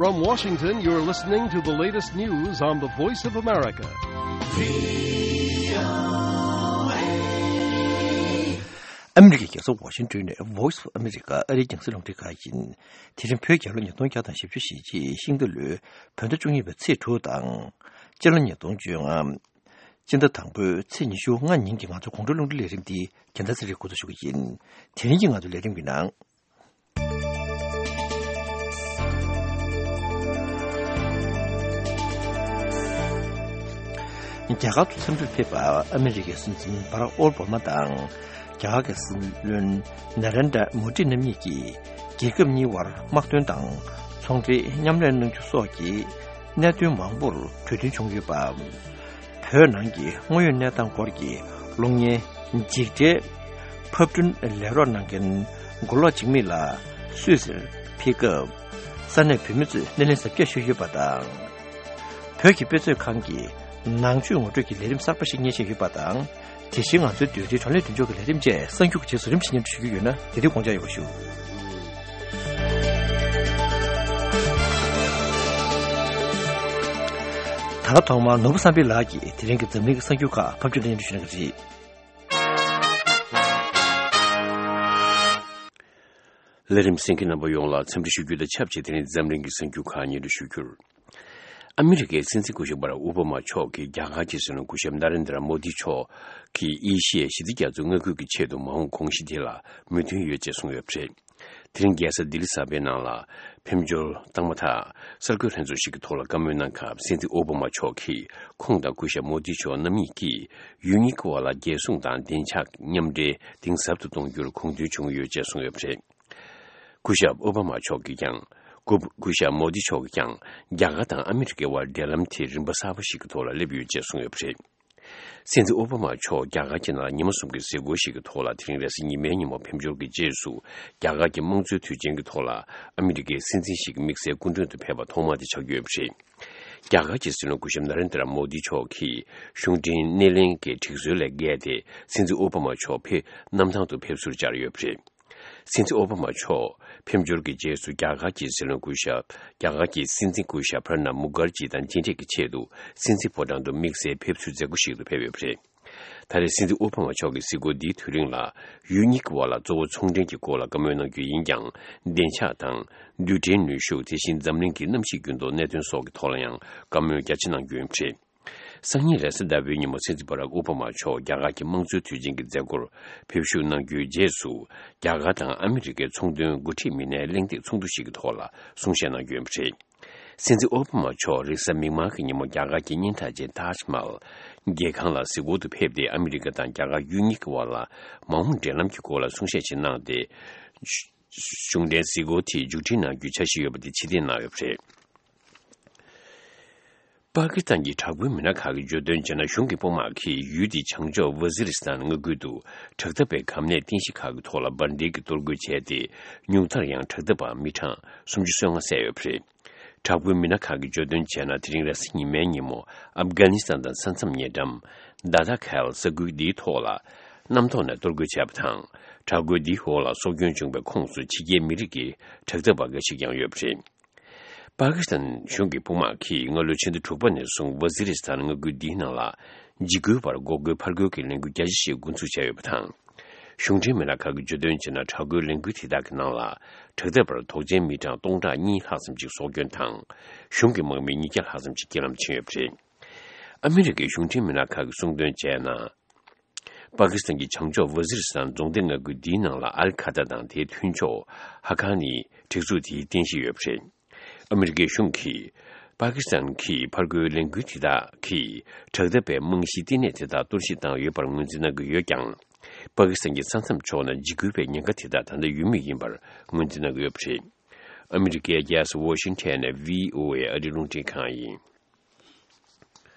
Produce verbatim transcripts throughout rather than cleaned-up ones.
From Washington, you're listening to the latest news on the Voice of America. ཨ་མི་རི་ཀའི་རྒྱལ་ས་ཝ་ཤིང་ཏོན་ནས་Voice of America ཨ་རིའི་རྒྱང་སྲིང་རླུང་འཕྲིན་ཁང་ཡིན། དེ་རིང་བོད་རྒྱལ་ལོ་ཉིས་སྟོང་བརྒྱ་དང་བཞི་བཅུ་ཞེ་གཅིག་ཤིང་རྟ་ལོའི་བོད་ཟླ་བཅུ་གཉིས་པའི་ཚེས་དྲུག་དང་། སྤྱི་ལོ་ཉིས་སྟོང་བཅོ་ལྔ། སྤྱི་ཟླ་དང་པོའི་ཚེས་ཉི་ཤུ་ལྔ་ཉིན་གྱི་ང་ཚོའི་དགོང་དྲོའི་རླུང་འཕྲིན་ལས་རིམ་འདི་རྒྱལ་མཚན་ཚེ་རིང་འགོ་འཛུགས་ཞུ་གི་ཡིན། དེ་རིང་གི་ང་ཚོའི་ལས་རིམ་གྱི་ནང་། རྒྱ་གར་དུ་འཚམས་འདྲིར་ཕེབས་པ་ཨ་མི་རི་ཀའི་སྲིད་འཛིན་བྷ་རག་ཨོ་བྷ་མ་དང་། རྒྱ་གར་གྱི་སྲིད་བློན་ན་རེན་དྲ་མོ་དི་རྣམ་གཉིས་ཀྱིས་རྒྱལ་ཁབ་གཉིས་དབར་དམག་དོན་དང་ཚོང་འབྲེལ་མཉམ་ལས་གནང་རྒྱུ་སོགས་ཀྱི་གནད་དོན་མང་པོར་གྲོས་མཐུན་བྱུང་ཡོད་པ། བོད་ནང་གི་དངོས་ཡོད་གནས་སྟངས་སྐོར་གྱི་གློག་བརྙན་འཇིགས་བྲལ་ཕབ་སྐྲུན་ལས་རོགས་གནང་མཁན་མགོ་ལོག་འཇིགས་མེད་ལགས་སུད་སིར་ཕེབས་སྐབས། ས་གནས་བོད་མི་ཚོས་སྣེ་ལེན་གཟབ་རྒྱས་ཞུས་ཡོད་པ་དང་། བོད་ཀྱི་དཔེ་མཛོད་ཁང་གིས་ནང་ཆོས་ངོ་སྤྲོད་ཀྱི་ལས་རིམ་གསར་པ་ཞིག་སྙན་སེང་ཡོད་པ་དང་། དེ་བཞིན་ང་ཚོའི་དུས་རེའི་བགྲོ་གླེང་མདུན་ལྕོག་གི་ལས་རིམ་བཅས་གསར་འགྱུར་གྱི་རྗེས་སུ་རིམ་བཞིན་སྙན་སྒྲོན་ཞུ་རྒྱུ་ཡོད་ན་དེ་དུས་དགོངས་འཇགས་ཡོད་པ་ཞུ། ད་ལྟ་ཐོག་མར་ནོར་བུ་བསམ་འཕེལ་ལགས་ཀྱིས་དེ་རིང་གི་འཛམ་གླིང་གི་གསར་འགྱུར་ཁག་ཕབ་སྒྱུར་སྙན་སྒྲོན་ཞུ་གནང་གི་རེད། ལས་རིམ་གསན་མཁན་རྣམ་པ་ཡོངས་ལ་འཚམས་འདྲི་ཞུ་རྒྱུ་དང་ཆབས་ཅིག་དེ་རིང་འཛམ་གླིང་གི་གསར་འགྱུར་ཁག་སྙན་སྒྲོན་ཞུ་རྒྱུར། ཨ་མི་རི་ཀའི་སྲིད་འཛིན་སྐུ་ཞབས་བྷ་རག་ཨོ་བྷ་མ་མཆོག་གིས་རྒྱ་གར་གྱི་སྲིད་བློན་སྐུ་ཞབས་ན་རེན་དྲ་མོ་དི་མཆོག་གིས་ཨེ་ཤི་ཡའི་ཞི་བདེ་རྒྱ་མཚོའི་མངའ་ཁུལ་གྱི་ཆེད་དུ་མ་འོངས་དགོངས་གཞི་དེ་ལ་མོས་མཐུན་ཡོད་ཅེས་གསུངས་ཡོད་པ་རེད། དེ་རིང་རྒྱལ་ས་ལྡི་ལི་གསར་པའི་ནང་ལ་ཕེབས་འབྱོར་བཏང་མ་ཐག་གསར་འགོད་ལྷན་ཚོགས་ཤིག་གི་ཐོག་ལ་བཀའ་མོལ་གནང་སྐབས། སྲིད་འཛིན་ཨོ་བྷ་མ་མཆོག་གིས་ཁོང་དང་སྐུ་ཞབས་མོ་དི་མཆོག་རྣམ་གཉིས་ཀྱིས་ཡུལ་གཉིས་ཀྱི་དབར་ལ་རྒྱལ་སྲུང་དང་བདེ་འཇགས་མཉམ་འབྲེལ་གཏིང་ཟབ་ཏུ་གཏོང་རྒྱུར་དགོངས་མཐུན་བྱུང་ཡོད་ཅེས་གསུངས་ཡོད་པ་རེད། སྐུ་ཞབས་ཨོ་བྷ་མ་མཆོག་གིས་ཀྱང་སྐུ་སྐུ་ཞབས་མོ་དི་མཆོག་གིས་ཀྱང་རྒྱ་གར་དང་ཨ་མི་རི་ཀའི་དབར་འབྲེལ་ལམ་དེ་རིམ་པ་གསར་པ་ཞིག་གི་ཐོག་ལ་སླེབས་ཡོད་ཅེས་གསུངས་ཡོད་པ་རེད། སྲིད་འཛིན་ཨོ་བྷ་མ་མཆོག་རྒྱ་གར་གྱི་ནང་ལ་ཉི་མ་གསུམ་གྱི་གཟིགས་སྐོར་ཞིག་གི་ཐོག་ལ་དེ་རིང་རེས་གཟའ་ཉི་མའི་ཉིན་མོ་ཕེབས་འབྱོར་གྱི་རྗེས་སུ། རྒྱ་གར་གྱི་དམངས་གཙོའི་དུས་ཆེན་གྱི་ཐོག་ལ་ཨ་མི་རི་ཀའི་སྲིད་འཛིན་ཞིག་དམིགས་བསལ་སྐུ་མགྲོན་དུ་ཕེབས་པ་ཐོག་མ་དེ་ཆགས་ཀྱི་ཡོད་པ་རེད། རྒྱ་གར་གྱི་སྲིད་བློན་སྐུ་ཞབས་ན་རེན་དྲ་མོ་དི་མཆོག་གིས་གཞུང་འབྲེལ་སྣེ་ལེན་གྱི་སྒྲིག་སྲོལ་ལས་འགལ་ཏེ། སྲིད་འཛིན་ཨོ་བྷ་མ་མཆོག་ཕེབས་གནམ་ཐང་དུ་ཕེབས་བསུར་བཅར་ཡོད་པ་རེད། སྲིད་འཛིན་ཨོ་བྷ་མ་མཆོག་ཕེབས་འབྱོར་གྱི་རྗེས་སུ། རྒྱ་གར་གྱི་སྲིད་བློན་སྐུ་ཞབས། རྒྱ་གར་གྱི་སྲིད་འཛིན་སྐུ་ཞབས་པྲ་ནབ་མུ་ཁར་ཇི་དང་མཇལ་འཕྲད་ཀྱི་ཆེད་དུ། སྲིད་འཛིན་ཕོ་བྲང་དུ་དམིགས་བསལ་ཕེབས་བསུའི་མཛད་སྒོ་ཞིག་ཏུ་ཕེབས་ཡོད་པ་རེད། ད་རེས་སྲིད་འཛིན་ཨོ་བྷ་མ་མཆོག་གི་གཟིགས་སྐོར་འདིའི་དུས་རིང་ལ། ཡུལ་གཉིས་ཀྱི་དབར་ལ་གཙོ་བོ་ཚོང་འབྲེལ་གྱི་སྐོར་ལ་བཀའ་མོལ་གནང་རྒྱུ་ཡིན་ཀྱང་། བདེ་འཇགས་དང་། རྡུལ་ཕྲན་ནུས་ཤུགས། དེ་བཞིན་འཛམ་གླིང་གི་གནམ་གཤིས་འགྱུར་ལྡོག་གནད་དོན་སོགས་ཀྱི་ཐོག་ལ་ཡང་བཀའ་མོལ་རྒྱ་ཆེ་གནང་རྒྱུ་ཡིན་པ་རེད། སང་ཉིན་རེས་གཟའ་ཟླ་བའི་ཉིན་མོ་སྲིད་འཛིན་བྷ་རག་ཨོ་བྷ་མ་མཆོག་རྒྱ་གར་གྱི་དམངས་གཙོའི་དུས་ཆེན་གྱི་མཛད་སྒོར་ཕེབས་ཞུགས་གནང་རྒྱུའི་རྗེས་སུ། རྒྱ་གར་དང་ཨ་མི་རི་ཀའི་ཚོང་དོན་འགོ་ཁྲིད་མི་སྣའི་གླེང་སྟེགས་ཚོགས་འདུ་ཞིག་གི་ཐོག་ལ་གསུང་བཤད་གནང་རྒྱུ་ཡིན་པ་རེད། སྲིད་འཛིན་ཨོ་བྷ་མ་མཆོག་རེས་གཟའ་མིག་དམར་གྱི་ཉིན་མོ་རྒྱ་གར་གྱི་སྙན་གྲགས་ཅན་ཏཱཇ་མ་ཧལ་རྒྱལ་ཁང་ལ་གཟིགས་སྐོར་དུ་ཕེབས་ཏེ། ཨ་མི་རི་ཀ་དང་རྒྱ་གར་ཡུལ་གཉིས་ཀྱི་དབར་ལ་མ་འོངས་འབྲེལ་ལམ་གྱི་སྐོར་ལ་གསུང་བཤད་ཅིག་གནང་སྟེ། གཞུང་འབྲེལ་གཟིགས་སྐོར་དེ་མཇུག་སྒྲིལ་གནང་རྒྱུའི་འཆར་གཞི་ཡོད་པ་དེ་ཕྱིར་འཐེན་གནང་ཡོད་པ་རེད། པ་ཀི་སི་ཐན་གྱི་དྲག་པོའི་མི་སྣ་ཁག་གིས་བརྗོད་དོན་བྱས་ན། གཞུང་གི་དཔུང་དམག་གིས་ཡུལ་དེའི་བྱང་ཕྱོགས་ཝ་ཟི་རི་སི་ཐན་མངའ་ཁུལ་དུ་དྲག་འཐབ་པའི་གམ་ནད་རྟེན་གཞི་ཁག་གི་ཐོག་ལ་འབར་མདེལ་གྱིས་གཏོར་རྒོལ་བྱས་ཏེ། ཉུང་མཐར་ཡང་དྲག་འཐབ་པ་མི་གྲངས་སུམ་ཅུ་སོ་ལྔ་བསད་ཡོད་པ་རེད། དྲག་པོའི་མི་སྣ་ཁག་གིས་བརྗོད་དོན་བྱས་ན། དེ་རིང་རེས་གཟའ་ཉི་མའི་ཉིན་མོ་ཨབ་གྷ་ནི་སི་ཐན་དང་ས་མཚམས་ཉེ་འགྲམ་དཱ་ཐ་ཁལ་ས་ཁུལ་འདིའི་ཐོག་ལ་གནམ་ཐོག་ནས་གཏོར་རྒོལ་བྱས་པ་དང་། དྲག་རྒོལ་འདིའི་འོག་ལ་སྲོག་སྐྱོན་བྱུང་བའི་ཁོངས་སུ་ཕྱི་རྒྱལ་མི་རིགས་ཀྱི་དྲག་འཐབ་པ་འགའ་ཞིག་ཀྱང་ཡོད་པ་རེད། པ་ཀི་སི་ཐན་གཞུང་གི་དཔུང་དམག་གིས་སྔ་ལོའི་ཕྱི་ཟླ་དྲུག་པ་ནས་བཟུང་ཝ་ཟི་རི་སི་ཐན་མངའ་ཁུལ་འདིའི་ནང་ལ་འཇིགས་སྐུལ་བར་འགོག་རྒོལ་ཕར་རྒོལ་གྱི་ལས་འགུལ་རྒྱ་ཆེ་ཞིག་འགོ་འཛུགས་བྱས་ཡོད་པ་དང་། གཞུང་འབྲེལ་མི་སྣ་ཁག་གིས་བརྗོད་དོན་བྱས་ན། དྲག་རྒོལ་ལས་འགུལ་དེ་དག་གི་ནང་ལ་དྲག་འཐབ་པར་དོགས་ཅན་མི་གྲངས་སྟོང་ཕྲག་གཉིས་ལྷག་ཙམ་ཞིག་སྲོག་སྐྱོན་དང་། གཞུང་གི་དམག་མི་ཉིས་བརྒྱ་ལྷག་ཙམ་ཞིག་རྐྱེན་ལམ་ཕྱིན་ཡོད་པ་རེད། ཨ་མི་རི་ཀའི་གཞུང་འབྲེལ་མི་སྣ་ཁག་གིས་གསུངས་དོན་བྱས་ན། པ་ཀི་སི་ཐན་གྱི་བྱང་ཕྱོགས་ཝ་ཟི་རི་སི་ཐན་རྫོང་སྡེ་མངའ་ཁུལ་འདིའི་ནང་ལ་ཨལ་ཁ་ད་དང་དེའི་མཐུན་ཕྱོགས་ཧ་ཀ་ནི་སྒྲིག་འཛུགས་དེའི་རྟེན་གཞི་ཡོད་པ་རེད། ཨ་མི་རི་ཀའི་གཞུང་གིས་པ་ཀི་སི་ཐན་གྱི་ཕར་རྒོལ་ལས་འགུལ་དེ་དག་གིས་དྲག་འཐབ་པའི་རྨང་གཞིའི་བསྟི་གནས་དེ་དག་གཏོར་བཤིག་བཏང་ཡོད་པར་ངོས་འཛིན་གནང་གི་ཡོད་ཀྱང་། པ་ཀི་སི་ཐན་གྱི་ས་མཚམས་ཕྱོགས་ན་འཇིགས་སྐུལ་བའི་ཉེན་ཁ་དེ་དག་ད་ལྟ་ཡོད་མུས་ཡིན་པར་ངོས་འཛིན་གནང་གི་ཡོད་པ་རེད། ཨ་མི་རི་ཀའི་རྒྱལ་ས་ཝོ་ཤིང་ཊོན་ནས་བྷི་ཨོ་ཨེ་ཨ་རིའི་རླུང་འཕྲིན་ཁང་ཡིན།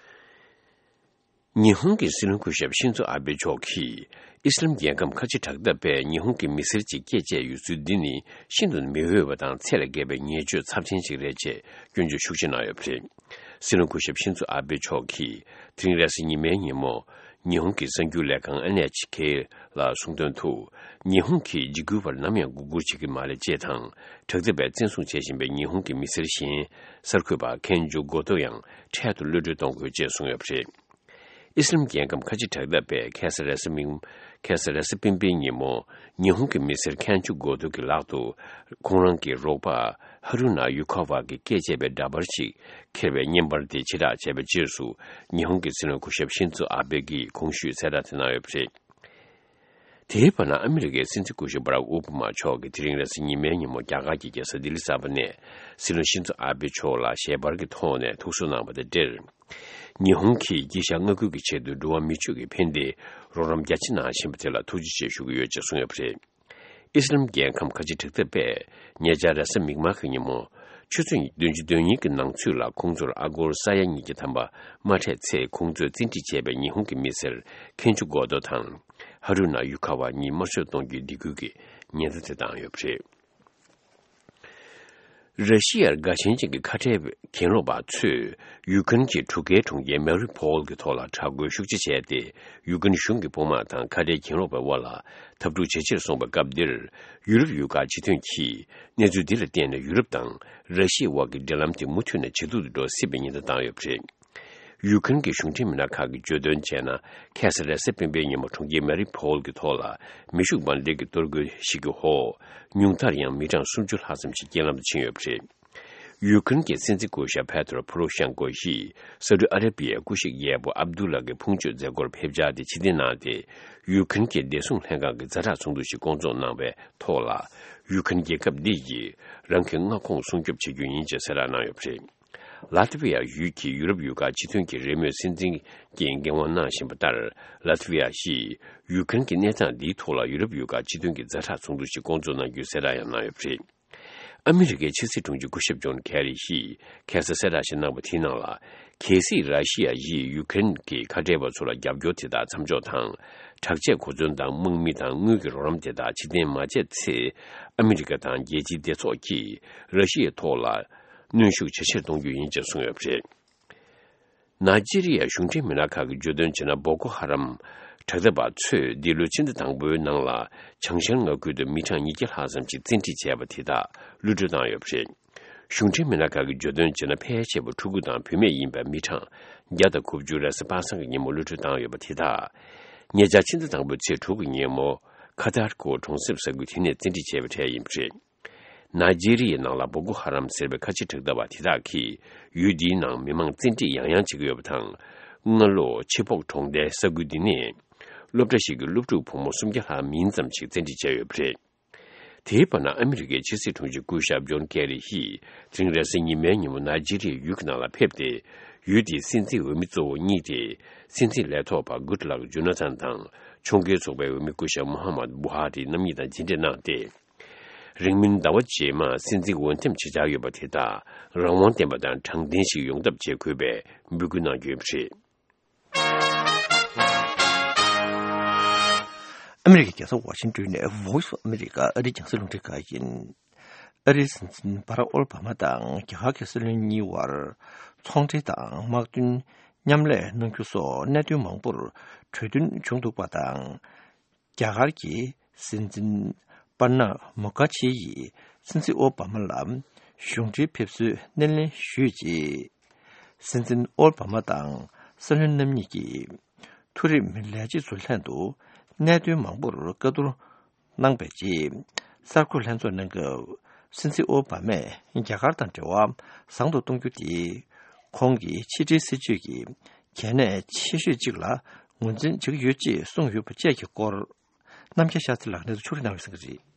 ཉི་ཧོང་གི་སྲིད་བློན་སྐུ་ཞབས་ཤིན་ཛོ་ཨ་བྷེ་མཆོག་གིས། ཨི་སི་ལམ་རྒྱལ་ཁམས་ཁ་ཆེ་དྲག་འཐབ་པས་ཉི་ཧོང་གི་མི་སེར་ཅིག་སྐྱེས་བཅས་ཡོད་ཚུལ་འདི་ནི་ཤིན་ཏུ་མི་འོས་པ་དང་ཚད་ལས་བརྒལ་བའི་ཉེས་སྤྱོད་ཚབས་ཆེན་ཞིག་རེད་ཅེས་སྐྱོན་བརྗོད་ཤུགས་ཆེ་གནང་ཡོད་པ་རེད། སྲིད་བློན་སྐུ་ཞབས་ཤིན་ཛོ་ཨ་བྷེ་མཆོག་གིས་དེ་རིང་རེས་གཟའ་ཉི་མའི་ཉིན་མོ། ཉི་ཧོང་གི་གསར་འགྱུར་ལས་ཁང་ཨེན་ཨེཆ་ཁེ་ལ་གསུངས་དོན་དུ། ཉི་ཧོང་གིས་འཇིགས་སྐུལ་བར་ནམ་ཡང་མགོ་སྒུར་བྱེད་ཀྱི་མ་རེད་ཅེས་དང་། དྲག་འཐབ་པས་བཙན་བཟུང་བྱེད་བཞིན་པའི་ཉི་ཧོང་གི་མི་སེར་གཞན་གསར་འགོད་པ་ཁེན་ཇུ་གོ་ཏོ་ཡང་འཕྲལ་དུ་གློད་གྲོལ་གཏོང་དགོས་ཅེས་གསུངས་ཡོད་པ་རེད། ཨི་སི་རམ་རྒྱལ་ཁམས་ཁ་ཆེ་དྲག་འཐབ་པས་ཁ་སང་རེས་གཟའ་མིག་ཁ་སང་རེས་གཟའ་སྤེན་པའི་ཉིན་མོ། ཉི་ཧོང་གི་མི་སེར་ཁན་ཆུ་གོ་ཏོ་གི་ལག་ཏུ། ཁོང་རང་གི་རོགས་པ་ཧ་རུ་ན་ཡུ་ཁ་ཝ་གིས་བཀལ་བྱས་པའི་འདྲ་པར་ཞིག་འཁྱེར་བའི་བརྙན་པར་དེ་ཕྱིར་བསྒྲགས་བྱས་པའི་རྗེས་སུ། ཉི་ཧོང་གི་སྲིད་བློན་སྐུ་ཞབས་ཤིན་ཛོ་ཨ་བྷེ་གིས་གོང་ཞུས་གསལ་བསྒྲགས་དེ་གནང་ཡོད་པ་རེད། དེའི་བར་ན། ཨ་མི་རི་ཀའི་སྲིད་འཛིན་སྐུ་ཞབས་བྷ་རག་ཨོ་བྷ་མ་མཆོག་གིས་དེ་རིང་རེས་གཟའ་ཉི་མའི་ཉིན་མོ་རྒྱ་གར་གྱི་རྒྱལ་ས་ལྡི་ལི་གསར་པ་ནས། སྲིད་བློན་ཤིན་ཛོ་ཨ་བྷེ་མཆོག་ལ་ཞལ་པར་གྱི་ཐོག་ནས་ཐུགས་གསོ་གནང་བ་དང་འབྲེལ། ཉི་ཧོང་གིས་དཀྱིལ་ཤར་མངའ་ཁུལ་གྱི་ཆེད་དུ་འགྲོ་བ་མི་ཆོས་ཀྱི་ཕན་བདེ་རོགས་རམ་རྒྱ་ཆེ་གནང་བཞིན་པ་དེ་ལ་ཐུགས་རྗེ་ཆེ་ཞུ་གི་ཡོད་ཅེས་གསུངས་ཡོད་པ་རེད། ཨི་སི་རམ་རྒྱལ་ཁམས་ཁ་ཆེ་དྲག་འཐབ་པས་ཉེ་ཆར་རེས་གཟའ་མིག་དམར་གྱི་ཉིན་མོ། ཆུ་ཚོད་བདུན་ཅུ་དོན་གཉིས་ཀྱི་ནང་ཚུད་ལ་ཁོང་ཚོར་ཨ་སྒོར་ས་ཡ་ཉིས་བརྒྱ་ཐམ་པ་མ་སྤྲད་ཚེ། ཁོང་ཚོས་བཙན་ཁྲིད་བྱས་པའི་ཉི་ཧོང་གི་མི་སེར་ཁེན་ཆུ་གོ་ཏོ་དང་། ཧ་རུ་ན་ཡུ་ཁ་ཝ་གཉིས་དམར་གསོད་གཏོང་རྒྱུའི་སྡིགས་སྐུལ་གྱི་ཉེན་བརྡ་དེ་བཏང་ཡོད་པ་རེད། ར་ཤི་ཡར་དགའ་ཞེན་ཅན་གྱི་ཁ་བྲལ་གྱེན་ལོག་པ་ཚོས་ཡུ་ཀེ་རེན་གྱི་གྲུ་ཁའི་གྲོང་ཁྱེར་མེ་རི་ཕོལ་གྱི་ཐོག་ལ་དྲག་རྒོལ་ཤུགས་ཆེ་བྱས་ཏེ། ཡུ་ཀེ་རེན་གཞུང་གི་དཔུང་དམག་དང་ཁ་བྲལ་གྱེན་ལོག་པའི་དབར་ལ་འཐབ་འཁྲུག་ཇེ་ཆེར་སོང་བའི་སྐབས་འདིར། ཡུ་རོབ་ཡུལ་ཁག་སྤྱི་མཐུན་གྱིས་གནས་ཚུལ་འདི་ལ་བརྟེན་ནས་ཡུ་རོབ་དང་ར་ཤི་ཡའི་དབར་གྱི་འབྲེལ་ལམ་དེ་མུ་མཐུད་ནས་ཇེ་སྡུག་ཏུ་འགྲོ་སྲིད་པའི་ཉེན་བརྡ་བཏང་ཡོད་པ་རེད། ཡུ་ཀེ་རེན་གྱི་གཞུང་འབྲེལ་མི་སྣ་ཁག་གིས་བརྗོད་དོན་བྱས་ན། ཁ་སང་རེས་གཟའ་སྤེན་པའི་ཉིན་མོ་གྲོང་ཁྱེར་མེ་རི་ཕོལ་གྱི་ཐོག་ལ་མེ་ཤུགས་འབར་མདེལ་གྱི་གཏོར་རྒོལ་ཞིག་གི་འོག་ཉུང་མཐར་ཡང་མི་གྲངས་སུམ་ཅུ་ལྷག་ཙམ་ཞིག་རྐྱེན་ལམ་དུ་ཕྱིན་ཡོད་པ་རེད། ཡུ་ཀེ་རེན་གྱི་སྲིད་འཛིན་སྐུ་ཞབས་ཕེ་ཏྲོ་ཕོ་རོ་ཤན་ཀོ་ཡིས་སའུ་ཏི་ཨ་ར་པི་ཡའི་སྐུ་གཤེགས་རྒྱལ་པོ་ཨབ་དུ་ལ་གི་ཕུང་མཆོད་མཛད་སྒོར་ཕེབས་འཆར་དེ་ཕྱིར་འཐེན་གནང་སྟེ། ཡུ་ཀེ་རེན་གྱི་བདེ་སྲུང་ལྷན་ཁང་གི་ཛ་དྲག་ཚོགས་འདུ་ཞིག་བསྐོང་ཚོགས་གནང་བའི་ཐོག་ལ། ཡུ་ཀེ་རེན་རྒྱལ་ཁབ་འདི་ཡིས་རང་གི་མངའ་ཁོངས་སྲུང་སྐྱོབ་བྱེད་རྒྱུ་ཡིན་ཅེས་གསལ་བསྒྲགས་གནང་ཡོད་པ་རེད། ལ་ཏི་བི་ཡ་ཡུལ་གྱི་ཡུ་རོབ་ཡུལ་ཁག་སྤྱི་མཐུན་གྱི་རེས་མོས་སྲིད་འཛིན་གྱིས་འགན་དབང་གནང་བཞིན་པ་ལྟར། ལ་ཏི་བི་ཡ་ཡིས་ཡུ་ཀེ་རེན་གྱི་གནས་སྟངས་འདིའི་ཐོག་ལ་ཡུ་རོབ་ཡུལ་ཁག་སྤྱི་མཐུན་གྱི་ཛ་དྲག་ཚོགས་འདུ་ཞིག་བསྐོང་ཚོགས་གནང་རྒྱུའི་གསལ་བསྒྲགས་ཡང་གནང་ཡོད་པ་རེད། ཨ་མི་རི་ཀའི་ཕྱི་སྲིད་དྲུང་ཆེ་སྐུ་ཞབས་ཇོན་ཁེ་རི་ཡིས་ཁ་སང་གསལ་བསྒྲགས་ཤིག་གནང་བ་དེའི་ནང་ལ། གལ་སྲིད་ར་ཤི་ཡ་ཡིས་ཡུ་ཀེ་རེན་གྱི་ཁ་བྲལ་བ་ཚོ་ལ་རྒྱབ་སྐྱོར་དེ་དག་མཚམས་འཇོག་དང་། དྲག་ཆས་གོ་མཚོན་དང་དམག་མི་དང་དངུལ་གྱི་རོགས་རམ་དེ་དག་ཕྱིར་འཐེན་མ་བྱས་ཚེ། ཨ་མི་རི་ཀ་དང་རྒྱལ་སྤྱིའི་སྡེ་ཚོགས་ཀྱིས་ར་ཤི་ཡའི་ཐོག་ལ་གནོན་ཤུགས་ཇེ་ཆེར་གཏོང་རྒྱུ་ཡིན་ཅེས་གསུངས་ཡོད་པ་རེད། ནཱི་ཇི་རི་ཡའི་གཞུང་འབྲེལ་མི་སྣ་ཁག་གིས་བརྗོད་དོན་བྱས་ན། བོ་ཀོ་ཧ་རམ་དྲག་འཐབ་པ་ཚོས་འདི་ལོའི་ཕྱི་ཟླ་དང་པོའི་ནང་ལ་བྱང་ཤར་མངའ་ཁུལ་དུ་མི་གྲངས་ཉིས་བརྒྱ་ལྷག་ཙམ་ཞིག་བཙན་ཁྲིད་བྱས་པ་དེ་དག་གློད་གྲོལ་བཏང་ཡོད་པ་རེད། གཞུང་འབྲེལ་མི་སྣ་ཁག་གིས་བརྗོད་དོན་བྱས་ན། ཕལ་ཆེ་བ་ཕྲུ་གུ་དང་བུད་མེད་ཡིན་པའི་མི་གྲངས་བརྒྱ་དང་དགུ་བཅུ་རེས་གཟའ་པ་སངས་ཀྱི་ཉིན་མོ་གློད་གྲོལ་བཏང་ཡོད་པ་དེ་དག་ཉེ་ཆར་ཕྱི་ཟླ་དང་པོའི་ཚེས་དྲུག་གི་ཉིན་མོ་ཁ་ཐར་ཀོ་གྲོང་གསེབ་ས་ཁུལ་དེ་ནས་བཙན་ཁྲིད་བྱས་པའི་གྲས་ཡིན་པ་རེད། ནཱི་ཇི་རི་ཡའི་ནང་ལ་བོ་ཀོ་ཧ་རམ་ཟེར་བའི་ཁ་ཆེ་དྲག་འཐབ་པ་དེ་དག་གིས་ཡུལ་འདིའི་ནང་མི་མང་བཙན་ཁྲིད་ཡང་ཡང་བྱེད་ཀྱི་ཡོད་པ་དང་། སྔ་ལོ་ཆི་ཕོག་གྲོང་རྡལ་ས་ཁུལ་འདི་ནས་སློབ་གྲྭ་ཞིག་གི་སློབ་ཕྲུག་བུ་མོ་སུམ་བརྒྱ་ལྷག་མིན་ཙམ་ཞིག་བཙན་ཁྲིད་བྱས་ཡོད་པ་རེད། དེའི་བར་ན། ཨ་མི་རི་ཀའི་ཕྱི་སྲིད་དྲུང་ཆེ་སྐུ་ཞབས་ཇོན་ཁེ་རི་ཡིས་དེ་རིང་རེས་གཟའ་ཉི་མའི་ཉིན་མོ་ནཱི་ཇི་རི་ཡའི་ཡུལ་གྱི་ནང་ལ་ཕེབས་ཏེ། ཡུལ་དེའི་སྲིད་འཛིན་འོས་མི་གཙོ་བོ་གཉིས་ཏེ། སྲིད་འཛིན་ལས་ཐོག་པ་གུད་ལག་ཇོ་ན་ཐན་དང་། ཕྱོགས་འགལ་ཚོགས་པའི་འོས་མི་སྐུ་ཞབས་མོ་ཧ་མད་བུ་ཧ་རི་རྣམ་གཉིས་དང་མཇལ་འཕྲད་གནང་སྟེ། རིང་མིན་ཟླ་བ་རྗེས་མར་སྲིད་འཛིན་འོས་འདེམས་བྱེད་འཆར་ཡོད་པ་དེ་དག་རང་དབང་ལྡན་པ་དང་དྲང་བདེན་ཞིག་ཡོང་ཐབས་བྱེད་དགོས་པའི་འབོད་སྐུལ་གནང་རྒྱུ་ཡིན་པ་རེད། ཨ་མི་རི་ཀའི་རྒྱལ་ས་ཝ་ཤིང་ཏོན་ནས་Voice of America ཨ་རིའི་རྒྱང་སྲིང་རླུང་འཕྲིན་ཁང་ཡིན། ཨ་རིའི་སྲིད་འཛིན་བྷ་རག་ཨོ་བྷ་མ་དང་རྒྱ་གར་གྱི་སྲིད་བློན་གཉིས་དབར་ཚོང་འབྲེལ་དང་དམག་དོན་མཉམ་ལས་གནང་རྒྱུ་སོགས་གནད་དོན་མང་པོར་གྲོས་མཐུན་བྱུང་འདུག་པ་དང་། རྒྱ་གར་གྱི་སྲིད་འཛིན་པར་ན་མུ་ཁར་ཇི་ཡིས་སྲིད་འཛིན་ཨོ་བྷ་མ་ལ་གཞུང་འབྲེལ་ཕེབས་བསུའི་སྣེ་ལེན་ཞུས་རྗེས། སྲིད་འཛིན་ཨོ་བྷ་མ་དང་སྲིད་བློན་རྣམ་གཉིས་ཀྱིས་མཐོ་རིམ་ལས་བྱེད་ཚོའི་ལྷན་དུ་གནད་དོན་མང་པོར་བཀའ་བསྡུར་གནང་བའི་རྗེས། གསར་འགོད་ལྷན་ཚོགས་གནང་སྐབས། སྲིད་འཛིན་ཨོ་བྷ་མས་རྒྱ་གར་དང་འབྲེལ་བ་བཟང་དུ་གཏོང་རྒྱུ་དེ། ཁོང་གི་ཕྱི་འབྲེལ་སྲིད་ཇུས་ཀྱི་གལ་གནད་ཆེ་ཤོས་གཅིག་ལ་ངོས་འཛིན་བྱེད་ཀྱི་ཡོད་ཅེས་གསུངས་ཡོད་པ་བཅས་ཀྱི་སྐོར། རྣམ་རྒྱལ་ཤཱ་སྟྲི་ལགས་གནས་ཚུལ་ཕྱོགས་སྒྲིག་གནང་བའི་གསན་གྱི་རེད།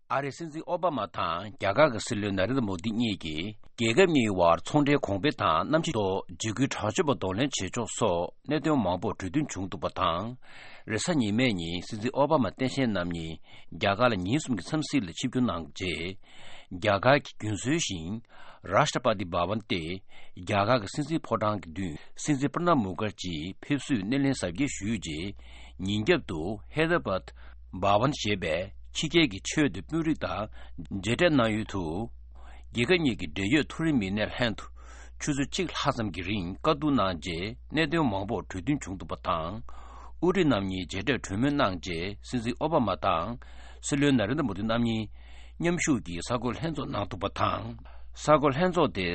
ཨ་རིའི་སྲིད་འཛིན་ཨོ་བྷ་མ་དང་རྒྱ་གར་གྱི་སྲིད་བློན་ན་རེན་དྲ་མོ་དི་གཉིས་ཀྱིས། རྒྱལ་ཁབ་གཉིས་བར་ཚོང་འབྲེལ་གོང་འཕེལ་དང་གནམ་གཤིས་ཐོག་འཇིགས་སྐུལ་དྲག་སྤྱོད་པ་གདོང་ལེན་བྱེད་ཕྱོགས་སོགས་གནད་དོན་མང་པོར་གྲོས་མཐུན་བྱུང་འདུག་པ་དང་། རེས་གཟའ་ཉི་མའི་ཉིན་སྲིད་འཛིན་ཨོ་བྷ་མ་སྟངས་དཔྱལ་རྣམ་གཉིས་རྒྱ་གར་ལ་ཉིན་གསུམ་གྱི་འཚམས་གཟིགས་ལ་ཆིབས་བསྒྱུར་གནང་རྗེས། རྒྱ་གར་གྱི་རྒྱུན་སྲོལ་བཞིན་རཱཤ་ཊ་པ་ཏི་བྷ་ཝན་སྟེ། རྒྱ་གར་གྱི་སྲིད་འཛིན་ཕོ་བྲང་གི་མདུན་སྲིད་འཛིན་པྲ་ནབ་མུ་ཁར་ཇིའི་ཕེབས་བསུའི་སྣེ་ལེན་གཟབ་རྒྱས་ཞུས་རྗེས། ཉིན་རྒྱབ་ཏུ་ཧེ་དར་བཱད་བྷ་ཝན་ཞེས་པའི་ཕྱི་རྒྱལ་གྱི་ཆོས་དང་དཔོན་རིགས་དང་མཇལ་འཕྲད་གནང་ཡུལ་དུ། རྒྱལ་ཁབ་གཉིས་ཀྱི་འབྲེལ་ཡོད་མཐོ་རིམ་མི་སྣའི་ལྷན་དུ་ ཆུ་ཚོད་གཅིག་ལྷག་ཙམ་གྱི་རིང་བཀའ་བསྡུར་གནང་རྗེས་གནད་དོན་མང་པོར་གྲོས་མཐུན་བྱུང་འདུག་པ་དང་། དབུ་ཁྲིད་རྣམ་གཉིས་མཇལ་འཕྲད་གྲོས་མོལ་གནང་རྗེས་སྲིད་འཛིན་ཨོ་བྷ་མ་དང་སྲིད་བློན་ན་རེན་དྲ་མོ་དི་རྣམ་གཉིས་མཉམ་ཞུགས་ཀྱིས་གསར་འགོད་ལྷན་ཚོགས་གནང་འདུག་པ་དང་། གསར་འགོད་ལྷན་ཚོགས་དེ་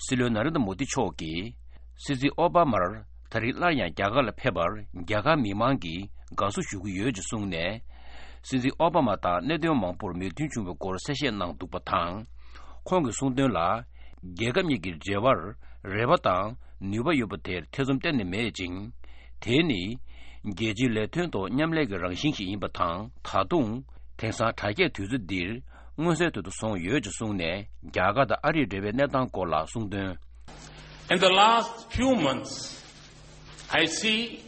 སྲིད་བློན་ན་རེན་དྲ་མོ་དི་མཆོག་གིས་སྲིད་འཛིན་ཨོ་བྷ་མར་ད་རེས་སླར་ཡང་རྒྱ་གར་ལ་ཕེབས་པར་རྒྱ་གར་མི་མང་གིས་དགའ་བསུ་ཞུ་གི་ཡོད་ཅེས་གསུངས་ནས། སྲིད་འཛིན་ཨོ་བྷ་མ་དང་གནད་དོན་མང་པོར་མོས་མཐུན་བྱུང་བའི་སྐོར་གསལ་བཤད་གནང་འདུག་པ་དང་། ཁོང་གིས་གསུངས་དོན་ལ། རྒྱལ་ཁབ་གཉིས་ཀྱི་འབྲེལ་བར་རེ་བ་དང་ནུས་པ་ཡོད་པ་དེར་ཐེ་ཚོམ་གཏན་ནས་མེད་ཅིང་། དེ་ནི་རྒྱལ་སྤྱིའི་ལས་དོན་ཐོག་མཉམ་ལས་ཀྱི་རང་བཞིན་ཞིག་ཡིན་པ་དང་། ད་དུང་དེང་སང་དྲ་རྒྱའི་དུས་ཚོད་འདིར་མངོན་གསལ་དོད་དུ་སོང་ཡོད་ཅེས་གསུངས་ནས། རྒྱ་གར་དང་ཨ་རིའི་འབྲེལ་བའི་གནས་སྟངས་སྐོར་ལ་གསུངས་དོན། In the last few months, I see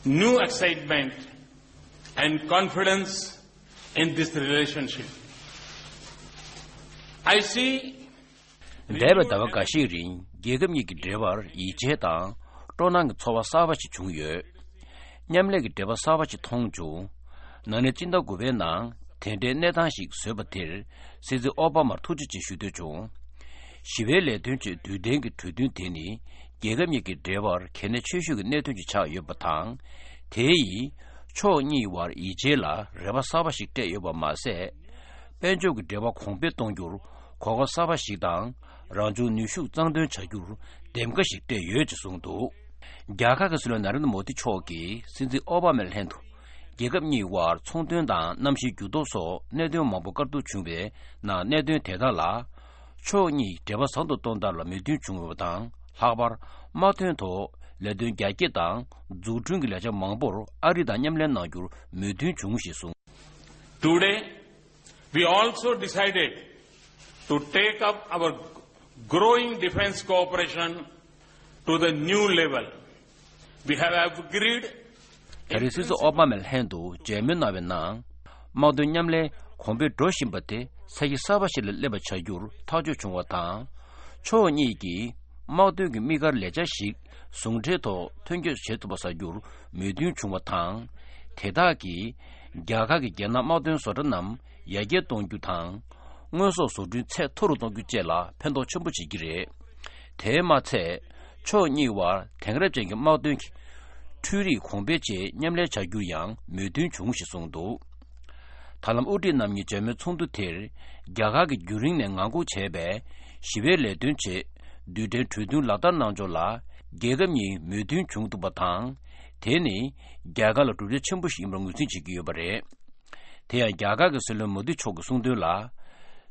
new excitement and confidence in this relationship. I see འདས་པའི་ཟླ་བ་འགའ་ཤས་རིང་རྒྱལ་ཁབ་གཉིས་ཀྱི་འབྲེལ་བར་ཡིད་ཆེས་དང་སྤྲོ་སྣང་གི་ཚོར་བ་གསར་པ་ཞིག་བྱུང་ཡོད། མཉམ་ལས་ཀྱི་འབྲེལ་བ་གསར་པ་ཞིག་མཐོང་བྱུང་། ན་ནིང་སྤྱི་ཟླ་དགུ་པའི་ནང་དེ་འདྲའི་གནས་སྟངས་ཤིག་བཟོས་པ་དེར་སྲིད་འཛིན་ཨོ་བྷ་མར་ཐུགས་རྗེ་ཆེ་ཞུ་འདོད་བྱུང་། ཞི་བའི་ལས་དོན་ཆེད་རྡུལ་ལྡན་གྱི་གྲོས་མཐུན་དེ་ནི་རྒྱལ་ཁབ་གཉིས་ཀྱི་འབྲེལ་བར་གལ་གནད་ཆེ་ཤོས་ཀྱི་གནད་དོན་ཞིག་ཆགས་ཡོད་པ་དང་། དེ་ཡིས་ཕྱོགས་གཉིས་བར་ཡིད་ཆེས་ལ་རེ་བ་གསར་པ་ཞིག་སྤྲད་ཡོད་པ་མ་ཟད། དཔལ་འབྱོར་གྱི་འབྲེལ་བ་གོང་འཕེལ་གཏོང་རྒྱུར་གོ་སྐབས་གསར་པ་ཞིག་དང་། རང་བྱུང་ནུས་ཤུགས་གཙང་འདོན་བྱ་རྒྱུར་འདེམས་ཀ་ཞིག་སྤྲད་ཡོད་ཅེས་གསུངས་འདུག་རྒྱ་གར་གྱི་སྲིད་བློན་ན་རེན་དྲ་མོ་དི་མཆོག་གིས་སྲིད་འཛིན་ཨོ་བྷ་མའི་ལྷན་དུ་རྒྱལ་ཁབ་གཉིས་དབར་ཚོང་དོན་དང་གནམ་གཤིས་འགྱུར་ལྡོག་སོགས་གནད་དོན་མང་པོ་བཀའ་བསྡུར་བྱུང་བའི་ནང་གནད་དོན་དེ་དག་ལ་ཕྱོགས་གཉིས་འབྲེལ་བ་བཟང་དུ་གཏོང་ཐབས་ལ་མོས་མཐུན་བྱུང་ཡོད་པ་དང་། ལྷག་པར་དམག་དོན་ཐོག་ལས་དོན་རྒྱ་སྐྱེད་དང་འཛུགས་སྐྲུན་གྱི་ལས་འཆར་མང་པོར་ཨ་རི་དང་མཉམ་ལས་གནང་རྒྱུར་མོས་མཐུན་བྱུང་ཞེས་གསུངས། Today, we also decided to take up our growing defense cooperation to the new level. We have agreed ད་རེས་སྲིད་འཛིན་ཨོ་བྷ་མའི་ལྷན་དུ་མཇལ་མོལ་གནང་བའི་ནང་། དམག་དོན་མཉམ་ལས་གོང་འཕེལ་འགྲོ་བཞིན་པ་དེ་ས་གཞི་གསར་པ་ཞིག་ལ་སླེབས་པ་བྱ་རྒྱུར་ཐག་གཅོད་བྱུང་བ་དང་། ཕྱོགས་གཉིས་ཀྱིས་དམག་དོན་གྱི་དམིགས་བཀར་ལས་འཆར་ཞིག་ཟུང་འབྲེལ་ཐོག་དོན་འཁྱོལ་བྱེད་ཐུབ་པ་བཟོ་རྒྱུར་མོས་མཐུན་བྱུང་བ་དང་། དེ་དག་གིས་རྒྱ་གར་གྱི་རྒྱལ་ནང་དམག་དོན་བཟོ་གྲྭ་རྣམས་ཡར་རྒྱས་གཏོང་རྒྱུ་དང་། དངོས་ཟོག་བཟོ་སྐྲུན་ཚད་མཐོ་རུ་གཏོང་རྒྱུ་བཅས་ལ་ཕན་ཐོགས་ཆེན་པོ་བྱེད་ཀྱི་རེད། དེས་མ་ཚད། ཕྱོགས་གཉིས་བར་དེང་རབས་ཅན་གྱི་དམག་དོན་གྱི་འཕྲུལ་རིག་གོང་འཕེལ་ཆེད་མཉམ་ལས་བྱ་རྒྱུར་ཡང་མོས་མཐུན་བྱུང་ཞེས་གསུངས་འདུག་ད་ལམ་དབུ་ཁྲིད་རྣམ་གཉིས་མཇལ་མོལ་ཚོགས་འདུ་དེར། རྒྱ་གར་གྱིས་རྒྱུན་རིང་ནས་ངང་སྒུག་བྱས་པའི་ཞི་བའི་ལས་དོན་ཆེད་རྡུལ་ཕྲན་གྲོས་མཐུན་ལག་བསྟར་གནང་ཕྱོགས་ལ་རྒྱལ་ཁབ་གཉིས་མོས་མཐུན་བྱུང་འདུག་པ་དང་། དེ་ནི་རྒྱ་གར་ལ་གྲུབ་འབྲས་ཆེན་པོ་ཞིག་ཡིན་པར་ངོས་འཛིན་བྱེད་ཀྱི་ཡོད་པ་རེད། དེ་ཡང་རྒྱ་གར་གྱི་སྲིད་བློན་མོ་དི་མཆོག་གིས་གསུངས་དོན་ལ།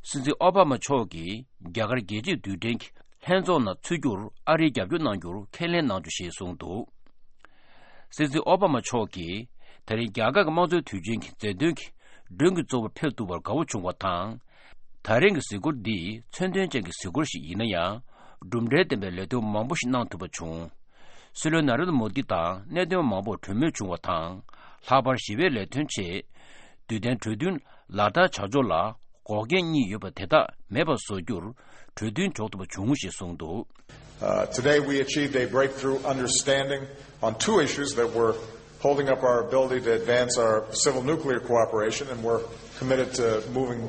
སྲིད་འཛིན་ཨོ་བྷ་མ་མཆོག་གིས་རྒྱ་གར་རྒྱལ་སྤྱིའི་རྡུལ་ཕྲན་གྱི་ལྷན་ཚོགས་ནང་ཚུད་རྒྱུར་ཨ་རིས་རྒྱབ་སྐྱོར་གནང་རྒྱུར་ཁས་ལེན་གནང་རྒྱུ་ཞེས་གསུངས་འདུག་སྲིད་འཛིན་ཨོ་བྷ་མ་མཆོག་གིས་ད་རིང་རྒྱ་གར་གྱི་དམངས་གཙོའི་དུས་ཆེན་གྱི་མཛད་དོན་གྱི་མགྲོན་གྱི་གཙོ་བོར་ཕེབས་ཐུབ་པར་དགའ་བོ་བྱུང་བ་དང་། ད་རིང་གི་གཟིགས་སྐོར་འདི་མཚོན་དོན་ཅན་གྱི་གཟིགས་སྐོར་ཞིག་ཡིན་ན་ཡང་། གྲུབ་འབྲས་ལྡན་པའི་ལས་དོན་མང་པོ་ཞིག་གནང་ཐུབ་པ་བྱུང་། སྲིད་བློན་ན་རེན་དྲ་མོ་དི་དང་གནད་དོན་མང་པོར་གྲོས་མོལ་བྱུང་བ་དང་། ལྷག་པར་ཞི་བའི་ལས་དོན་ཆེད་རྡུལ་ལྡན་གྲོས་མཐུན་ལག་བསྟར་བྱ་ཕྱོགས་ལ་འགོག་རྐྱེན་གཉིས་ཡོད་པ་དེ་དག་མེད་པར་བཟོ་རྒྱུར་གྲོས་མཐུན་འཇོག་ཐུབ་པ་བྱུང་ཞེས་གསུངས་འདུག Uh, today we achieved a breakthrough understanding on two issues that were holding up our ability to advance our civil nuclear cooperation, and we're committed to moving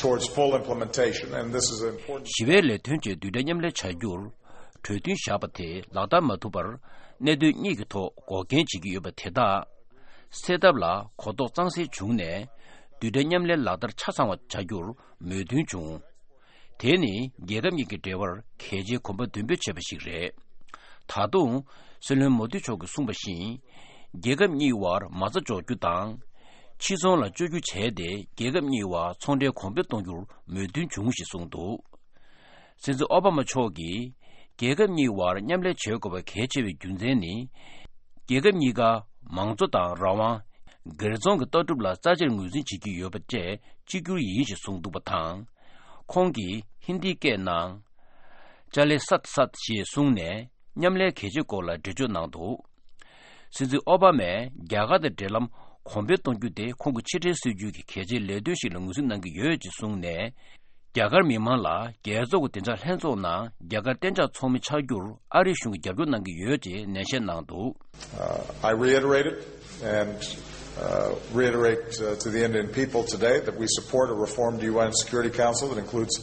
towards full implementation, and this is an important ཞི་བའི་ལས་དོན་ཆེད་རྡུལ་ཕྲན་མཉམ་ལས་བྱ་རྒྱུར་གྲོས་མཐུན་བཞག་པ་དེ་ལག་བསྟར་མ་ཐུབ་པར་གནད་དོན་གཉིས་ཀྱི་ཐོག་འགོག་རྐྱེན་བྱེད་ཀྱི་ཡོད་པ་དེ་དག་སེལ་ཐབས་ལ་གོ་རྟོགས་གཙང་སེལ་བྱུང་ནས། རྡུལ་ཕྲན་མཉམ་ལས་ལག་བསྟར་ཆ་ཚང་བ་བྱ་རྒྱུར་མོས་མཐུན་བྱུང་། དེ་ནི་རྒྱལ་ཁབ་གཉིས་ཀྱི་འབྲེལ་བར་གལ་ཆེའི་གོམ་པ་མདུན་སྤོས་བྱས་པ་ཞིག་རེད། ད་དུང་། སྲིད་བློན་མོ་དི་མཆོག་གིས་གསུངས་པ་བཞིན། རྒྱལ་ཁབ་གཉིས་དབར་མ་རྩ་འཇོག་རྒྱུ་དང་། ཕྱིར་ཚོང་ལ་བཅོས་སྒྱུར་བྱས་ཏེ་རྒྱལ་ཁབ་གཉིས་དབར་ཚོང་འབྲེལ་གོང་འཕེལ་གཏོང་རྒྱུར་མོས་མཐུན་བྱུང་ཞེས་གསུངས་འདུག་སྲིད་འཛིན་ཨོ་བྷ་མ་མཆོག་གིས་རྒྱལ་ཁབ་གཉིས་དབར་མཉམ་ལས་བྱེད་དགོས་པ་གལ་ཆེ་བའི་རྒྱུ་མཚན་ནི། རྒྱལ་ཁབ་གཉིས་ཀ་མང་གཙོ་དང་རང་དབང་། སྒེར་ཚོང་གི་ལྟ་གྲུབ་ལ་རྩ་ཆེར་ངོས་འཛིན་བྱེད་ཀྱི་ཡོད་པ་བཅས་གཅིག་གྱུར་ཡིན་ཞེས་གསུངས་འདུག་པ་དང་། ཁོང་གིས་ཧིན་དིའི་སྐད་ནང་། ཅ་ལེ་སཏ་སཏ་ཞེས་གསུངས་ནས་མཉམ་ལས་གལ་ཆེ་སྐོར་ལ་འགྲེལ་བརྗོད་གནང་འདུག་སྲིད་འཛིན་ཨོ་བྷ་མས་རྒྱ་གར་དང་འབྲེལ་ལམ་གོང་འཕེལ་གཏོང་རྒྱུ་དེ་ཁོང་གི་ཕྱི་འབྲེལ་སྲིད་ཇུས་ཀྱི་གལ་ཆེའི་ལས་དོན་ཞིག་ལ་ངོས་འཛིན་གནང་གི་ཡོད་ཅེས་གསུངས་ནས། རྒྱ་གར་མི་མང་ལ་རྒྱལ་ཚོགས་ཀྱི་བདེ་འཇགས་ལྷན་ཚོགས་ནང་རྒྱ་གར་གཏན་འཇགས་ཚོགས་མི་ཆགས་རྒྱུར་ཨ་རིའི་གཞུང་གིས་རྒྱབ་སྐྱོར་གནང་གི་ཡོད་ཅེས་ནན་བཤད་གནང་འདུག Uh, I reiterated and uh, reiterate uh, to the Indian people today that we support a reformed U N Security Council that includes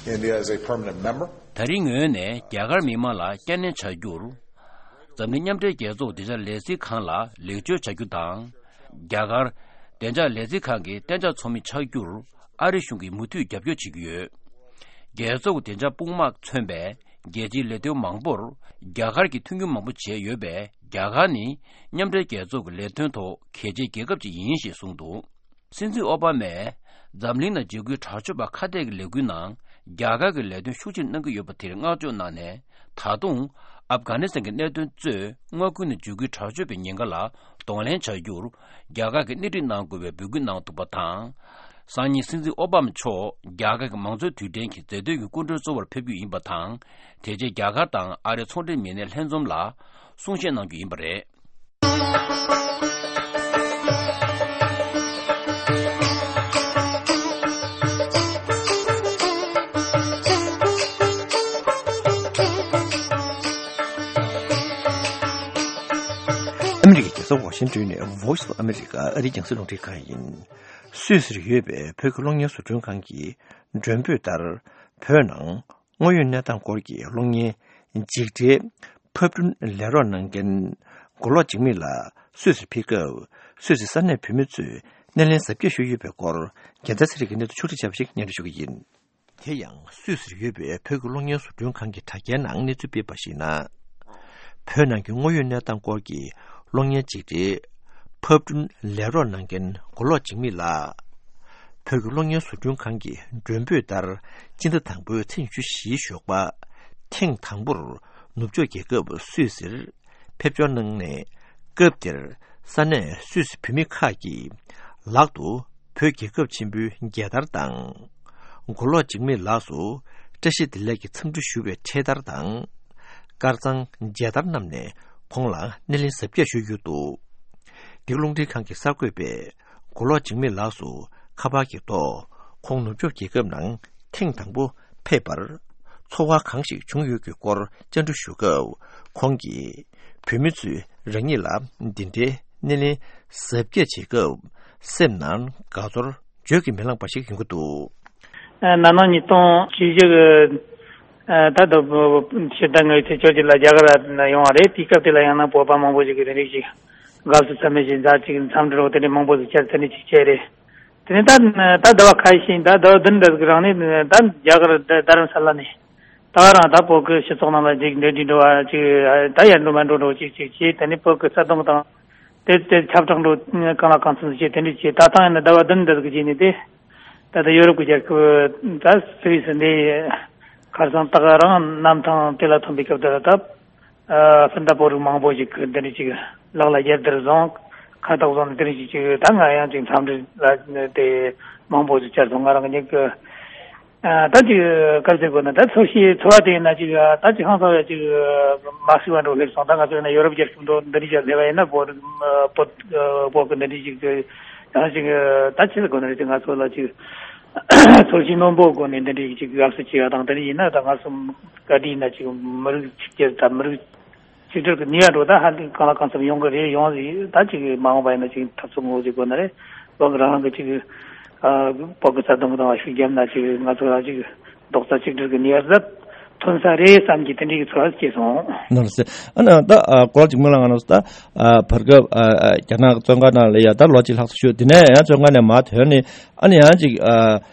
India as a permanent member. ད་རིང་ངོས་ནས་རྒྱ་གར་མི་མང་ལ་བསྐྱར་ནན་བྱ་རྒྱུར། འཛམ་གླིང་མཉམ་འབྲེལ་རྒྱལ་ཚོགས་བདེ་འཇགས་ལས་འཛིན་ཁང་ལ་ལེགས་བཅོས་བྱ་རྒྱུ་དང་། རྒྱ་གར་བདེ་འཇགས་ལས་འཛིན་ཁང་གི་གཏན་འཇགས་ཚོགས་མི་ཆགས་རྒྱུར་ཨ་རི་གཞུང་གིས་མུ་མཐུད་རྒྱབ་སྐྱོར་བྱེད་ཀྱི་ཡོད། རྒྱལ་ཚོགས་ཀྱི་བདེ་འཇགས་དཔུང་དམག་མཚོན་པའི་རྒྱལ་སྤྱིའི་ལས་དོན་མང་པོར་རྒྱ་གར་གྱིས་མཐུན་འགྱུར་མང་པོ་བྱས་ཡོད་པས། རྒྱ་གར་ནི་མཉམ་འབྲེལ་རྒྱལ་ཚོགས་ཀྱི་ལས་དོན་ཐོག་གལ་ཆེའི་རྒྱལ་ཁབ་ཅིག་ཡིན་ཞེས་གསུངས་འདུག། སྲིད་འཛིན་ཨོ་བྷ་མས་འཛམ་གླིང་ནང་འཇིགས་སྐུལ་དྲག་སྤྱོད་པ་ཁ་གཏད་ཀྱི་ལས་འགུལ་ནང་རྒྱ་གར་གྱི་ལས་དོན་ཤུགས་ཆེར་གནང་གི་ཡོད་པ་དེར་བསྔགས་བརྗོད་གནང་ནས། ད་དུང་ཨབ་གྷ་ནི་སི་ཐན་གྱི་གནད་དོན་གཙོས་མངའ་ཁུལ་ནང་འཇིགས་སྐུལ་དྲག་སྤྱོད་པའི་ཉེན་ཁ་ལ་གདོང་ལེན་བྱ་རྒྱུར་རྒྱ་གར་གྱིས་སྣེ་ཁྲིད་གནང་དགོས་པའི་འབོད་སྐུལ་གནང་འདུག་པ་དང་། སང་ཉིན་སྲིད་འཛིན་ཨོ་བྷ་མ་མཆོག་རྒྱ་གར་གྱི་མང་གཙོའི་དུས་དྲན་གྱི་མཛད་དོན་གྱི་སྐུ་མགྲོན་གཙོ་བོར་ཕེབས་རྒྱུ་ཡིན་པ་དང་། དེ་རྗེས་རྒྱ་གར་དང་ཨ་རིའི་ཚོང་འབྲེལ་མི་སྣའི་ལྷན་འཛོམས་ལ་གསུང་བཤད་གནང་རྒྱུ་ཡིན་པ་རེད། ཨ་མི་རི་ཀའི་རྒྱལ་ས་ཝ་ཤིང་ཏོན་ནས་Voice of America ཨ་རིའི་རྒྱང་སྲིང་རླུང་འཕྲིན་ཁང་ཡིན། སུད་སིར་ཡོད་པའི་བོད་ཀྱི་གློག་བརྙན་བཟོ་སྐྲུན་ཁང་གི་མགྲོན་འབོད་ལྟར། བོད་ནང་དངོས་ཡོད་གནས་སྟངས་སྐོར་གྱི་གློག་བརྙན་འཇིགས་བྲལ་ཕབ་སྐྲུན་ལས་རོགས་གནང་མཁན་མགོ་ལོག་འཇིགས་མེད་ལགས་སུད་སིར་ཕེབས་སྐབས། སུད་སི་ས་གནས་བོད་མི་ཚོས་སྣེ་ལེན་གཟབ་རྒྱས་ཞུས་ཡོད་པའི་སྐོར། རྒྱལ་མཚན་ཚེ་རིང་གིས་གནས་ཚུལ་ཕྱོགས་སྒྲིག་བྱས་པ་ཞིག་སྙན་སྒྲོན་ཞུ་གི་ཡིན། དེ་ཡང་སུད་སིར་ཡོད་པའི་བོད་ཀྱི་གློག་བརྙན་བཟོ་སྐྲུན་ཁང་གི་དྲ་རྒྱའི་ནང་གནས་ཚུལ་སྤེལ་བ་ཞིག་ན། བོད་ནང་གི་དངོས་ཡོད་གནས་སྟངས་སྐོར་གྱི་གློག་བརྙན་ཅིག་རེད། ཕབ་སྐྲུན་ལས་རོགས་གནང་མཁན་མགོ་ལོག་འཇིགས་མེད་ལགས། བོད་ཀྱི་གློག་བརྙན་བཟོ་སྐྲུན་ཁང་གི་མགྲོན་འབོད་ལྟར། སྤྱི་ཟླ་དང་པོའི་ཚེས་ཉི་ཤུ་བཞིའི་ཞོགས་པ། ཐེངས་དང་པོར་ནུབ་ཕྱོགས་རྒྱལ་ཁབ་སུད་སིར་ཕེབས་འབྱོར་གནང་ནས། སྐབས་དེར་ས་གནས་སུད་སི་བོད་མི་ཁག་གིས་ལག་ཏུ་བོད་རྒྱལ་ཁབ་ཆེན་པོའི་རྒྱལ་དར་དང་། མགོ་ལོག་འཇིགས་མེད་ལགས་སུ་བཀྲ་ཤིས་བདེ་ལེགས་ཀྱི་འཚམས་འདྲི་ཞུ་བའི་འཕྲེད་དར་དང་། དཀར་གཙང་མཇལ་དར་བསྣམས་ནས་ཁོང་ལ་སྣེ་ལེན་གཟབ་རྒྱས་ཞུས་ཡོད་འདུག། འདི་ག་རླུང་འཕྲིན་ཁང་གི་གསར་འགོད་པས་མགོ་ལོག་འཇིགས་མེད་ལགས་སུ་ཁ་པར་གྱི་ཐོག་ཁོང་ནུབ་ཕྱོགས་རྒྱལ་ཁབ་ནང་ཐེངས་དང་པོ་ཕེབས་པར་ཚོར་བ་གང་ཞིག་བྱུང་ཡོད་ཀྱི་སྐོར་བཅར་འདྲི་ཞུ་སྐབས། ཁོང་གིས་བོད་མི་ཚོས་རང་ཉིད་ལ་འདི་འདྲའི་སྣེ་ལེན་གཟབ་རྒྱས་བྱེད་སྐབས་སེམས་ནང་དགའ་ཚོར་བརྗོད་ཀྱིས་མི་ལངས་པ་ཞིག་ཡོང་གི་འདུག། ན་ནིང་ཉིས་སྟོང་བཅུ་བཞི་གི་ད་ལྟ་ཕྱི་ཟླ་ལྔ་པའི་ཚེས་བཅོ་བརྒྱད་ལ་རྒྱ་གར་ལ་ཡོང་བ་རེད། དེའི་སྐབས་དེ་ལ་ཡང་ན་བོད་པ་མང་པོ་ཞིག་གིས་དེ་རིང་ཞིག་དགའ་བསུ་ཚད་མེད་ཞིག་མཛད་ཅིག་འཚམས་འདྲི་རོགས་དེ་འདྲའི་མང་པོ་ཞིག་བཅར་དེ་འདྲ་ཅིག་བྱས་རེད། དེ་ནས་ད་ད་ཟླ་བ་ཁ་ཤས་ཤིག་ད་ཟླ་བ་བདུན་འདྲ་ཟིག་རིང་ནས་ད་རྒྱ་གར་རྡ་རམ་ས་ལ་ནས་ད་རང་ད་བོད་ཀྱི་སྤྱི་ཚོགས་ནང་ལ་ཅིག་འབྲེལ་འདྲིས་འགྲོ་བ་ཅིག་ད་ཡར་འགྲོ་མར་འགྲོ་འགྲོ་ཅིག་ཅིག་བྱས། དེ་ནས་བོད་ཀྱི་རྩ་དོན་དང་དེ་དེ་ཁྱབ་བསྒྲགས་འགྲོ་གང་ལ་གང་འཚམ་བྱས་དེ་འདྲ་བྱས། ད་ཐེངས་ཡིན་ན་ཟླ་བ་བདུན་འདྲ་ཟིག་རྗེས་ནས་དེ་ད་ལྟ་ཡོ་རོབ་ཀྱི་རྒྱལ་ཁབ་ད་སུད་སི་འདི་ཁར་སང་ད་ག་རང་གནམ་ཐང་དེ་ལ་ཐོན་པའི་སྐབས་དེ་ལ་ད། ཨ་སྤུན་ཟླ་བོད་རིགས་མང་པོ་ཞིག་གིས་འདི་འདྲ་ཅིག་ལག་ལ་རྒྱལ་དར་བཟུང་ཁ་བཏགས་བཟུང་ནས་འདི་འདྲ་ཅིག་ཅིག་ད་ང་ཡང་ཅིག་འཚམས་འདྲི་ལ་དེ་མང་པོ་ཞིག་བཅར་སོང་། ང་རང་གཉིས་ཀྱི་ཨ་ད་ཅིག་ག་རེ་ཟེར་དགོས་ན་ད་ཚོར་ཤེས་ཚོར་བ་དེ་ཡིན་ན་ཅིག་ད་ཅིག་ཧང་སང་བའི་ཅིག་མ་སྲིད་པ་འགྲོ་སླེབས་སོང་། ད་ང་ཚོ་ཡིན་ན་ཡོ་རོབ་རྒྱལ་ཁབ་འགྲོ་འདི་འདྲ་ཅིག་སླེབས་པ་ཡིན་ན་བོད་བོད་བོད་ཀྱི་འདི་འདྲ་ཅིག་ཡང་ཅིག་ད་ཅི་ཟེར་དགོས་ན་རེད། ཅིག་ང་ཚོ་ལ་ཅིག་ཚོར་ཤེས་རྣོན་པོའི་སྒོ་ནས་འདི་འདྲའི་ཅིག་དགའ་བསུ་བྱས་ཡ་དང་། དེ་ནས་ཡིན་ན་ད་ང་ཚོ་ག་དུས་ཡིན་ན་ཅིག་མི་རིགས་གཅིག་གྱུར་དང་མི་རིགས་གཅིག་སྒྲིལ་གྱི་ནུས་པ་འགྲོ་ད་ཧ་ལས་གང་ལ་གང་འཚམ་ཡོང་གི་རེད། ཡོང་ཟིག་ད་ཅིག་མ་འོངས་པ་ཡིན་ན་ཅིག་འཐབ་རྩོད་ངོ་ཟིག་དགོས་ན་རེད། བོད་ཀྱི་རང་རང་གི་ཅིག་ཨ་བོད་ཀྱི་རྩ་དོན་གྱི་དང་ཤུགས་བརྒྱབ་ན་ཅིག་ང་ཚོ་རང་ཅིག་རྡོག་རྩ་གཅིག་སྒྲིལ་གྱི་ནུས་པ་ཟབ་ཐོན་ས་རེད་བསམ་གྱི་དེ་འདྲའི་ཚོར་བ་སྐྱེས་སོང་། ནོར་སྲིད། ཨ་ནི་ད་ཨ་གོ་ལ་ཅིག་མི་ལ་ང་ནོར་སྲིད་ད་ཨ་བར་སྐབས་ཨ་ཨ་རྒྱ་ནག་བཙོན་ཁང་ནང་ལ་ཡ་ད་ལོ་གཅིག་ལྷག་ཙམ་བཞུགས། དེ་ནས་ཡང་བཙོན་ཁང་ནས་མར་ཐོན་ནས་ཨ་ནི་ཡང་ཅིག་ཨ་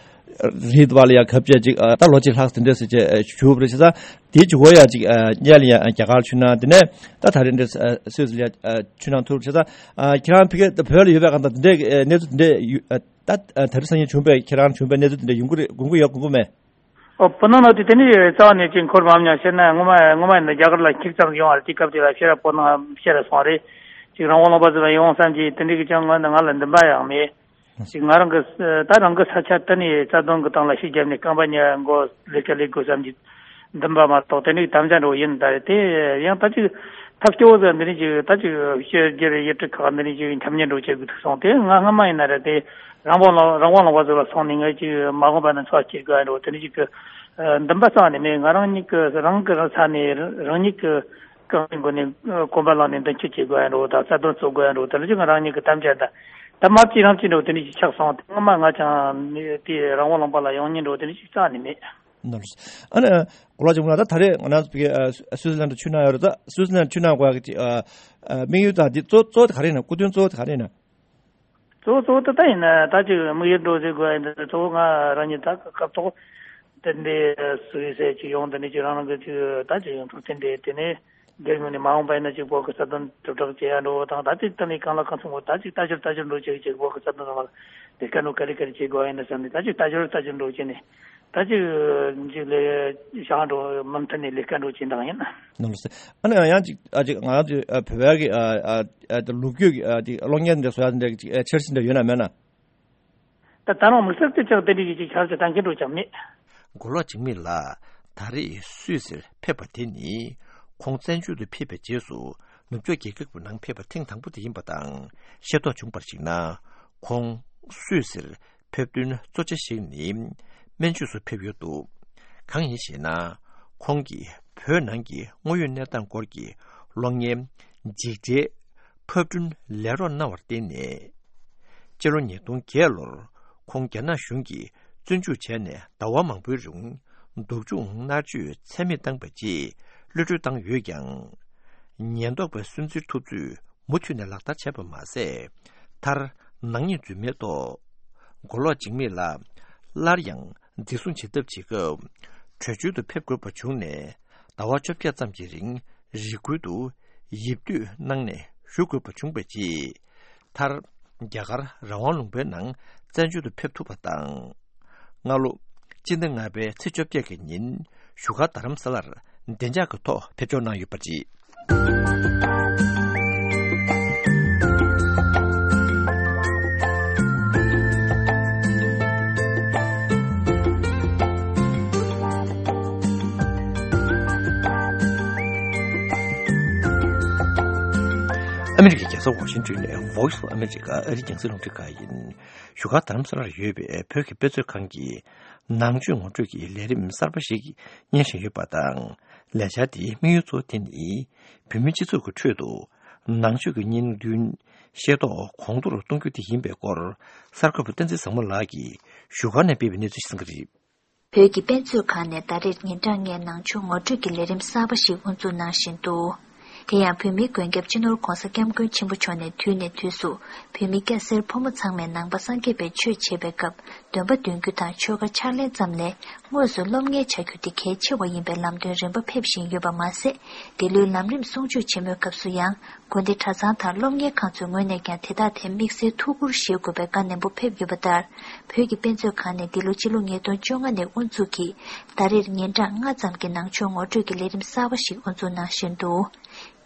རིའི་བར་ལ་ཡ་གབ་བྱས་ཅིག་ཨ་ད་ལོ་གཅིག་ལྷག་དེ་འདྲས་ཟེར་བྱས་བཞུགས་པ་རེད། བྱས་ཙང་དེའི་མཇུག་གུ་ཡ་ཅིག་ཨ་སྔོན་ལ་ཡ་རྒྱ་གར་ལ་ཕྱིན་ན། དེ་ནས་ད་ད་རེས་འདྲས་ཨ་སུད་སི་ལ་ཡ་ཨ་ཕྱིན་གནང་ཐུབ། བྱས་ཙང་ཨ་ཁྱེད་རང་ཕ་གི་བོད་ལ་ཡོད་པའི་སྒང་དང་དེ་འདྲས་ཨ་གནས་ཚུལ་དེ་འདྲས་ཡོད་ཨ་ད་ཨ་དེ་རིང་སང་ཉིན་བྱུང་པའི་ཁྱེད་རང་བྱུང་པའི་གནས་ཚུལ་དེ་འདྲས་ཡོང་གི་རེད། དགོངས་ཀྱི་ཡོད་དགོངས་ཀྱི་མེད། ཨོ་བུ་ནང་ལ་དེ་དེ་ནི་རྩ་བ་ནས་ཅིག་འཁོར་མ་མྱོང་། བྱས་ན་ངོ་མ་ངོ་མ་ཡིན་ན་རྒྱ་གར་ལ་ཁྱི་གཙང་ཡོང་བ་རེད། དེ་སྐབས་དེ་ལ་ཕྱིར་ར་བོད་ནང་ཕྱིར་ར་སོང་རེད། ཅིག་རང་དབང་ལུང་པ་ཚོ་ལ་ཡོང་བསམ་གྱི་དེ་འདྲའི་གི་ཅང་ངོས་ནས་ང་ལ་འདུན་པ་ཡང་མེད། ཅིག་ང་རང་གི་ད་རང་གི་ས་ཆ་དེ་ནས་རྩ་དོན་གི་སྟེང་ལ་ཤུགས་བརྒྱབ་ནས་རྐང་པ་གཉིས་མགོ་ལས་ཀ་ལས་དགོས་བསམ་གྱི་འདུན་པ་མ་གཏོགས་དེ་འདྲའི་དམ་བཅའ་འདྲ་བོ་ཡིན་ད་རེད། དེ་ཡང་ད་ཅིག་ཐབས་སྐྱོ་བོ་ཟེར་འདི་འདྲའི་ཅིག་ད་ཅིག་ཕྱི་རྒྱལ་ཡུལ་གྲུ་ཁག་འདི་འདྲའི་ཅིག་འཁྲབ་ཉན་འདྲ་བོ་བྱེད་དགོས་ཐུག་སོང་། དེ་ང་སྔ་མ་ཡིན་ན་རེད། དེ་རང་དབང་ལ་རང་དབང་ལུང་པ་ཚོ་ལ་སོང་ནས་ངས་ཅིག་མ་འོངས་པ་ན་འཚོ་བ་སྐྱེལ་དགོས་ཡ་འདྲ་བོ་དེ་འདྲ་ཅིག་གི་འདུན་པ་རྩ་བ་ནས་མེད། ང་རང་ཉིད་ཀྱི་རང་གི་རང་ས་ནས་རང་ཉིད་ཀྱི་རྐང་པའི་མགོ་ནས་གོམ་པ་བླངས་ནས་མདུན་སྐྱོད་བྱེད་དགོས་ཡ་འདྲ་བོ་དང་རྩ་དོན་རྩོད་དགོས་ཡ་འདྲ་བོ་དེ་འདྲ་ཅིག་ང་རང་ཉིད་ཀྱི་དམ་བཅའ་དང་ད་མ་བརྩིས་རང་བརྩིས་འདྲ་བོ་དེ་འདྲ་ཅིག་ཆགས་སོང་། དེ་སྔ་མ་ང་ཅང་དེ་རང་དབང་ལུང་པ་ལ་ཡོང་ཉན་འདྲ་བོ་དེ་འདྲ་ཅིག་རྩ་བ་ནས་མེད། ནོར། ཨ་ནི་གོ་ལ་ཅུང་ལ་ད་ད་རེས་ང་རང་ཚོ་ཕ་གི་ཨ་སུའི་ཙི་ལན་ཌི་ཆུ་ནང་ཡོད་རེད། ད་སུའི་ཙི་ལན་ཌི་ཆུ་ནང་གོ་ཡག་གི་ཨ་ཨ་དམིགས་ཡུལ་དང་འདི་གཙོ་གཙོ་བོ་དེ་ག་རེ་ཡིན་ན། སྐུ་དོན་གཙོ་བོ་དེ་ག་རེ་ཡིན་ན། གཙོ་བོ་གཙོ་བོ་ད་ད་ཡིན་ན་ད་ཅིག་དམིགས་ཡུལ་འགྲོ་ཟེར་དགོས་ཡིན། ད་གཙོ་བོ་ང་རང་ཉིད་ད་སྐབས་ཐོག་དེ་འདྲའི་སུའི་ཙི་ཅིག་ཡོང་། དེ་ནས་ཅིག་རང་རང་གི་ཅིག་ད་ཅིག་ཡོང་ཐུབ། དེ་འདྲའི་དེ་ནས། རྒྱལ་ཡོངས་ནས་མ་འོངས་པ་ཡིན་ན་ཅིག་བོད་ཀྱི་རྩ་དོན་དྲིལ་བསྒྲགས་བྱེད་ཡ་འགྲོ་བ་དང་། ད་ཅིག་ད་ནི་གང་ལ་གང་འཚམ་པོ་ད་ཅིག་ལྟ་ཞོར་ལྟ་ཞོར་འགྲོ་བྱེད་ཅིག་བོད་ཀྱི་རྩ་དོན་རང་ལ་དེ་ཀ་ནོ་ག་རེ་ག་རེ་བྱེད་དགོས་ཡིན་ན་བསམ་ནས། ད་ཅིག་ལྟ་ཞོར་ལྟ་ཞོར་འགྲོ་བྱེད་ནས་ད་ཅིག་ཅིག་ལས་བྱ་འགྲོ་མུ་མཐུད་ནས་ལས་ཀ་འགྲོ་བྱེད་སྟངས་ཡིན། ནོར་སེ། ཨ་ནི་ཡང་ཅིག་ཨ་ཅིག་ང་རང་ཚོའི་ཨ་བོད་པའི་གི་ཨ་ཨ་ཨ་ལོ་རྒྱུས་ཀྱི་ཨ་ཅིག་གློག་བརྙན་འདི་བཟོ་ཡ་འདི་ཅིག་ཨ་འཆར་གཞི་འདྲ་ཡོད་ན་མེད་ན། ད་ད་རུང་དམིགས་བསལ་དུ་ཅང་དེ་འདྲ་ཡིན་ཅིག་ཆར་ཅིག་གཏང་མཁན་འགྲོ་ཅང་མེད། མགོ་ལོག་འཇིགས་མེད་ལགས་ད་རེས་སུད་སིར་ཕེབས་པ་དེ་ནི་ཁོང་བཙན་བྱོལ་དུ་ཕེབས་པའི་རྗེས་སུ་ནུབ་ཕྱོགས་རྒྱལ་ཁབ་ཀྱི་ནང་ཕེབས་པ་ཐེངས་དང་པོ་དེ་ཡིན་པ་དང་། ཤེས་རྟོགས་བྱུང་བར་གཞིགས་ན། ཁོང་སུད་སིར་ཕེབས་དོན་གཙོ་ཆེ་ཞིག་ནི་སྨན་བཅོས་སུ་ཕེབས་ཡོད་འདུག། གང་ཡིན་ཞེ་ན། ཁོང་གིས་བོད་ནང་གི་དངོས་ཡོད་གནས་སྟངས་སྐོར་གྱི་གློག་བརྙན་འཇིགས་བྲལ་ཕབ་སྐྲུན་ལས་རོགས་གནང་བར་བརྟེན་ནས། སྤྱི་ལོ་ཉིས་སྟོང་བརྒྱད་ལོར་ཁོང་རྒྱ་ནག་གཞུང་གིས་བཙོན་འཇུག་བྱས་ནས་ཟླ་བ་མང་པོའི་རིང་སྡུག་སྦྱོང་མནར་གཅོད་ཚད་མེད་བཏང་པའི་རྗེས་གློད་གྲོལ་བཏང་ཡོད་ཀྱང་། ཉེན་རྟོག་པའི་སུན་གཙེར་ཐུབ་ཚོད་མུ་མཐུད་ནས་ལག་བསྟར་བྱས་པ་མ་ཟད། མཐར་ནག་ཉེས་འཛུལ་མེད་ཐོག་མགོ་ལོག་འཇིགས་མེད་ལགས་སླར་ཡང་འཛིན་བཟུང་བྱེད་ཐབས་བྱེད་སྐབས་བྲོས་བྱོལ་དུ་ཕེབས་དགོས་པ་བྱུང་ནས། ཟླ་བ་བཅོ་བརྒྱད་ཙམ་གྱི་རིང་རི་ཁུལ་དུ་ཡིབ་སྡོད་གནང་ནས་བཞུགས་དགོས་པ་བྱུང་བའི་རྗེས། མཐར་རྒྱ་གར་རང་དབང་ལུང་པའི་ནང་བཙན་བྱོལ་དུ་ཕེབས་ཐུབ་པ་དང་། སྔ་ལོ་སྤྱི་ཟླ་ལྔ་པའི་ཚེས་བཅོ་བརྒྱད་ཀྱི་ཉིན་བཞུགས་སྒར་རྡ་རམ་ས་ལར་བདེ་འཇགས་ཀྱི་ཐོག་ཕེབས་འབྱོར་གནང་ཡོད་པ་རེད། ཨ་མི་རི་ཀའི་རྒྱལ་ས་ཝ་ཤིང་ཏོན་ནས་Voice of America ཨ་རིའི་རྒྱང་སྲིང་རླུང་འཕྲིན་ཁང་ཡིན། བཞུགས་སྒར་རྡ་རམ་ས་ལར་ཡོད་པའི་བོད་ཀྱི་དཔེ་མཛོད་ཁང་གིས་ནང་ཆོས་ངོ་སྤྲོད་ཀྱི་ལས་རིམ་གསར་པ་ཞིག་སྙན་བཞིན་ཡོད་པ་དང་། ལས་འཆར་དེའི་དམིགས་ཡུལ་གཙོ་བོ་དེ་ནི་བོད་མིའི་སྤྱི་ཚོགས་ཀྱི་ཁྲོད་དུ་ནང་ཆོས་ཀྱི་བརྙན་འདུན་ཤེས་རྟོགས་གོང་མཐོར་གཏོང་རྒྱུ་དེ་ཡིན་པའི་སྐོར། གསར་འགོད་པ་བསྟན་འཛིན་བཟང་མོ་ལགས་ཀྱིས་བཞུགས་སྒར་ནས་སྤེལ་བའི་གནས་ཚུལ་ཞིག་གསན་གྱི་རེད། བོད་ཀྱི་དཔེ་མཛོད་ཁང་ནས་ཟླ་རེར་ཉིན་གྲངས་ལྔའི་ནང་ཆོས་ངོ་སྤྲོད་ཀྱི་ལས་རིམ་གསར་པ་ཞིག་དབུ་འཛུགས་གནང་བཞིན་འདུག། དེ་ཡང་བོད་མིའི་མགོན་སྐྱབས་སྤྱི་ནོར་༧གོང་ས་༧སྐྱབས་མགོན་ཆེན་པོ་མཆོག་ནས་དུས་ནས་དུས་སུ་བོད་མི་སྐྱ་སེར་ཕོ་མོ་ཚང་མས་ནང་པ་སངས་རྒྱས་པའི་ཆོས་འཆད་པའི་སྐབས། འདོན་པ་འདོན་རྒྱུ་དང་ཆོས་བཀའ་ཕྱག་ལེན་ཙམ་ལས། དངོས་སུ་སློབ་གཉེར་བྱ་རྒྱུ་དེ་གལ་ཆེ་བ་ཡིན་པའི་ལམ་སྟོན་རིམ་པ་ཕེབས་བཞིན་ཡོད་པ་མ་ཟད། འདི་ལོའི་ལམ་རིམ་གསུང་ཆོས་ཆེན་མོའི་སྐབས་སུ་ཡང་། དགོན་སྡེ་གྲྭ་ཚང་དང་སློབ་གཉེར་ཁང་ཚོའི་ངོས་ནས་ཀྱང་དེ་དག་ཐད་དམིགས་བསལ་ཐུགས་ཁུར་བཞེས་དགོས་པའི་བཀའ་ནན་པོ་ཕེབས་ཡོད་པ་ལྟར། བོད་ཀྱི་དཔེ་མཛོད་ཁང་ནས་འདི་ལོ་སྤྱི་ལོ་ཉིས་སྟོང་བཅོ་ལྔ་ནས་དབུ་འཛུགས་ཀྱིས་ཟླ་རེར་ཉིན་གྲངས་ལྔ་ཙམ་གྱི་ནང་ཆོས་ངོ་སྤྲོད་ཀྱི་ལས་རིམ་གསར་པ་ཞིག་དབུ་འཛུགས་གནང་བཞིན་འདུག།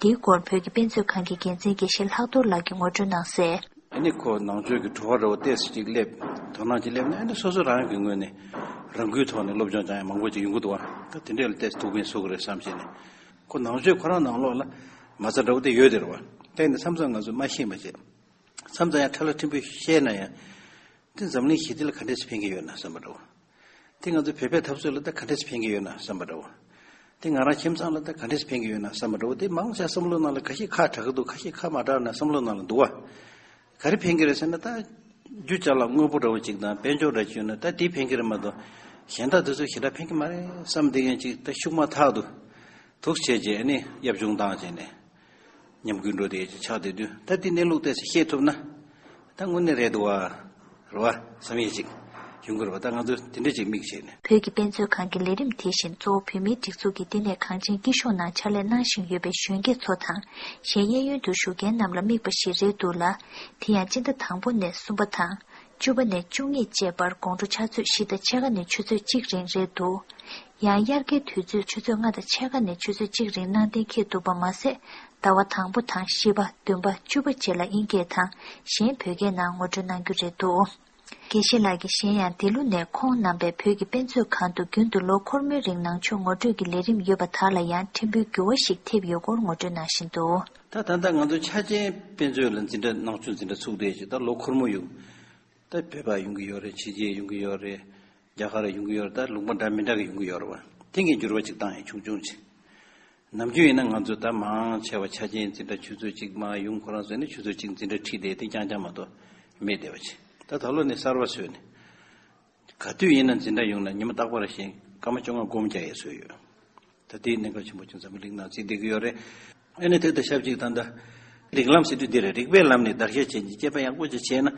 འདིའི་སྐོར་བོད་ཀྱི་དཔེ་མཛོད་ཁང་གི་འགན་འཛིན་དགེ་བཤེས་ལྷག་རྡོར་ལགས་ཀྱིས་ངོ་སྤྲོད་གནང་གསལ། ཨ་ནི་ཁོ་ནང་ཆོས་ཀྱི་བྲོ་བ་འདྲ་བོ་ཏོག་ཙམ་ཅིག་སླེབས། དོ་སྣང་ཅིག་སླེབས་ནས། ཨ་ནི་སོ་སོ་རང་གི་ངོས་ནས་རང་འགུལ་ཐོག་ནས་སློབ་སྦྱོང་སྦྱང་ཡ་མང་པོ་ཅིག་ཡོང་གི་འདུག་བ། ད་དེ་འདྲས་ལ་ཏོག་ཙམ་ཐུགས་ཕན་གསོས་ཀྱི་རེད་བསམ་བྱས་ནས། ཁོ་ནང་ཆོས་ཁོ་རང་ནང་ལོགས་ལ་མ་རྩ་འདྲ་བོ་དེ་ཡོད་དེ་རེད་བ། དེ་ནི་མཚམས་མཚམས་ང་ཚོ་མ་ཤེས་མ་བྱེད། མཚམས་མཚམས་ཡང་ཁྲ་ལ་ཕྲན་བུ་ཤེས་ན་ཡང་། དེ་འཛམ་གླིང་ཞི་བདེ་ལ་ག་འདྲས་སེ་ཕན་གྱི་ཡོད་ན་བསམ་པ་འདྲ་བོ། དེ་ང་ཚོ་བོད་པའི་འཐབ་རྩོད་ལ་ད་ག་འདྲས་སེ་ཕན་གྱི་ཡོད་ན་བསམ་པ་འདྲ་བོ། དེ་ང་རང་ཁྱིམ་ཚང་ལ་ད་ག་འདྲས་སེ་ཕན་གྱི་ཡོད་ན་བསམ་པ་འདྲ་བོ། དེ་མང་ཆེ་བསམ་བློ་ནང་ལ་ཁ་ཤས་ཁག་དྲག་གི་འདུག། ཁ་ཤས་ཁག་མ་དྲག་ན་བསམ་བློ་ནང་ལ་འདུག་བ། ག་རེ་ཕན་གྱི་རེད་ཟེར་ན། ད་རྒྱུ་ཅ་ལག་དངོས་པོ་འདྲ་བོ་ཅིག་དང་དཔལ་འབྱོར་འདྲ་ཅིག་ཡོད་ན་ད་དེ་ཕན་གྱི་རེད་མ་གཏོགས། གཞན་དག་དེ་ཚོ་ཞེ་དྲག་ཕན་གྱི་མ་རེད་བསམ། དེ་ཡང་ཅིག་ད་ཤུགས་མ་ཐག་ཏུ་འདུག་བྱས་རྗེས་ནི་གཡབ་ཆུང་བཏང་བྱས་ནས། ཉམས་རྒུད་འགྲོ་བསྡད་ཅིག་ཆགས་བསྡད་དུས། ད་འདི་གནས་ལུགས་ཏོག་ཙམ་ཤེས་ཐུབ་ན། ད་དངོས་གནས་རེད་འདུག་བ། རེད་བ་བསམ་ཡས་ཅིག་ཡོང་གི་རེད་བ། ད་ང་ཚོ་དེ་འདྲ་ཅིག་དམིགས་བྱས་ནས། བོད་ཀྱི་དཔེ་མཛོད་ཁང་གི་ལས་རིམ་དེ་བཞིན་གཙོ་བོ་བོད་མིའི་སྒྲིག་འཛུགས་ཀྱི་བསྟི་གནས་གངས་ཅན་སྐྱིད་གཤོངས་ནང་ཕྱག་ལས་གནང་བཞིན་ཡོད་པའི་གཞོན་སྐྱེས་ཚོ་དང་། གཞན་གཡས་གཡོན་དུ་བཞུགས་མཁན་རྣམས་ལ་དམིགས་པ་ཞིག་རེད་འདུག་ལ། དེ་ཡང་སྤྱི་ཟླ་དང་པོ་ནས་གསུམ་པ་དང་། བཅུ་པ་ནས་བཅུ་གཉིས་བཅས་བར་དགོང་དྲོ་ཕྱག་ཚོད་བཞི་དང་ཕྱེད་ཀ་ནས་ཆུ་ཚོད་གཅིག་རིང་རེད་འདུག། ཡང་དབྱར་ཁའི་དུས་ཚོད་ཆུ་ཚོད་ལྔ་དང་ཕྱེད་ཀ་ནས་ཆུ་ཚོད་གཅིག་རིང་གནང་གཏན་འཁེལ་འདུག་པ་མ་ཟད། ཟླ་བ་དང་པོ་དང་བཞི་པ། བདུན་པ། བཅུ་པ་བཅས་ལ་དབྱིན་སྐད་དང་གཞན་བོད་སྐད་ནང་ངོ་སྤྲོད་གནང་རྒྱུ་རེད་འདུག། དགེ་བཤེས་ལགས་ཀྱིས་གཞན་ཡང་འདི་ལོ་ནས་ཁོང་རྣམ་པས་བོད་ཀྱི་དཔེ་མཛོད་ཁང་དུ་རྒྱུན་དུ་ལོ་འཁོར་མོའི་རིང་ནང་ཆོས་ངོ་སྤྲོད་ཀྱི་ལས་རིམ་ཡོད་པ་དག་ལ་ཡང་ཕྲན་བུའི་འགྱུར་བ་ཞིག་ཐེབས་ཡོད་སྐོར་ངོ་སྤྲོད་གནང་བཞིན་འདུག། ད་ད་ལྟ་ང་ཚོ་ཆ་ཅན་དཔེ་མཛོད་ལ་འཛིན་གྲྭ་ནང་ཆོས་འཛིན་གྲྭ་ཚུགས་བསྡད་ཅིག། ད་ལོ་འཁོར་མོ་ཡོད། ད་བོད་པ་ཡོང་གི་ཡོད་རེད། ཕྱི་རྒྱལ་ཡོང་གི་ཡོད་རེད། རྒྱ་གར་ཡོང་གི་ཡོད་རེད། ད་ལུང་པ་འདྲ་མི་འདྲ་གི་ཡོང་གི་ཡོད་རེད་བ། དེ་གའི་འགྱུར་བ་ཅིག་བཏང་ཡིན། ཆུང་ཆུང་ཅིག། ནམ་རྒྱུན་ཡིན་ན་ང་ཚོ་ད་མང་ཆེ་བ་ཆ་རྐྱེན་འཛིན་གྲྭ་ཆུ་ཚོད་གཅིག་མར་ཡོང་ཁོ་རང་ཚོ་ནི་ཆུ་ཚོད་གཅིག་འཛིན་གྲྭ་ཁྲིད་བསྡད་དེ་རྐྱང་རྐྱང་མ་གཏོགས་མེད་བསྡད་པ་ཅིག། ད་ད་ལོ་ནི་གསར་བ་བཟོས་ནས། ག་དུས་ཡིན་ན་འཛིན་གྲྭ་ཡོང་ན་ཉི་མ་རྟག་པར་བཞིན་ སྐར་མ་བཅོ་ལྔ་སྒོམ་རྒྱག་ཡས་བཟོས་ཡོད། ད་དེའི་གནད་འགག་ཆེན་པོ་ཅིག་འཛམ་བུ་གླིང་ནང་བརྩིས་བསྡད་ཀྱི་ཡོད་རེད། ཨ་ནི་དེ་དང་ཞབས་ཅིག་ད་ལྟ་རིགས་ལམ་ཟེར་དུས་འདི་རེད། རིགས་པའི་ལམ་ནས་བརྡར་ཤ་བྱས་ནས་དཔྱད་པ་ཡག་པོ་ཅིག་བྱས་ན།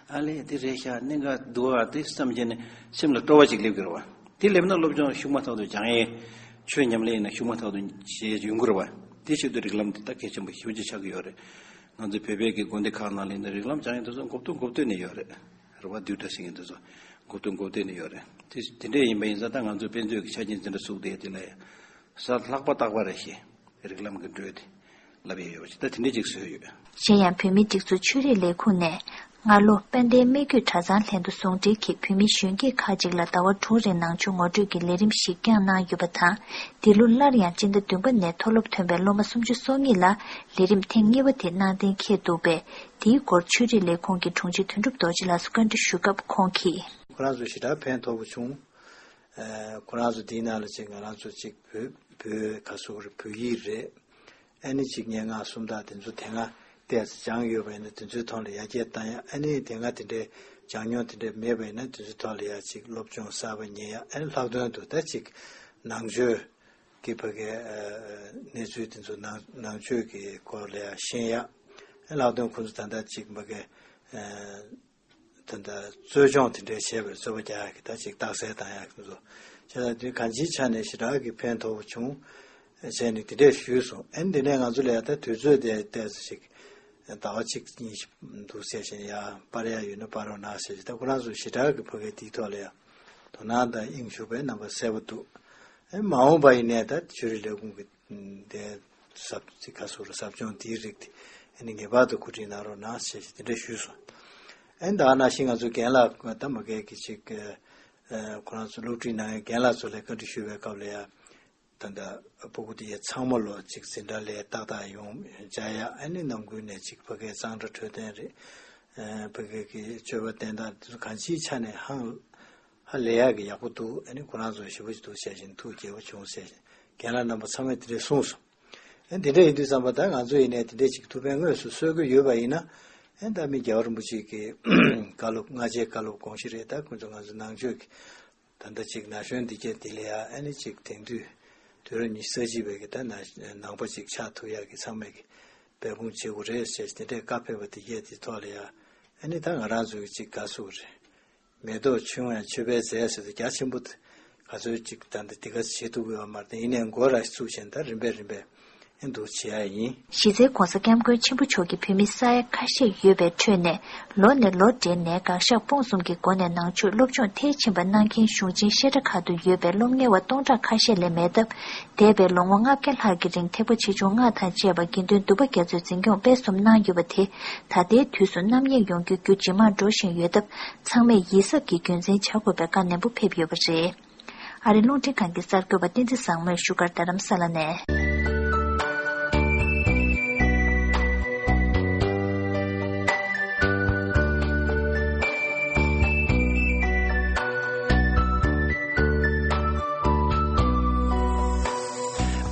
ཨ་ལས་དེ་རེད་ཤག་གནད་འགག་འདུག་ཨ། དེ་བསམ་བྱས་ནས་སེམས་ལ་སྤྲོ་བ་ཅིག་སླེབས་ཀྱི་རེད་བ། དེ་སླེབས་ན་སློབ་སྦྱོང་ཤུགས་མ་ཐག་ཏུ་སྦྱང་ཡས། ཆོས་ཉམས་ལེན་ཡིན་ན་ཤུགས་མ་ཐག་ཏུ་བྱེད་ཡས་ཡོང་གི་རེད་བ། དེ་ཆེད་དུ་རིགས་ལམ་དེ་ད་གལ་ཆེན་པོ་ཞེ་པོ་ཅིག་ཆགས་ཀྱི་ཡོད་རེད། ང་ཚོ་བོད་པའི་གི་དགོན་སྡེ་ཁག་ནང་ལ་ཡིན་ན་རིགས་ལམ་སྦྱང་ཡས་དེ་ཚོ་འགོ་བསྡུ་འགོ་བསྡུས་ནས་ཡོད་རེད། རེད་བ། བསྡུས་གྲྭ་ཟེར་མཁན་དེ་ཚོ་འགོ་བསྡུ་འགོ་བསྡུས་ནས་ཡོད་རེད། དེ་དེ་འདྲས་ཡིན་པ་ཡིན་ཙང་ད་ང་ཚོའི་དཔེ་མཛོད་ཀྱི་ཆ་རྐྱེན་འཛིན་གྲྭ་བཙུགས་བསྡད་དེ་ལ་ཡང་། ས་ལྷག་པ་རྟག་པ་རེད་ཤེས། རིགས་ལམ་གྱི་འགྲོས་དེ་ལབ་ཡས་ཡོད་པ་ཞིག་ད་དེ་འདྲས་ཅིག་བཟོས་ཡོད། གཞན་ཡང་བོད་མིའི་སྒྲིག་འཛུགས་ཆོས་རིག་ལས་ཁུངས་ནས་སྔ་ལོ་དཔལ་ལྡན་སྨད་རྒྱུད་གྲྭ་ཚང་ལྷན་དུ་ཟུང་འབྲེལ་གྱིས་བོད་མིའི་གཞོན་སྐྱེས་ཁག་ཅིག་ལ་ཟླ་བ་དྲུག་རིང་ནང་ཆོས་ངོ་སྤྲོད་ཀྱི་ལས་རིམ་ཞིག་བསྐྱངས་གནང་ཡོད་པ་དང་། འདི་ལོ་སླར་ཡང་སྤྱི་ཟླ་བདུན་པ་ནས་མཐོ་སློབ་ཐོན་པའི་སློབ་མ་སུམ་ཅུ་སོ་གཉིས་ལ་ལས་རིམ་ཐེངས་གཉིས་པ་དེ་གནང་གཏན་འཁེལ་འདུག་པས། དེའི་སྐོར་ཆོས་རིག་ལས་ཁུངས་ཀྱི་དྲུང་ཆེ་དོན་གྲུབ་རྡོ་རྗེ་ལགས་སུ་བཀའ་འདྲི་ཞུས་སྐབས་ཁོང་གིས། ཁོ་རང་ཚོ་ཞེ་དྲག་ཕན་ཐོགས་པོ་བྱུང་། ཨ། ཁོ་རང་ཚོ་དེའི་ནང་ལ་ཅིག་ང་རང་ཚོ་ཅིག་བོད་བོད་ག་སོག་རེད། བོད་ཡིག་རེད། ཨ་ནི་ཅིག་སྙན་ངག་སུམ་རྟགས་དེ་ཚོ་དེ་སྔ་ཏོག་ཙམ་སྦྱངས་ཡོད་པ་ཡིན་ན་དེ་ཚོའི་ཐོག་ལ་ཡར་རྒྱས་བཏང་ཡ། ཨ་ནི་དེ་སྔ་དེ་འདྲའི་སྦྱངས་མྱོང་དེ་འདྲ་མེད་པ་ཡིན་ན་དེ་ཚོའི་ཐོག་ལ་ཡར་ཅིག་སློབ་སྦྱོང་གསར་པ་རྙེད་ཡ། ཨ་ནི་ལྷག་དོན་དུ་ད་ཅིག་ནང་ཆོས་ཀྱི་ཕ་གའི་ཨ་གནས་ཚུལ་དེ་ཚོ་ནང་ནང་ཆོས་ཀྱི་སྐོར་ལ་ཡར་ཤེས་ཡ། ཨ་ནི་ལྷག་དོན་ཁོང་ཚོ་ད་ལྟ་ཅིག་ཕ་གའི་ཨ། ད་ལྟ་རྩོལ་སྦྱོང་དེ་འདྲའི་བྱས་པར་རྩོལ་བ་རྒྱག་ཡག་གི་ད་ཅིག་རྟགས་གསལ་བཏང་ཡག་གི་ཚོ། བྱས་ཙང་དེ་གང་ཅིའི་ཆ་ནས་ཞེ་དྲག་གི་ཕན་ཐོགས་པོ་བྱུང་། བྱས་ནས་དེ་འདྲས་ཞུས་སོང་། ཨ་ནི་དེ་ནས་ང་ཚོ་ལ་ཡ་ད་དུས་ཚོད་དེ་ཏོག་ཙམ་ཞིག་ཟླ་བ་གཅིག་གཉིས་ཤིག་འདུག་ཟེར་བཞིན་ཡ་སྤར་ཡ་ཡོད་ན་སྤར་རོགས་གནང་ཟེར་བཞིན། ད་ཁོ་རང་ཚོ་ཞེ་དྲག་གི་ཕ་གའི་དེའི་ཐོག་ལ་ཡ་དོ་སྣང་དང་དབྱིངས་ཞུགས་པའི་རྣམ་པ་གསལ་པོ་འདུག། ཨ་ནི་མ་འོངས་པ་ཡིན་ནའི་ད་ཆོས་རིག་ལས་ཁུངས་ཀྱི་དེ་ཟབ་ཅིག་ག་སོག་རེད། ཟབ་སྦྱོང་དེའི་རིགས་དེ་ཨ་ནི་ངེས་པར་དུ་གོ་སྒྲིག་གནང་རོགས་གནང་ཞེས་དེ་འདྲ་ཞུས་སོང་། ཨ་ནི་ད་ག་ནང་བཞིན་ང་ཚོ་རྒན་ལགས་ད་མ་གལ་གྱི་ཅིག་ཨ་ཁོ་རང་ཚོ་སློབ་ཁྲིད་གནང་མཁན་རྒན་ལགས་ཚོ་ལ་བཀའ་འདྲི་ཞུ་བའི་སྐབས་ལ་ཡ། ད་ལྟ་སྤུ་གུ་དེ་ཚང་མ་ལོ་ཅིག་འཛིན་གྲྭ་ལ་ཏག་ཏག་ཡོང་བྱ་ཡ། ཨ་ནི་ནང་ཁུལ་ནས་ཅིག་ཕ་གིའི་གཙང་སྦྲ་འཕྲོད་བསྟེན་རེད། ཨ་ཕ་གི་གི་སྤྱོད་པ་བསྟེན་སྟངས་དེ་ཚོ་གང་ཅིའི་ཆ་ནས་ཧང་ཧ་ལས་ཡག་གི་ཡག་པོ་འདུག། ཨ་ནི་ཁོ་རང་ཚོ་ཞེ་པོ་ཅིག་འདུག་བཤད་བཞིན་ཐུགས་དགྱེས་པོ་བྱུང་ཟེར་བཞིན་རྒན་ལགས་རྣམ་པ་ཚང་མས་དེ་འདྲས་གསུངས་སོང་། ཨ་ནི་དེ་འདྲ་ཡིན་དུས་ཙམ་པ་ད་ང་ཚོ་ཡིན་ནའི་དེ་འདྲས་ཅིག་ཐུགས་ཕན་དངོས་སུ་གསོས་ཀྱི་ཡོད་པ་ཡིན་ན། ཨ་ནི་ད་མི་རྒྱལ་བ་རིན་པོ་ཆེ་གི་བཀའ་སློབ་སྔ་རྗེས་བཀའ་སློབ་དགོངས་གཞི་རེད། ད་ཁོ་ཚོ་ང་ཚོ་ནང་ཆོས་ཀྱི་ད་ལྟ་ཅིག་ན་གཞོན་འདི་གས་འདི་ལ་ཡ་ཨ་ནི་ཅིག་དེང་དུས་དུས་རབས་ཉི་ཤུ་རྩ་གཅིག་པའི་གི་ད་ན་ནང་པ་ཅིག་ཆགས་ཐུབ་ཡག་གི་ཚང་མས་གི་འབད་འབུངས་བྱེད་དགོས་རེད་ཟེར་དེ་འདྲའི་བཀའ་ཕེབས་པ་འདི་གས་འདི་ཐོག་ལ་ཡ་ཨ་ནི་ད་ང་རང་ཚོ་གི་ཅིག་དགའ་ཚོར་རེད། མེ་ཏོག་ཆུང་ཡང་མཆོད་པའི་རྫས་ཟེར་དུས་རྒྱ་ཆེན་པོ་ག་ཚོད་ཅིག་ད་འདི་འདི་ག་བྱེད་ཐུབ་ཀྱི་ཡོད་མ་རེད། ཡིན་ནའི་འགོ་ར་བཙུགས་བྱས་ད་རིམ་པས་རིམ་པས་ཨེ་འདུག་བྱེད་ཡ་ཡིན། གཞི་རྩའི་༧གོང་ས་༧སྐྱབས་མགོན་ཆེན་པོ་མཆོག་གིས་བོད་མི་ས་ཡ་ཁ་ཤས་ཡོད་པའི་ཁྲོད་ནས་ལོ་ནས་ལོ་བགྲེས་ནས་དགག་བཞག་སྤོང་གསུམ་གྱི་སྒོ་ནས་ནང་ཆོས་སློབ་སྦྱོང་མཐིལ་ཕྱིན་པ་གནང་མཁན་གཞུང་ཆེན་བཤད་གྲྭ་ཁག་ཏུ་ཡོད་པའི་སློབ་གཉེར་བ་སྟོང་ཕྲག་ཁ་ཤས་ལས་མེད་སྟབས། འདས་པའི་ལོ་ངོ་ལྔ་བརྒྱ་ལྷག་གི་རིང་ཐེག་པ་ཆེ་ཆུང་ལྔ་དང་བཅས་པ་དགེ་འདུན་འདུས་པ་རྒྱ་མཚོས་འཛིན་སྐྱོང་སྤེལ་གསུམ་གནང་ཡོད་པ་དེ་ད་ལྟའི་དུས་སུ་རྣམ་གཡེང་ཡོང་རྒྱུ་རྒྱུ་ཇེ་མང་འགྲོ་བཞིན་ཡོད་སྟབས། ཚང་མས་ཡིད་གཟབ་ཀྱིས་རྒྱུན་འཛིན་བྱ་དགོས་པའི་བཀའ་ནན་པོ་ཕེབས་ཡོད་པ་རེད། ཨ་རིའི་རླུང་འཕྲིན་ཁང་གི་གསར་འགོད་པ་བསྟན་འཛིན་བཟང་མོས་བཞུགས་སྒར་རྡ་རམ་ས་ལ་ནས།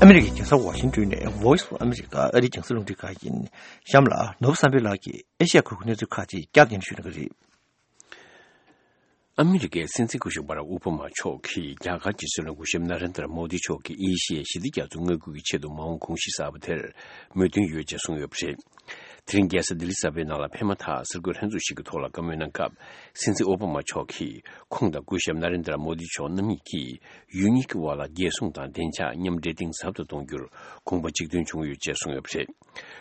ཨ་མི་རི་ཀའི་རྒྱལ་ས་ཝ་ཤིང་ཏོན་ནས་Voice of America ཨ་རིའི་རྒྱང་སྲིང་རླུང་འཕྲིན་ཁང་ཡིན། གཤམ་ལ་ནོར་བུ་བསམ་འཕེལ་ལགས་ཀྱིས་ཨེ་ཤ་ཡ་ཁུལ་གྱི་གནས་ཚུལ་ཁག་ཅིག་བསྐྱར་ཟློས་ཞུ་གནང་གི་རེད། ཨ་མི་རི་ཀའི་སྲིད་འཛིན་སྐུ་ཞབས་བྷ་རག་ཨོ་བྷ་མ་མཆོག་གིས་རྒྱ་གར་གྱི་སྲིད་བློན་སྐུ་ཞབས་ན་རེན་དྲ་མོ་དི་མཆོག་གིས་ཨེ་ཤི་ཡའི་ཞི་བདེ་རྒྱ་མཚོའི་མངའ་ཁུལ་གྱི་ཆེད་དུ་མ་འོངས་གུང་གཞི་གསར་པ་དེར་མོས་མཐུན་ཡོད་ཅེས་གསུངས་ཡོད་པ་རེད། དེ་རིང་རྒྱལ་ས་ལྡི་ལི་གསར་པའི་ནང་ལ་འཕེན་མ་ཐག་གསར་འགོད་ལྷན་ཚོགས་ཤིག་གི་ཐོག་ལ་བཀའ་མོལ་གནང་སྐབས། སྲིད་འཛིན་ཨོ་བྷ་མ་མཆོག་གིས་ཁོང་དང་སྐུ་ཞབས་ན་རེན་དྲ་མོ་དི་མཆོག་རྣམ་གཉིས་ཀྱིས་ཡུལ་གཉིས་ཀྱི་དབར་ལ་རྒྱལ་སྲུང་དང་བདེ་འཇགས་མཉམ་འབྲེལ་གཏིང་ཟབ་ཏུ་གཏོང་རྒྱུར་དགོངས་པ་གཅིག་མཐུན་བྱུང་ཡོད་ཅེས་གསུངས་ཡོད་པ་རེད།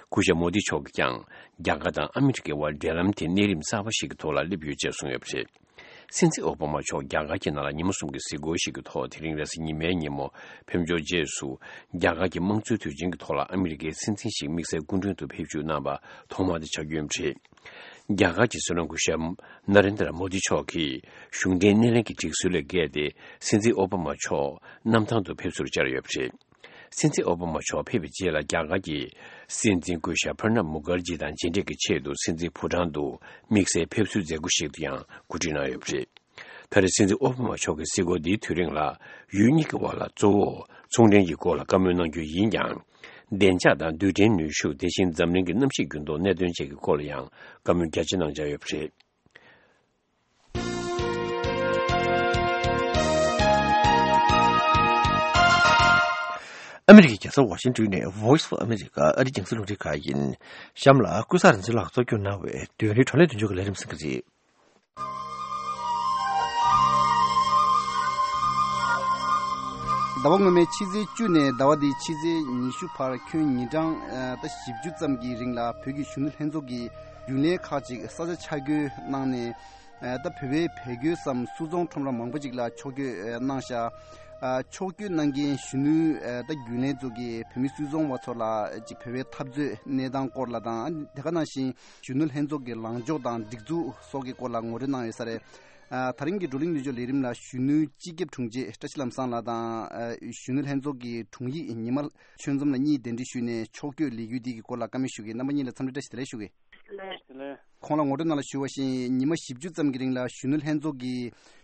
སྐུ་ཞབས་མོ་དི་མཆོག་གིས་ཀྱང་རྒྱ་གར་དང་ཨ་མི་རི་ཀའི་དབར་འབྲེལ་ལམ་དེ་གནས་རིམ་གསར་པ་ཞིག་གི་ཐོག་ལ་སླེབས་ཡོད་ཅེས་གསུངས་ཡོད་པ་རེད། སྲིད་འཛིན་ཨོ་བྷ་མ་མཆོག་རྒྱ་གར་གྱི་ནང་ལ་ཉིན་མོ་གསུམ་གྱི་གཟིགས་སྐོར་ཞིག་གི་ཐོག་དེ་རིང་རེས་གཟའ་ཉི་མའི་ཉིན་མོ་ཕེབས་འབྱོར་རྗེས་སུ། རྒྱ་གར་གྱི་དམངས་གཙོའི་དུས་ཆེན་གྱི་ཐོག་ལ་ཨ་མི་རི་ཀའི་སྲིད་འཛིན་ཞིག་དམིགས་བསལ་སྐུ་མགྲོན་དུ་ཕེབས་བཅུག་གནང་བ་ཐོག་མ་དེ་ཆགས་རྒྱུ་ཡིན་པ་རེད། རྒྱ་གར་གྱི་སྲིད་བློན་སྐུ་ཞབས་ན་རེན་དྲ་མོ་དི་མཆོག་གིས་གཞུང་འབྲེལ་སྣེ་ལེན་གྱི་སྒྲིག་སྲོལ་ལས་འགལ་ཏེ། སྲིད་འཛིན་ཨོ་བྷ་མ་མཆོག་གནམ་ཐང་དུ་ཕེབས་བསུར་བཅར་ཡོད་པ་རེད། སྲིད་འཛིན་ཨོ་བྷ་མ་མཆོག་ཕེབས་པའི་རྗེས་ལ་རྒྱ་གར་གྱི་སྲིད་འཛིན་སྐུ་ཞབས་པྲ་ནབ་མུ་ཁར་ཇི་དང་མཇལ་འཕྲད་ཀྱི་ཆེད་དུ་སྲིད་འཛིན་ཕུ་ཊང་དུ་དམིགས་བསལ་ཕེབས་བསུའི་མཛད་སྒོ་ཞིག་ཏུ་ཡང་གོ་སྒྲིག་གནང་ཡོད་པ་རེད། ད་རེས་སྲིད་འཛིན་ཨོ་བྷ་མ་མཆོག་གི་གཟིགས་སྐོར་འདིའི་དུས་རིང་ལ་ཡུལ་གཉིས་ཀྱི་དབར་ལ་གཙོ་བོ་ཚོང་འབྲེལ་གྱི་སྐོར་ལ་བཀའ་མོལ་གནང་རྒྱུ་ཡིན་ཀྱང་། བདེ་འཇགས་དང་རྡུལ་ཕྲན་ནུས་ཤུགས། དེ་བཞིན་འཛམ་གླིང་གི་གནམ་གཤིས་འགྱུར་ལྡོག་གནད་དོན་བཅས་ཀྱི་སྐོར་ལ་ཡང་བཀའ་མོལ་རྒྱ་ཆེ་གནང་འཆར་ཡོད་པ་རེད། ཨ་མི་རི་ཀའི་རྒྱལ་ས་ཝ་ཤིང་ཏོན་ནས་Voice of America ཨ་རིའི་རྒྱང་སྲིང་རླུང་འཕྲིན་ཁང་ཡིན། གཤམ་ལ་ཀུན་བཟང་རིག་འཛིན་ལགས་གཙོ་སྐྱོང་གནང་བའི་བདུན་རེའི་བགྲོ་གླེང་མདུན་ལྗོངས་ཀྱི་ལས་རིམ་གསན་གྱི་རེད། ཟླ་བ་སྔོན་མའི་ཕྱི་ཚེས་བཅུ་ནས་ཟླ་བ་འདིའི་ཕྱི་ཚེས་ཉི་ཤུ་བར་ཁྱོན་ཉིན་གྲངས་ཨ་ད་བཞི་བཅུ་ཙམ་གྱི་རིང་ལ་བོད་ཀྱི་གཞོན་ནུ་ལྷན་ཚོགས་ཀྱི་རྒྱུན་ལས་ཁག་ཅིག་ས་ཆ་ཆ་བགོས་གནང་ནས། ཨ་ད་བོད་པའི་བལ་སྒོས་སམ་སུད་ཚོང་ཁྲོམ་ར་མང་པོ་ཅིག་ལ་ཕྱོགས་བསྐྱོད་ཨ་གནང་ཤག་ཨ་ཕྱོགས་བསྐྱོད་གནང་མཁན་གཞོན་ནུ་ཨ་ད་རྒྱུན་ལས་ཚོ་གིས་བོད་མི་སུད་ཚོང་བ་ཚོ་ལ་ཅིག་བོད་པའི་འཐབ་རྩོད་གནས་སྟངས་སྐོར་ལ་དང་། ཨ་དེ་ག་ནང་བཞིན་གཞོན་ནུ་ལྷན་ཚོགས་ཀྱི་ལངས་ཕྱོགས་དང་སྒྲིག་འཛུགས་སོགས་ཀྱི་སྐོར་ལ་ངོ་སྤྲོད་གནང་ཡོད་ས་རེད། ཨ་ད་རིང་གི་བགྲོ་གླེང་མདུན་ལྗོངས་ལས་རིམ་ལ་གཞོན་ནུ་སྤྱི་ཁྱབ་དྲུང་ཆེ་བཀྲ་ཤིས་ལམ་བཟང་ལགས་དང་། ཨ་གཞོན་ནུ་ལྷན་ཚོགས་ཀྱི་དྲུང་ཡིག་ཉི་མ་ཆོས་འཛོམས་ལགས་གཉིས་གདན་འདྲེན་ཞུས་ནས་ཕྱོགས་བསྐྱོད་ལས་འགུལ་འདི་གི་སྐོར་ལ་བཀའ་མོལ་ཞུ་གི། རྣམ་པ་གཉིས་ལ་འཚམས་འདྲི་བཀྲ་ཤིས་བདེ་ལེགས་ཞུ་གི། ལགས། ཁོང་ལ་ངོ་སྤྲོད་ནང་ལ་ཞུ་བ་བཞིན་ཉི་མ་བཞི་བཅུ་ཙམ་གྱི་རིང་ལ་གཞོན་ནུ་ལྷན་ཚོགས་ཀྱི་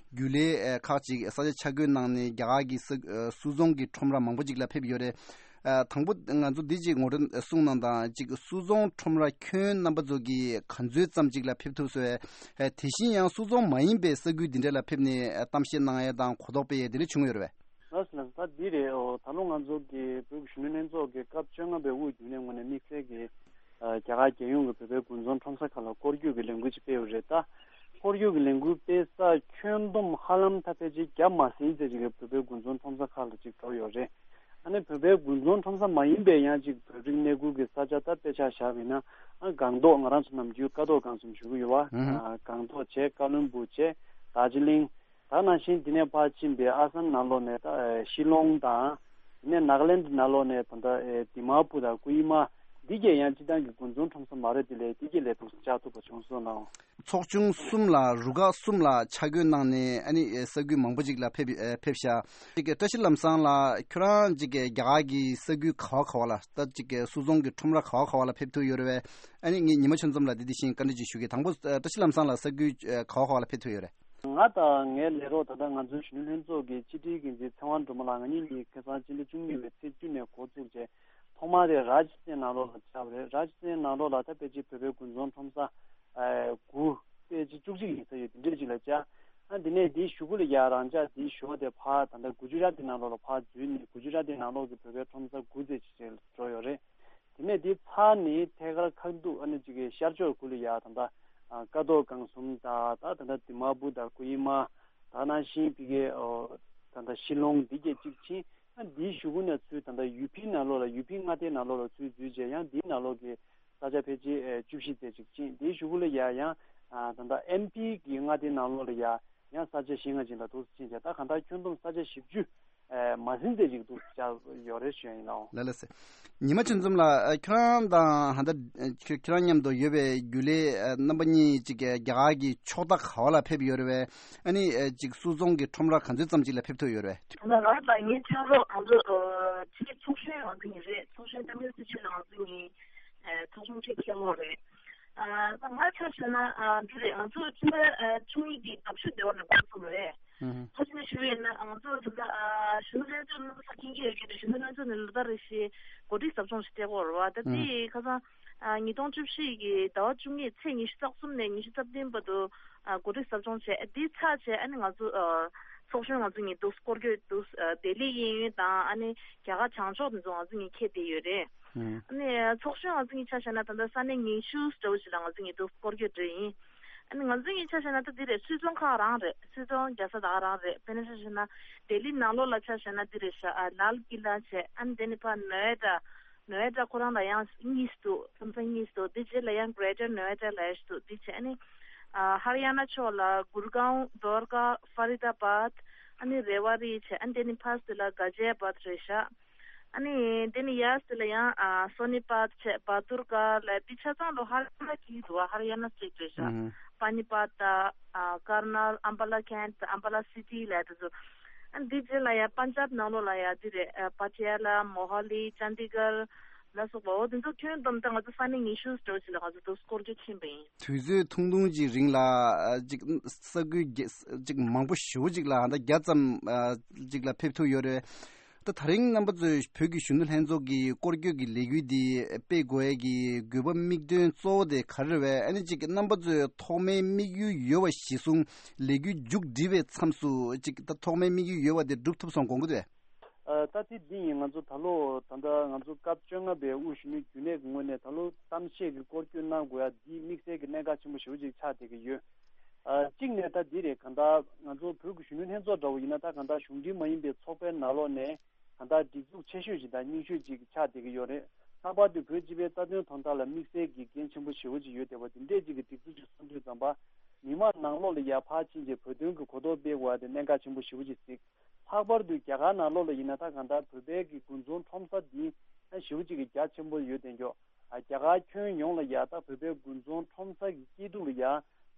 རྒྱུན་ལས་ཨ་ཁག་ཅིག་ས་ཆ་ཆ་བགོས་གནང་ནས་རྒྱ་གར་གྱི་ས་ཨ་སུད་ཚོང་གི་ཁྲོམ་ར་མང་པོ་ཅིག་ལ་ཕེབས་ཡོད་རེད། ཨ་དང་པོ་ང་ཚོ་འདི་གཅིག་ངོ་སྤྲོད་གསུང་གནང་དང་། གཅིག་སུད་ཚོང་ཁྲོམ་ར་ཁྱོན་རྣམ་པ་ཚོ་གིས་ག་ཚོད་ཙམ་ཅིག་ལ་ཕེབས་ཐུབ་སོང་། ཨ་དེ་བཞིན་ཡང་སུད་ཚོང་མ་ཡིན་པའི་ས་ཁུལ་འདི་འདྲ་ལ་ཕེབས་ནས་ཨ་གཏམ་བཤད་གནང་ཡས་དང་གོ་རྟོགས་སྤེལ་ཡས་དེ་འདྲ་བྱུང་ཡོད་རེད་པས། ལགས་སོ། ལགས་སོ། ད་འདི་རེད། ཨོ་ད་ལོ་ང་ཚོ་གི་བོད་ཀྱི་གཞོན་ནུ་ལྷན་ཚོགས་ཀྱི་སྐབས་བཅོ་ལྔ་པའི་དབུ་བརྒྱུད་ནས་ངོས་ནས་དམིགས་བསལ་གྱི་ཨ་རྒྱ་གར་རྒྱལ་ཡོངས་ཀྱི་བོད་པའི་དགུན་ཚོང་ཁྲོམ་ས་ཁག་ལ་སྐོར་སྐྱོད་ཀྱི་ལས་འགུལ་ཅིག་སྤེལ་ཡོད་རེད། ད་སྐོར་སྐྱོད་ཀྱི་ལས་འགུལ་སྤེལ་ས་ཁྱོན་བསྡོམས་ཧ་ལམ་ད་ཕལ་ཆེར་བརྒྱ་མ་ཟིན་ཙམ་ཅིག་གི་བོད་པའི་དགུན་ཚོང་ཁྲོམ་ས་ཁག་ལ་ཅིག་འགྲོ་ཡོད་རེད། ཨ་ནི་བོད་པའི་དགུན་ཚོང་ཁྲོམ་ས་མ་ཡིན་པའི་ཡང་ཅིག་བོད་རིགས་གནས་ཁུལ་གྱི་ས་ཆ་ད་དཔེ་ཆ་བཞག་པ་ཡིན་ན། ཨ་སྒང་ཏོག་ང་རང་ཚོ་ནམ་རྒྱུན་ཀ་ཏོག་སྒང་གསུམ་ཞུ་གི་ཡོད་པ། ཨ་སྒང་ཏོག་བྱས། ཀ་ལོན་སྦུག་བྱས། དར་ཇི་ལིང་། ད་ནང་བཞིན་འདི་ནས་ཕར་ཕྱིན་པའི་ཨ་སམ་ནང་ལོགས་ནས་ད་ཨེ་ཤི་ལོང་དང་། དེ་ནས་ནཱ་ག་ལན་ནང་ལོགས་ནས་ད་ལྟ་ཨེ་དི་མ་པུར་དང་ཀོ་ཧི་མ། འདི་གས་ཡང་སྤྱིར་བཏང་གི་དགུན་ཚོང་ཁྲོམ་ས་མ་རེད། དེ་ལས་འདི་གས་ལས་ཐུགས་བཅག་ཐུབ་པ་བྱུང་སོང་ལགས། ཚོགས་ཆུང་གསུམ་ལ་རུ་ཁག་གསུམ་ལ་ཆ་བགོས་གནང་ནས་ཨ་ནི་ཨེ་ས་ཁུལ་མང་པོ་ཅིག་ལ་ཕེབས་ཨེ་ཕེབས་ཤག་ཅིག་བཀྲ་ཤིས་ལམ་བཟང་ལགས་ཁྱོད་རང་ཅིག་རྒྱ་གར་གྱི་ས་ཁུལ་ག་བ་ག་བ་ལ། ད་ཅིག་སུད་ཚོང་གི་ཁྲོམ་ར་ག་བ་ག་བ་ལ་ཕེབས་ཐུབ་ཡོད་རེད་པས། ཨ་ནི་ངས་ཉི་མ་ཆོས་འཛོམས་ལགས་འདི་དེ་བཞིན་བཀའ་འདྲི་ཅིག་ཞུ་གི། དང་པོ་ཨེ་བཀྲ་ཤིས་ལམ་བཟང་ལགས་ས་ཁུལ་ཨེ་ག་བ་ག་བ་ལ་ཕེབས་ཐུབ་ཡོད་རེད། ང་དང་ངའི་ལས་རོགས་ད་ལྟ་ང་ཚོའི་གཞོན་ནུ་ལྷན་ཚོགས་ཀྱི་སྤྱི་ཁྲིའི་འགན་འཛིན་ཚེ་དབང་སྒྲོལ་མ་ལགས། ང་གཉིས་གཉིས་ཁ་སང་སྤྱི་ཟླ་བཅུ་གཉིས་པའི་ཚེས་བཅུ་ནས་འགོ་བཙུགས་བྱས། ཐོག་མ་དེ་རཱཇ་སི་ཐན་ནང་ལོགས་ལ་བཅར་བ་རེད། རཱཇ་སི་ཐན་ནང་ལོགས་ལ་ད་ཕལ་ཆེར་བོད་པའི་དགུན་ཚོང་ཁྲོམ་ས་ཨ་དགུ། ཕལ་ཆེར་བཅུ་གཅིག་ཡིན་ས་ཡོད། དེ་འདྲས་ཅིག་ལ་བཅར། ཨ་དེ་ནས་དེའི་གཞུག་གུ་ལ་ཡ་རང་འཇགས་དེའི་ཞོར་དེ་ཕར་ད་ལྟ་གུ་ཇུ་རཱ་ཏི་ནང་ལོགས་ལ་ཕར་འཛུལ་ནས། གུ་ཇུ་རཱ་ཏི་ནང་ལོགས་ཀྱི་བོད་པའི་ཁྲོམ་ས་དགུ་ཙམ་ཅིག་འགྲོ་ཡོད་རེད། དེ་ནས་དེ་ཚར་ནས་ཐད་ཀར་ཁ་ཐུག་ཨ་ནི་ཅིག་གི་ཤར་ཕྱོགས་ཁུལ་ལ་ཡ་ད་ལྟ་ཨ་ཀ་ཏོག་སྒང་གསུམ་དང་། ད་ད་ལྟ་དི་མ་པུར་དང་ཀོ་ཧི་མ། ད་ནང་བཞིན་ཕ་གི་ཨོ་ད་ལྟ་ཤི་ལོང་འདི་གས་ཅིག་ཕྱིན། ཨ་འདིའི་གཞུག་གུ་ནས་ཚུར་ད་ལྟ་ཡུ་ཕི་ནང་ལོགས་ལ། ཡུ་ཕི་མངའ་སྡེ་ནང་ལོགས་ལ་ཚུར་འཛུལ་བྱས། ཡང་འདིའི་ནང་ལོགས་ཀྱི་ས་ཆ་ཕལ་ཆེར་ཨེ་བཅུ་བཞི་ཙམ་ཅིག་ཕྱིན། དེའི་གཞུག་གུ་ལ་ཡ་ཡང་ཨ་ད་ལྟ་ཨེམ་པི་གི་མངའ་སྡེ་ནང་ལོགས་ལ་ཡ་ཡང་ས་ཆ་བཞི་ལྔ་ཅིག་ལ་འདུག་སེ་ཕྱིན་བྱས། ད་གང་ལྟར་ཁྱོན་བསྡོམས་ས་ཆ་བཞི་བཅུ་ཨེ་མ་ཟིན་ཙམ་ཅིག་འདུག་སེ་བཅར་ཡོད་རེད་ཞུ་ཡ་ཡིན་ལགས། ལགས་ལགས་སེ། ཉི་མ་ཆོས་འཛོམས་ལགས། ཨ་ཁྱོད་རང་དང་ཧ་ད་ཨ་ཁྱོད་ཁྱོད་རང་མཉམ་དུ་ཡོད་པའི་རྒྱུན་ལས་ཨ་རྣམ་པ་གཉིས་ཅིག་གིས་རྒྱ་གར་གྱི་ཕྱོགས་མཐའ་ག་བ་ལ་ཕེབས་ཡོད་རེད་པས། ཨ་ནི་ཨ་ཅིག་སུད་ཚོང་གི་ཁྲོམ་ར་ག་ཚོད་ཙམ་ཅིག་ལ་ཕེབས་ཐུབ་ཡོད་རེད། ད་ང་དང་ངའི་ཕྱག་རོགས་ང་ཚོ་ཨ་ཕྱི་ཚོགས་གཞོན་ང་ཚོ་གཉིས་རེད། ཚོགས་གཞོན་ཏཱ་མིལ་སི་ཆུ་ལ་ང་ཚོ་གཉིས་ཨ་ཚོགས་ཆུང་གཅིག་ཁྱེར་ཡོད་རེད། ཨ་ད་ང་ཆ་བཞག་ན་ཨ་འདི་རེད། ང་ཚོ་ཕྱི་ཟླ་ཨ་བཅུ་གཉིས་ཀྱི་ཟླ་བཞི་ཟླ་བ་ནས་འགོ་བཙུགས་པ་རེད། ཧུམ། ཕ་ཆེན་ཞུ་ཡིན་ན་ང་ཚོ་ད་ལྟ་ཨ་གཞོན་ནུ་ལྷན་ཚོགས་ནང་ལ་ས་ཁྱིན་གྱི་ཡོད་ཀྱི་རེད། གཞོན་ནུ་ལྷན་ཚོགས་ནས་ལོ་ལྟར་རེ་བཞིན་གོ་སྒྲིག་ཟབ་སྦྱོང་ཞིག་སྤྲད་ཀྱི་ཡོད་རེད་པ། ད་ཧུམ། དེ་ཁ་སང་ཨ་ཉིས་སྟོང་བཅུ་བཞི་གི་ཟླ་བ་བཅུ་གཉིས་ཚེས་ཉི་ཤུ་རྩ་གསུམ་ནས་ཉི་ཤུ་རྩ་བདུན་བར་དུ་ཨ་གོ་སྒྲིག་ཟབ་སྦྱོང་བྱས། དེ་ཚར་བྱས་ཨ་ནི་ང་ཚོ་ཨ་ཚོགས་གཞོན་ང་ཚོ་གཉིས་འདུག་སྐོར་སྐྱོད་འདུག་ཨ་ལྡི་ལི་གཡས་གཡོན་དང་ཨ་ནི་རྒྱ་གར་བྱང་ཕྱོགས་དེ་ཚོ་ང་ཚོ་གཉིས་ཁྱེར་བསྡད་ཡོད་རེད། ཨ་ནི་ཚོགས་གཞོན་ང་ཚོ་གཉིས་ཆ་བཞག་ན་ད་ལྟ་ས་གནས་ཉི་ཤུ་འདྲ་བོ་ཞིག་ལ་ང་ཚོ་གཉིས་འདུག་སྐོར་སྐྱོད་འགྲོ་ཡིན། ཨ་ནི་ང་ཚོ་གཉིས་ཆ་བཞག་ན་ད་འདི་རེད། སུད་ཚོང་ཁག་རང་རེད། སུད་ཚོང་རྒྱག་ས་ད་ག་རང་རེད། དཔེར་ན་ཆ་བཞག་ན་ལྡི་ལི་ནང་ལོགས་ལ་ཆ་བཞག་ན་འདི་རེད་ཤག་ཨ་ལཱལ་ཀི་ལ་བྱས། ཨ་ནི་དེ་ནི་ཕར་ནོ་ཨེ་ཌ། ནོ་ཨེ་ཌ་ཁོ་རང་ལ་ཡང་གཉིས་འདུག་མཚམས་མཚམས་གཉིས་འདུག་དེ་རྗེས་ལ་ཡང་གྷེ་རེ་ཊར་ནོ་ཨེ་ཌ་ལབ་ཡ་ཞིག་འདུག་དེ་བྱས་ཨ་ནི་ཨ་ཧ་རི་ཡ་ན་ཕྱོགས་ལ་གུར་གའོན། དོར་ཁ། ཧྥ་རི་དཱ་བཱད། ཨ་ནི་རེ་ཝ་རི་བྱས། ཨ་ནི་དེ་ནི་ཕར་ཚུར་ལ་ག་ཛི་ཡ་བཱད་རེད་ཤག་ཨ་ནི་དེ་ནི་ཡར་ཚུར་ལ་ཡང་ཨ་སོ་ནི་པཱད་བྱས། བ་དུར་ཀ་ལ། དེ་ཆ་ཚང་ལོ་ཧ་རི་ཡ་ན་གི་འདུག་ཧ་རི་ཡ་ན་སི་ཊེཊ་རེད་ཤག་ཨ་ཧུམ། པ་ནི་པཱད་དང་ཨ་ཀར་ནལ། ཨམ་བ་ལ་ཁེནཊ། ཨམ་བ་ལ་སི་ཊི་ལབ་ཡ་དེ་ཚོ། ཨ་ནི་དེ་རྗེས་ལ་ཡང་པན་ཇབ་ནང་ལོགས་ལ་ཡང་འདི་རེད། ཨ་པ་ཊི་ཡ་ལ། མོ་ཧ་ལི། ཅན་དི་གར་ལ་སོགས་པ། འོ་དེ་ཚོ་ཁྱོན་བསྡོམས་ད་ང་ཚོ་ས་གནས་ཉི་ཤུ་ཙམ་ཞིག་ལ་ང་ཚོ་འདུག་སྐོར་སྐྱོད་ཕྱིན་པ་ཡིན། དུས་ཚོད་ཐུང་ཐུང་ཅིག་རིང་ལ་ཨ་ཅིག་ས་ཁུལ་རྒྱ་ཅིག་མང་པོ་ཞེ་པོ་ཅིག་ལ་ཨ་ད་བརྒྱ་ཙམ་ཨ་ཅིག་ལ་ཕེབས་ཐུབ་ཡོད་རེད། ད་ད་རིང་རྣམ་པ་ཚོས་བོད་ཀྱི་གཞོན་ནུ་ལྷན་ཚོགས་ཀྱི་སྐོར་སྐྱོད་ཀྱི་ལས་འགུལ་འདི་སྤེལ་དགོས་ཡས་ཀྱི་དགོས་པ་དམིགས་དོན་གཙོ་བོ་དེ་ག་རེ་རེད་པས། ཨ་ནི་ཅིག་རྣམ་པ་ཚོས་ཐོག་མའི་དམིགས་ཡུལ་ཡོད་པ་གཞིར་བཟུང་ལས་འགུལ་མཇུག་སྒྲིལ་བའི་མཚམས་སུ་ཅིག་ད་ཐོག་མའི་དམིགས་ཡུལ་ཡོད་པ་དེ་འགྲུབ་ཐུབ་སོང་དགོངས་ཀྱི་འདུག་ཨ། ད་དེ་འདི་ཡིན། ང་ཚོ་ད་ལོ་ད་ལྟ་ང་ཚོ་སྐབས་བཅོ་ལྔ་པའི་དབུ་བཞུགས་མོལ་རྒྱུན་ལས་ཀྱི་ངོས་ནས་ད་ལོ་གཏམ་བཤད་ཀྱི་སྐོར་སྐྱོད་གནང་དགོས་ཡ་འདི་དམིགས་བསལ་གྱི་གནད་འགག་ཆེན་པོ་ཞེ་པོ་ཅིག་ཆགས་བསྡད་ཀྱི་ཡོད། ཨ། གཅིག་ནས་ད་འདི་རེད། གང་ལྟར་ང་ཚོ་བོད་ཀྱི་གཞོན་ནུ་ལྷན་ཚོགས་འདྲ་བོ་ཡིན་ན་ད་གང་ལྟར་གཞུང་འབྲེལ་མ་ཡིན་པའི་ཚོགས་པའི་ནང་ལོགས་ནས་གང་ལྟར་སྒྲིག་འཛུགས་ཆེ་ཤོས་ཤིག་དང་རྙིང་ཤོས་ཅིག་ཆགས་བསྡད་ཀྱི་ཡོད་རེད། ལྷག་པར་དུ་བོད་སྤྱི་པའི་རྩ་དོན་དོན་དག་ལ་དམིགས་བསལ་གྱི་འགན་ཆེན་པོ་ཞེ་པོ་ཅིག་ཡོད་བསྡད་པ་འདི་འདྲས་ཅིག་གི་སྒྲིག་འཛུགས་ཅིག་སོང་དུས་ཙམ་པ། མི་མང་ནང་ལོགས་ལ་ཡར་ཕར་ཕྱིན་རྗེས་བོད་དོན་གྱི་གོ་རྟོགས་སྤེལ་དགོས་ཡ་དེ་གནད་འགག་ཆེན་པོ་ཞེ་པོ་ཅིག་གཟིགས། ལྷག་པར་དུ་རྒྱ་གར་ནང་ལོགས་ལ་ཡིན་ན་ད་གང་ལྟར་བོད་པའི་གི་དགུན་ཚོང་ཁྲོམ་ས་འདི་ཞེ་པོ་ཅིག་གི་རྒྱ་ཆེན་པོ་ཡོད་བསྡད་ཀྱོག། ཨ། རྒྱ་གར་ཁྱོན་ཡོངས་ལ་ཡ་ད་བོད་པའི་དགུན་ཚོང་ཁྲོམ་ས་གི་སྐྱིད་སྡུག་ལ་ཡ་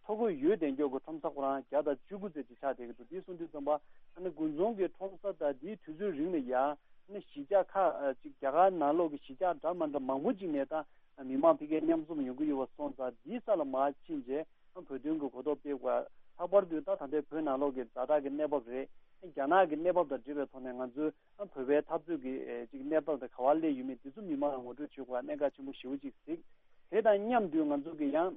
ཐོ་འགོད་ཡོད་བསྡད་ཀྱོག་གི་ཁྲོམ་ས་ཁོ་རང་བརྒྱ་དང་བཅུ་དགུ་ཙམ་ཅིག་ཆགས་བསྡད་ཀྱི་འདུག། འདི་སོང་དུས་ཙམ་པ་ཨ་ནི་དགུན་ཚོང་གི་ཁྲོམ་ས་ད་འདིའི་དུས་ཚོད་རིང་ལ་ཡ་ཨ་ནི་གཞིས་ཆགས་ཁག་ཨ་ཅིག་རྒྱ་གར་ནང་ལོགས་ཀྱི་གཞིས་ཆགས་འདྲ་མ་འདྲ་མང་པོ་ཅིག་ནས་ད་མི་མང་ཕ་གིར་མཉམ་འཛོམས་ཡོང་གི་ཡོད་པ་སོང་ཙང་འདིའི་ས་ལ་མར་ཕྱིན་རྗེས་བོད་དོན་གྱི་གོ་རྟོགས་སྤེལ་དགོས། ལྷག་པར་དུ་ད་ད་ལྟའི་བོད་ནང་ལོགས་ཀྱི་ཛ་དྲག་གི་གནས་བབ་རེད། རྒྱ་ནག་གི་གནས་བབ་དང་འབྲེལ་བའི་ཐོག་ནས་ང་ཚོའི་བོད་པའི་འཐབ་རྩོད་ཀྱི་ཨེ་ཅིག་གནས་བབ་དང་ག་པར་སླེབས་ཡོད་མེད་འདི་ཚོ་མི་མང་ལ་ངོ་སྤྲོད་བྱེད་དགོས་པ་གནད་འགག་ཆེན་པོ་ཞེ་པོ་ཅིག་གཟིགས། དེ་དང་མཉམ་དུ་ང་ཚོ་གི་ཡང་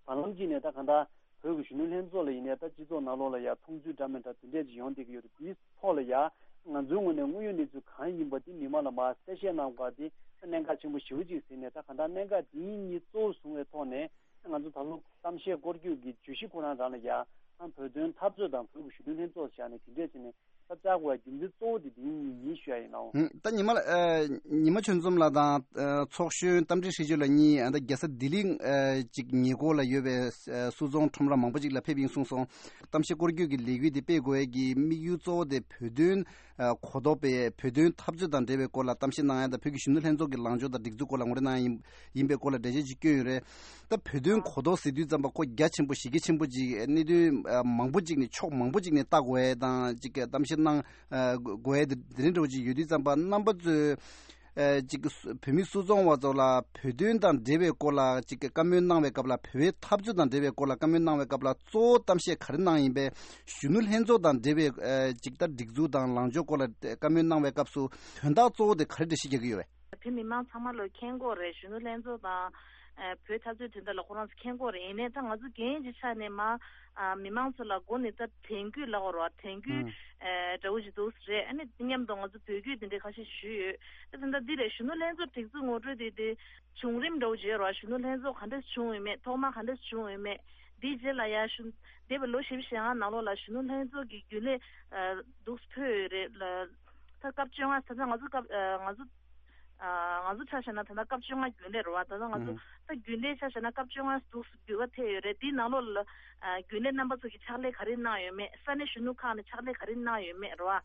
བར་ལམ་གཅིག་ནས་ད་གང་ལྟར་བོད་ཀྱི་གཞོན་ནུ་ལྷན་ཚོགས་ལ་ཡིན་ནའི་ད་སྤྱི་ཚོགས་ནང་ལོགས་ལ་ཡང་མཐོང་ཚུལ་འདྲ་མི་འདྲ་དེ་འདྲས་ཅིག་ཡོང་བསྡད་ཀྱི་ཡོད་རེད། དེའི་ཐོག་ལ་ཡང་ང་ཚོའི་ངོས་ནས་དངོས་ཡོད་གནས་ཚུལ་གང་ཡིན་པ་དེ་མི་མང་ལ་མར་གསལ་བཤད་གནང་དགོས་པ་དེ་གནད་འགག་ཆེན་པོ་ཞེ་པོ་ཅིག་ཟེར་ནས། ད་གང་ལྟར་གནད་འགག་དེ་གཉིས་གཙོ་བོ་བཟུང་བའི་ཐོག་ནས་ང་ཚོ་ད་ལོ་གཏམ་བཤད་སྐོར་སྐྱོད་ཀྱི་བརྗོད་གཞི་ཁོ་རང་རང་ལ་ཡང་བོད་དོན་འཐབ་རྩོད་དང་བོད་ཀྱི་གཞོན་ནུ་ལྷན་ཚོགས་བཞག་ནས་དེ་འདྲས་བྱས་ནས་ད་བཅར་དགོས་པའི་རྒྱུ་མཚན་གཙོ་བོ་དེ་དེ་གཉིས་ཡིན་ཞུ་ཡ་ཡིན་ནོ། ཧུམ། ད་ཉི་མ་ལ་ཨ་ཉི་མ་ཆོས་འཛོམས་ལགས་དང་ཨ་ཚོགས་གཞོན་རྟ་མགྲིན་ཧྲི་ཅུན་ལགས་གཉིས་ཨ་ད་རྒྱལ་ས་ལྡི་ལི་ཨ་ཅིག་ཉེ་འཁོར་ལ་ཡོད་པའི་ཨ་སུད་ཚོང་ཁྲོམ་ར་མང་པོ་ཅིག་ལ་ཕེབས་ཡིན་གསུངས་སོང་། གཏམ་བཤད་སྐོར་སྐྱོད་ཀྱི་ལས་འགུལ་དེ་སྤེལ་དགོས་ཡ་གི་དམིགས་ཡུལ་གཙོ་བོ་དེ་བོད་དོན་ཨ་གོ་རྟོགས་སྤེལ། བོད་དོན་འཐབ་རྩོད་དང་འབྲེལ་བའི་སྐོར་ལ་གཏམ་བཤད་གནང་ཡ་དང་བོད་ཀྱི་གཞོན་ནུ་ལྷན་ཚོགས་ཀྱི་ལངས་ཕྱོགས་དང་སྒྲིག་འཛུགས་སྐོར་ལ་ངོ་སྤྲོད་གནང་ཡ་ཡིན་ཡིན་པའི་སྐོར་ལ་འགྲེལ་བཤད་ཅིག་བསྐྱོན་ཡོད་རེད། ད་བོད་དོན་གོ་རྟོགས་ཟེར་དུས་ཙམ་པ་ཁོ་རྒྱ་ཆེན་པོ་གཞི་རྒྱ་ཆེན་པོ་ཅིག་གནད་དོན་ཨ་མང་པོ་ཅིག་ནས་ཕྱོགས་མང་པོ་ཅིག་ནས་ལྟ་དགོས་ཡ་དང་ཅིག་གཏམ་བཤད་གནང་ཨ་དགོས་ཡ་དེ་དེ་འདྲ་འདྲ་བོ་ཅིག་ཡོད་དུས་ཙམ་པ་རྣམ་པ་ཚོས་ཨ་ཅིག་བོད་མི་སུད་ཚོང་བ་ཚོ་ལ་བོད་དོན་དང་འབྲེལ་བའི་སྐོར་ལ་ཅིག་བཀའ་མོལ་གནང་བའི་སྐབས་ལ། བོད་པའི་འཐབ་རྩོད་དང་འབྲེལ་བའི་སྐོར་ལ་བཀའ་མོལ་གནང་བའི་སྐབས་ལ་གཙོ་བོ་གཏམ་བཤད་ག་རེ་གནང་ཡིན་པས། གཞོན་ནུ་ལྷན་ཚོགས་དང་འབྲེལ་བའི་ཨ་ཅིག་ད་སྒྲིག་འཛུགས་དང་ལངས་ཕྱོགས་སྐོར་ལ་བཀའ་མོལ་གནང་བའི་སྐབས་སུ་དོན་དག་གཙོ་བོ་དེ་ག་རེ་འགྲེལ་བཤད་རྒྱག་གི་ཡོད་པས། བོད་མི་མང་ཚང་མ་ལོ་མཁྱེན་གྱི་ཡོད་རེད། གཞོན་ནུ་ལྷན་ཚོགས་དང་ཨ་བོད་འཐབ་རྩོད་དོན་དག་ལ་ཁོ་རང་ཚོ་མཁྱེན་གྱི་ཡོད་རེད། ཡིན་ནའི་ད་ང་ཚོ་རྒན་གྱི་ཆ་ནས་མ་ཨ་མི་མང་ཚོ་ལ་མགོ་ནས་ད་དྲན་སྐུལ་ལབ་དགོས་རེད་བ། དྲན་སྐུལ་ཨ་འདྲ་བོ་ཞིག་འདུག་རེད། ཨ་ནི་མཉམ་དུ་ང་ཚོ་འབོད་སྐུལ་དེ་འདྲའི་ཁ་ཤས་ཞུས་ཡོད། ད་ད་ལྟ་འདི་རེད། གཞོན་ནུ་ལྷན་ཚོགས་སྒྲིག་འཛུགས་ངོ་སྤྲོད་དེ་དེ་བྱུང་རིམ་འདྲ་བོ་ཅིག་ཡོད་རེད་བ། གཞོན་ནུ་ལྷན་ཚོགས་ག་འདྲས་བྱུང་ཡོད་མེད། ཐོག་མ་ག་འདྲས་བྱུང་ཡོད་མེད། དེའི་རྗེས་ལ་ཡ་གཞོན་འདས་པའི་ལོ་བཞི་བཅུ་ཞེ་ལྔ་ནང་ལོགས་ལ་གཞོན་ནུ་ལྷན་ཚོགས་ཀྱི་རྒྱུན་ལས་ཨ་འདུག་སེ་ཕུད་ཡོད་རེད་ལ། ད་སྐབས་བཅོ་ལྔ། ད་ལྟ་ང་ཚོ་སྐབས་ཨ་ང་ཚོ་ཨ་ང་ཚོ་ཆ་བཞག་ན་ད་ལྟ་སྐབས་བཅོ་ལྔ་རྒྱུན་ལས་རེད་བ། ད་ལྟ་ང་ཚོ་ཨུ་ད་རྒྱུན་ལས་ཆ་བཞག་ན་སྐབས་བཅོ་ལྔ་འདུག་སེ་འབུལ་བ་ཐེབས་ཡོད་རེད། དེའི་ནང་ལོགས་ལ་ཨ་རྒྱུན་ལས་རྣམ་པ་ཚོ་གིས་ཕྱག་ལས་ག་རེ་གནང་ཡོད་མེད། ས་གནས་གཞོན་ནུ་ཁག་ནས་ཕྱག་ལས་ག་རེ་གནང་ཡོད་མེད་རེད་བ། ཨ་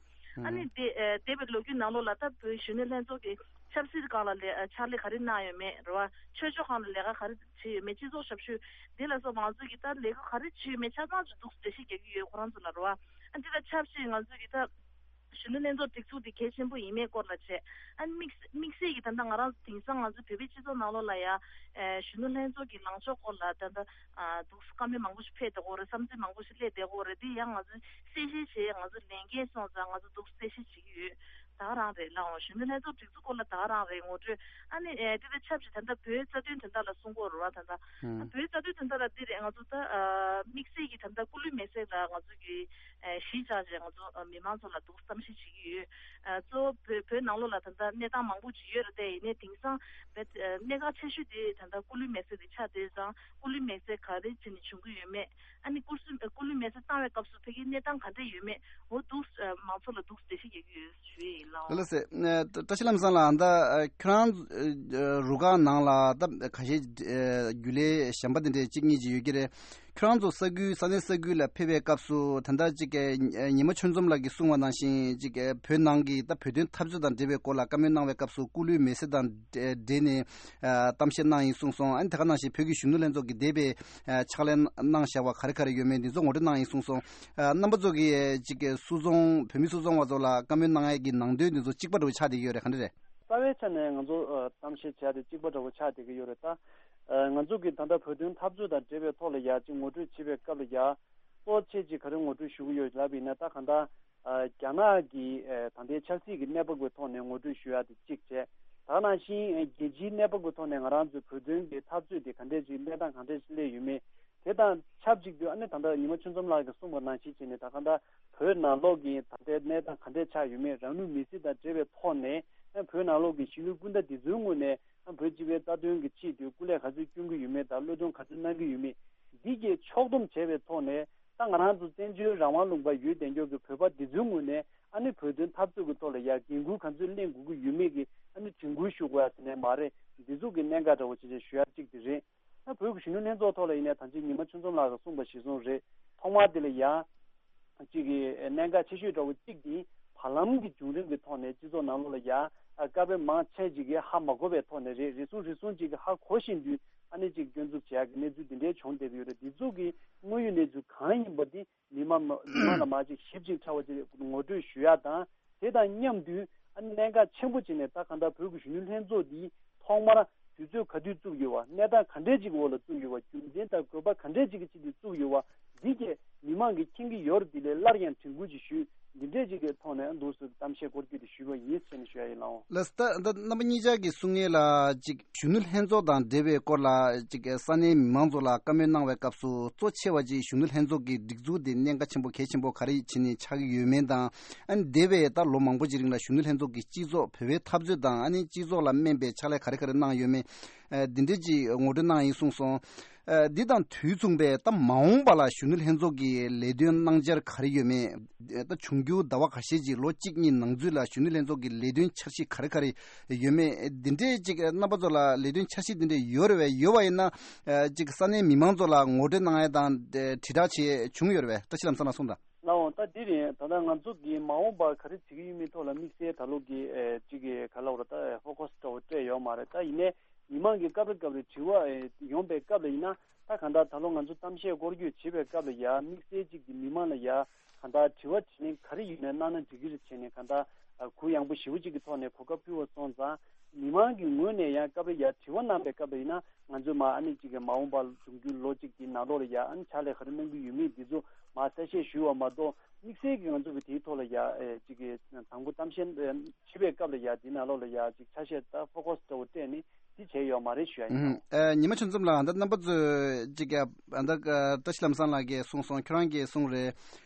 ཨུ་ནི་དེ་ཨ་འདས་པའི་ལོ་རྒྱུས་ནང་ལོགས་ལ་ད་བོད་གཞོན་ནུ་ལྷན་ཚོགས་ཀྱི་ཆབ་སྲིད་སྒང་ལ་ལས་ཨ་ཕྱག་ལས་ག་རེ་གནང་ཡོད་མེད་རེད་བ། ཆོས་ཕྱོགས་སྒང་ལ་ལས་ཀ་ག་རེ་བྱས་ཡོད་མེད། སྤྱི་ཚོགས་ཞབས་ཞུ་འདི་ལ་སོགས་པ་ང་ཚོ་གིས་ད་ལས་ཀ་ག་རེ་བྱས་ཡོད་མེད་ཆ་ཚང་ཅིག་འདུག་སེ་འགྲེལ་བཤད་རྒྱག་གི་ཡོད་ཁོ་རང་ཚོ་ལ་རེད་བ། ཨ་འདི་དང་ཆབས་ཅིག་ང་ཚོ་གིས་ད་གཞོན་ནུ་ལྷན་ཚོགས་སྒྲིག་འཛུགས་འདི་གལ་ཆེན་པོ་ཡིན་མེད་སྐོར་ལ་བྱས། ཨ་དམིགས་དམིགས་བསལ་གྱིས་ད་ལྟ་ང་རང་ཚོ་དེང་སང་ང་ཚོ་བོད་པའི་སྤྱི་ཚོགས་ནང་ལོགས་ལ་ཡ་ཨ་གཞོན་ནུ་ལྷན་ཚོགས་ཀྱི་ལངས་ཕྱོགས་སྐོར་ལ་ད་ལྟ་ཨ་འདུག་སེ་བཀའ་མོལ་མང་པོ་ཞིག་ཕེབས་བསྡད་ཀྱི་ཡོད་རེད། བསམ་ཚུལ་མང་པོ་ཞིག་སླེབས་བསྡད་ཀྱི་ཡོད་རེད། འདི་ཡང་ང་ཚོ་གསལ་བཤད་བྱས། ང་ཚོ་ལས་འགན་སོང་ཙང་ང་ཚོ་འདུག་སེ་གསལ་བཤད་བྱེད་ཀྱི་ཡོད། ད་ག་རང་རེད་ལགས། གཞོན་ནུ་ལྷན་ཚོགས་སྒྲིག་འཛུགས་སྐོར་ལ་ད་ག་རང་རེད་ངོ་སྤྲོད། ཨ་ནི་ཨེ་དེ་དང་ཆབས་ཅིག་ད་ལྟ་བོད་རྩ་དོན་དོན་དག་ལ་གསུང་གི་ཡོད་རེད་བ། ད་ལྟ་ཨ་ཧུམ། བོད་རྩ་དོན་དོན་དག་ལ་འདི་རེད། ང་ཚོ་ད་ཨ་དམིགས་བསལ་གྱིས་ད་ལྟ་སྐུ་ལུས་མེ་སྲེག་ལ་ང་ཚོ་གི་ཨེ་གཞིས་ཆགས་བྱས་ང་ཚོ་ཨ་མི་མང་ཚོ་ལ་འདུག་གཏམ་བཤད་བྱེད་ཀྱི་ཡོད། ཨ་གཙོ་བོ་བོད་བོད་ནང་ལོགས་ལ་ད་ལྟ་གནས་སྟངས་མང་པོ་ཅིག་ཡོད་རེད་དེ། ཡིན་ནའི་དེང་སང་བོད་ཨ་གནད་འགག་ཆེ་ཤོས་དེ་ད་ལྟ་སྐུ་ལུས་མེ་སྲེག་དེ་ཆགས་བསྡད་ཙང་། སྐུ་ལུས་མེ་སྲེག་ག་རེ་བྱས་ནས་བྱུང་གི་ཡོད་མེད། ཨ་ནི་སྐུ་སྲུང་སྐུ་ལུས་མེ་སྲེག་བཏང་བའི་སྐབས་སུ་ཕ་གིའི་གནས་སྟངས་ག་འདྲ་ཡོད་མེད། འོ་འདུག་ཨ་མང་ཚོགས་ལ་འདུག་འགྲེལ་བཤད་རྒྱག་གི་ཡོད་ཞུ་ཡས་ཡིན་ལགས། ལགས་སེ། ཨ་བཀྲ་ཤིས་ལྷ་མོ་ཚང་ལགས། ད་ཨ་ཁྱོད་རང་ཨ་རུ་ཁག་ནང་ལ་ད་ཁ་ཤས་ཨ་རྒྱུན་ལས་གཞན་པ་དེ་འདྲས་གཅིག་གཉིས་ཅིག་ཡོད་ཀྱི་རེད། ཁྱོད་རང་ཚོ་ས་ཁུལ་ས་གནས་ས་ཁུལ་ལ་ཕེབས་པའི་སྐབས་སུ་ད་ལྟ་ཅིག་ཨ་ཉི་མ་ཆོས་འཛོམས་ལགས་ཀྱིས་གསུངས་པ་ནང་བཞིན་ཅིག་ཨ་བོད་ནང་གི་ད་བོད་དོན་འཐབ་རྩོད་དང་འབྲེལ་བའི་སྐོར་ལ་བཀའ་མོལ་གནང་བའི་སྐབས་སུ་སྐུ་ལུས་མེ་སྲེག་དང་འབྲེལ་ནས་ཨ་གཏམ་བཤད་གནང་ཡིན་གསུངས་སོང་། ཨ་ནི་དེ་ག་ནང་བཞིན་བོད་ཀྱི་གཞོན་ནུ་ལྷན་ཚོགས་ཀྱིས་འདས་པའི་ཨ་ཕྱག་ལས་གནང་བཞག་པ་ག་རེ་ག་རེ་ཡོད་མེད་འདི་ཚོ་ངོ་སྤྲོད་གནང་ཡིན་གསུངས་སོང་། ཨ་རྣམ་པ་ཚོ་གིས་ཅིག་སུད་ཚོང་བོད་མི་སུད་ཚོང་བ་ཚོ་ལ་བཀའ་མོལ་གནང་ཡས་ཀྱི་ནང་དོན་འདི་ཚོ་གཅིག་པ་འདྲ་བོ་ཆགས་བསྡད་ཀྱི་ཡོད་རེད། ག་འདྲ་རེད། རྩ་བའི་ཆ་ནས་ང་ཚོ་ཨ་གཏམ་བཤད་བྱས་ཏེ་གཅིག་པ་འདྲ་བོ་ཆགས་བསྡད་ཀྱི་ཡོད་རེད། ད་ཨ་ང་ཚོ་གིས་ད་ལྟ་བོད་དོན་འཐབ་རྩོད་དང་འབྲེལ་བའི་ཐོག་ལ་ཡ་ཅིག་ངོ་སྤྲོད་བྱེད་པའི་སྐབས་ལ་ཡ་གཙོ་ཆེ་ཅིག་ག་རེ་ངོ་སྤྲོད་ཞུ་གི་ཡོད་ལབ་ཡིན་ན། ད་གང་ལྟར་ཨ་རྒྱ་ནག་གི་ཨ་ད་ལྟའི་ཆབ་སྲིད་ཀྱི་གནས་བབ་ཀྱི་ཐོག་ནས་ངོ་སྤྲོད་ཞུ་ཡ་དེ་གཅིག་བྱས། ད་ག་ནང་བཞིན་ཨ་རྒྱལ་སྤྱིའི་གནས་བབ་ཀྱི་ཐོག་ནས་ང་རང་ཚོའི་བོད་དོན་གྱི་འཐབ་རྩོད་དེ་ག་འདྲས་ཅིག་གནས་སྟངས་ག་འདྲས་ཅིག་སླེབས་ཡོད་མེད། དེ་ དང་ཆབས་ཅིག་ཏུ་ཨ་ནི་ད་ལྟ་ཉི་མ་ཆོས་འཛོམས་ལགས་ཀྱིས་གསུངས་པ་ནང་བཞིན་བྱས་ནས། ད་ག་ད་བོད་ནང་ལོགས་ཀྱི་ད་ལྟའི་གནས་སྟངས་ག་འདྲས་ཆགས་ཡོད་མེད། རང་ལུས་མེར་སྲེག་དང་འབྲེལ་བའི་ཐོག་ནས་ཨ་བོད་ནང་ལོགས་ཀྱི་གཞིས་ལུས་སྤུན་ཟླ་འདི་ཚོའི་ངོས་ནས་ཨ་བོད་སྤྱི་པའི་རྩ་དོན་གྱི་ཆེད་དུ་སྐུ་ལས་ག་ཚོད་སྐྱོན་གྱི་ཡོད་མེད་དང་། བློས་གཏོང་ག་ཚོད་གནང་གི་ཡོད་མེད། འདི་གས་ཕྱོགས་བསྡོམས་བྱས་པའི་ཐོག་ནས། ད་ང་རང་ཚོ་བཙན་བྱོལ་རང་དབང་ལུང་པ་ཡོད་བསྡད་མཁན་གྱི་བོད་པ་འདི་ཚོའི་ངོས་ནས་ཨ་ནི་བོད་དོན་འཐབ་རྩོད་ཀྱི་ཐོག་ལ་ཡ་འགན་འཁུར་ག་ཚོད་ལེན་དགོས་ཀྱི་ཡོད་མེད་ཀྱི་ཨ་ནི་དྲན་སྐུལ་ཞུ་དགོས་ཡ་ཟེར་ནས་མ་རེད། འདི་ཚོ་གི་གནད་འགག་འདྲ་བོ་ཅིག་ཞུ་ཡ་གཅིག་དེ་རེད། ད་བོད་ཀྱི་གཞོན་ནུ་ལྷན་ཚོགས་ཐོག་ལ་ཡིན་ནའི་ད་ཅི་ཉི་མ་ཆོས་འཛོམས་ལགས་ཀྱིས་གསུངས་པ་གཞིར་བཟུང་རེད། ཐོག་མར་དེ་ལ་ཡ་གཅིག་གི་གནད་འགག་ཆེ་ཤོས་འདྲ་བོ་གཅིག་དེ་བར་ལམ་གྱི་བྱུང་རིམ་གྱི་ཐོག་ནས་སྤྱི་ཚོགས་ནང་ལོགས་ལ་ཡ་བཀའ་པོད་མང་ཆེ་ཅིག་གིས་ཧ་མ་གོ་བའི་ཐོག་ནས་རེད། རེ་ཟུང་རེ་ཟུང་ཅིག་གིས་ཧ་གོ་བཞིན་དུས་ཨ་ནི་ཅིག་སྐྱོན་འཛུགས་བྱེད་ཡག་གི་གནས་ཚུལ་འདི་འདྲའི་བྱུང་བསྡད་ཀྱི་ཡོད་རེད། འདི་ཚོ་གི་དངོས་ཡོད་གནས་ཚུལ་གང་ཡིན་པ་འདི་མི་མང་མི་མང་ལ་མ་ཅིག་ཞིབ་ཅིང་ཕྲ་བ་ཅིག་ངོ་སྤྲོད་ཞུ་ཡག་དང་། དེ་དང་མཉམ་དུ་ཨ་ནི་གནད་འགག་ཆེན་པོ་བྱས་ནས། ད་གང་ལྟར་བོད་ཀྱི་གཞོན་ནུ་ལྷན་ཚོགས་འདི་ཐོག་མར་དུས་ཚོད་ག་དུས་བཙུགས་ཡོད་པ། གནས་སྟངས་ག་འདྲས་ཅིག་འོག་ལ་བཙུགས་ཡོད་པ། རྒྱུ་མཚན་དང་དགོས་པ་ག་འདྲས་ཅིག་གི་ཆེད་དུ་བཙུགས་ཡོད་པ། འདི་གས་མི་མང་གིས་མཁྱེན་གྱི་ཡོད་རེད། འདི་ལས་སླར་ཡང་དྲན་སྐུལ་ཅིག་ཞུས། འདི་འདྲས་ཅིག་གི་ཐོག་ནས་འདུག་སེ་གཏམ་བཤད་སྐོར་སྐྱོད་དེ་ཞུས་པ་ཡིན་ཟེར་ནས་ཞུ་ཡ་ཡིན། ལགས་སོ། ད་ད་རྣམ་པ་གཉིས་ཆ་གིས་གསུང་ཡས་ལ་ཅིག་གཞོན་ནུ་ལྷན་ཚོགས་དང་འབྲེལ་བའི་སྐོར་ལ་ཅིག་ས་གནས་མི་མང་ཚོ་ལ་བཀའ་མོལ་གནང་བའི་སྐབས་སུ། གཙོ་ཆེ་བ་ཅིག་གཞོན་ནུ་ལྷན་ཚོགས་ཀྱི་སྒྲིག་འཛུགས་དེ་གནད་འགག་ཆེན་པོ་གལ་ཆེན་པོ་ག་རེ་བྱས་ནས་ཆགས་ཀྱི་ཡོད་མེད་དང་། ཨ་ནི་འདས་པའི་ད་ལོ་མང་པོ་ཅིག་རིང་ལ་གཞོན་ནུ་ལྷན་ཚོགས་ཀྱི་སྤྱི་ཚོགས་བོད་པའི་འཐབ་རྩོད་དང་། ཨ་ནི་སྤྱི་ཚོགས་ལ་སྨན་པའི་ཕྱག་ལས་ག་རེ་ག་རེ་གནང་ཡོད་མེད། ཨ་འདི་འདྲས་ཅིག་ངོ་སྤྲོད་གནང་ཡིན་གསུངས་སོང་། ཨ་འདི་དང་དུས་མཚུངས་པའི་ད་མ་འོངས་པ་ལ་གཞོན་ནུ་ལྷན་ཚོགས་ཀྱི་ལས་དོན་གནང་འཆར་ག་རེ་ཡོད་མེད། ད་འབྱུང་འགྱུར་ཟླ་བ་ཁ་ཤས་ཀྱི་ལོ་གཅིག་གཉིས་ནང་ཚུད་ལ་གཞོན་ནུ་ལྷན་ཚོགས་ཀྱི་ལས་དོན་འཆར་གཞི་ག་རེ་ག་རེ་ཡོད་མེད། འདི་འདྲས་ཅིག་རྣམ་པ་ཚོ་ལ་ལས་དོན་འཆར་གཞི་འདི་འདྲས་ཡོད་རེད་བས། ཡོད་པ་ཡིན་ན་ཅིག་ས་གནས་མི་མང་ཚོ་ལ་ངོ་སྤྲོད་གནང་ཡ་དང་དྲིལ་བསྒྲགས་བྱས་བྱུང་ཡོད་རེད་བས། བཀྲ་ཤིས་ལམ་བཟང་ལགས་གསུངས་དང་། ལགས་འོང་། ད་འདི་རེད། ད་ལྟ་ང་ཚོ་གི་མ་འོངས་པར་ག་རེ་བྱེད་ཀྱི་ཡོད་མེད་ཐོག་ལ་དམིགས་བསལ་ད་ལོ་གི་ཅིག་གི་ག་ལབ་ར། ད་ཧྥོ་ཁོ་སི་འདྲ་བོ་སྤྲད་ཡོད་མ་རེད། ད་ཡིན་ནའི་མི་མང་གི་སྐབས་རེ་སྐབས་རེ་དྲི་བ་ཡོང་པའི་སྐབས་ལ་ཡིན་ན། ད་གང་ལྟར་ད་ལོ་ང་ཚོ་གཏམ་བཤད་སྐོར་སྐྱོད་བྱེད་པའི་སྐབས་ལ་ཡ་དམིགས་བསལ་ཅིག་གི་མི་མང་ལ་ཡ་གང་ལྟར་དྲི་བ་དྲིས་ལན་ག་རེ་ཡིན་ནའི་གནང་ན་འགྲིག་གི་རེད་བྱས་ནས། གང་ལྟར་གུ་ཡངས་པོ་ཞེ་པོ་ཅིག་གི་ཐོག་ནས་གོ་སྐབས་ཕུལ་བ་སོང་ཙང་། མི་མང་གི་ངོས་ནས་ཡང་སྐབས་རེ་ཡ་དྲི་བ་གནང་པའི་སྐབས་ལ་ཡིན་ན། ང་ཚོས་མ་ཨ་ནི་ཅིག་གི་མ་འོངས་པ་འབྱུང་འགྱུར་ལོ་གཅིག་གི་ནང་ལོགས་ལ་ཡ་ཨ་ནི་ཕྱག་ལས་ག་རེ་གནང་གི་ཡོད་མེད་འདི་ཚོ་མ་གསལ་བཤད་ཞུས་པ་མ་གཏོགས། དམིགས་བསལ་གྱི་ང་ཚོ་གི་དེའི་ཐོག་ལ་ཡ་ཨེ་ཅིག་གི་དང་པོ་གཏམ་བཤད་ཨེ་བྱེད་པའི་སྐབས་ལ་ཡ་དེའི་ནང་ལོགས་ལ་ཡ་ཅིག་ཆ་ཤས་ད་ཧྥོ་ཁོ་སི་འདྲ་བོ་སྤྲད་ནས་དེ་བྱས་ཡོད་མ་རེད་ཞུ་ཡ་ཡིན། ཨུམ། ཨེ་ཉི་མ་ཆོས་འཛོམས་ལགས། ད་རྣམ་པ་ཚོས་ཅིག་གི་ད་བཀྲ་ཤིས་ལམ་བཟང་ལགས་ཀྱིས་གསུངས་སོང་། ཁྱོད་རང་གིས་གསུངས་རེད།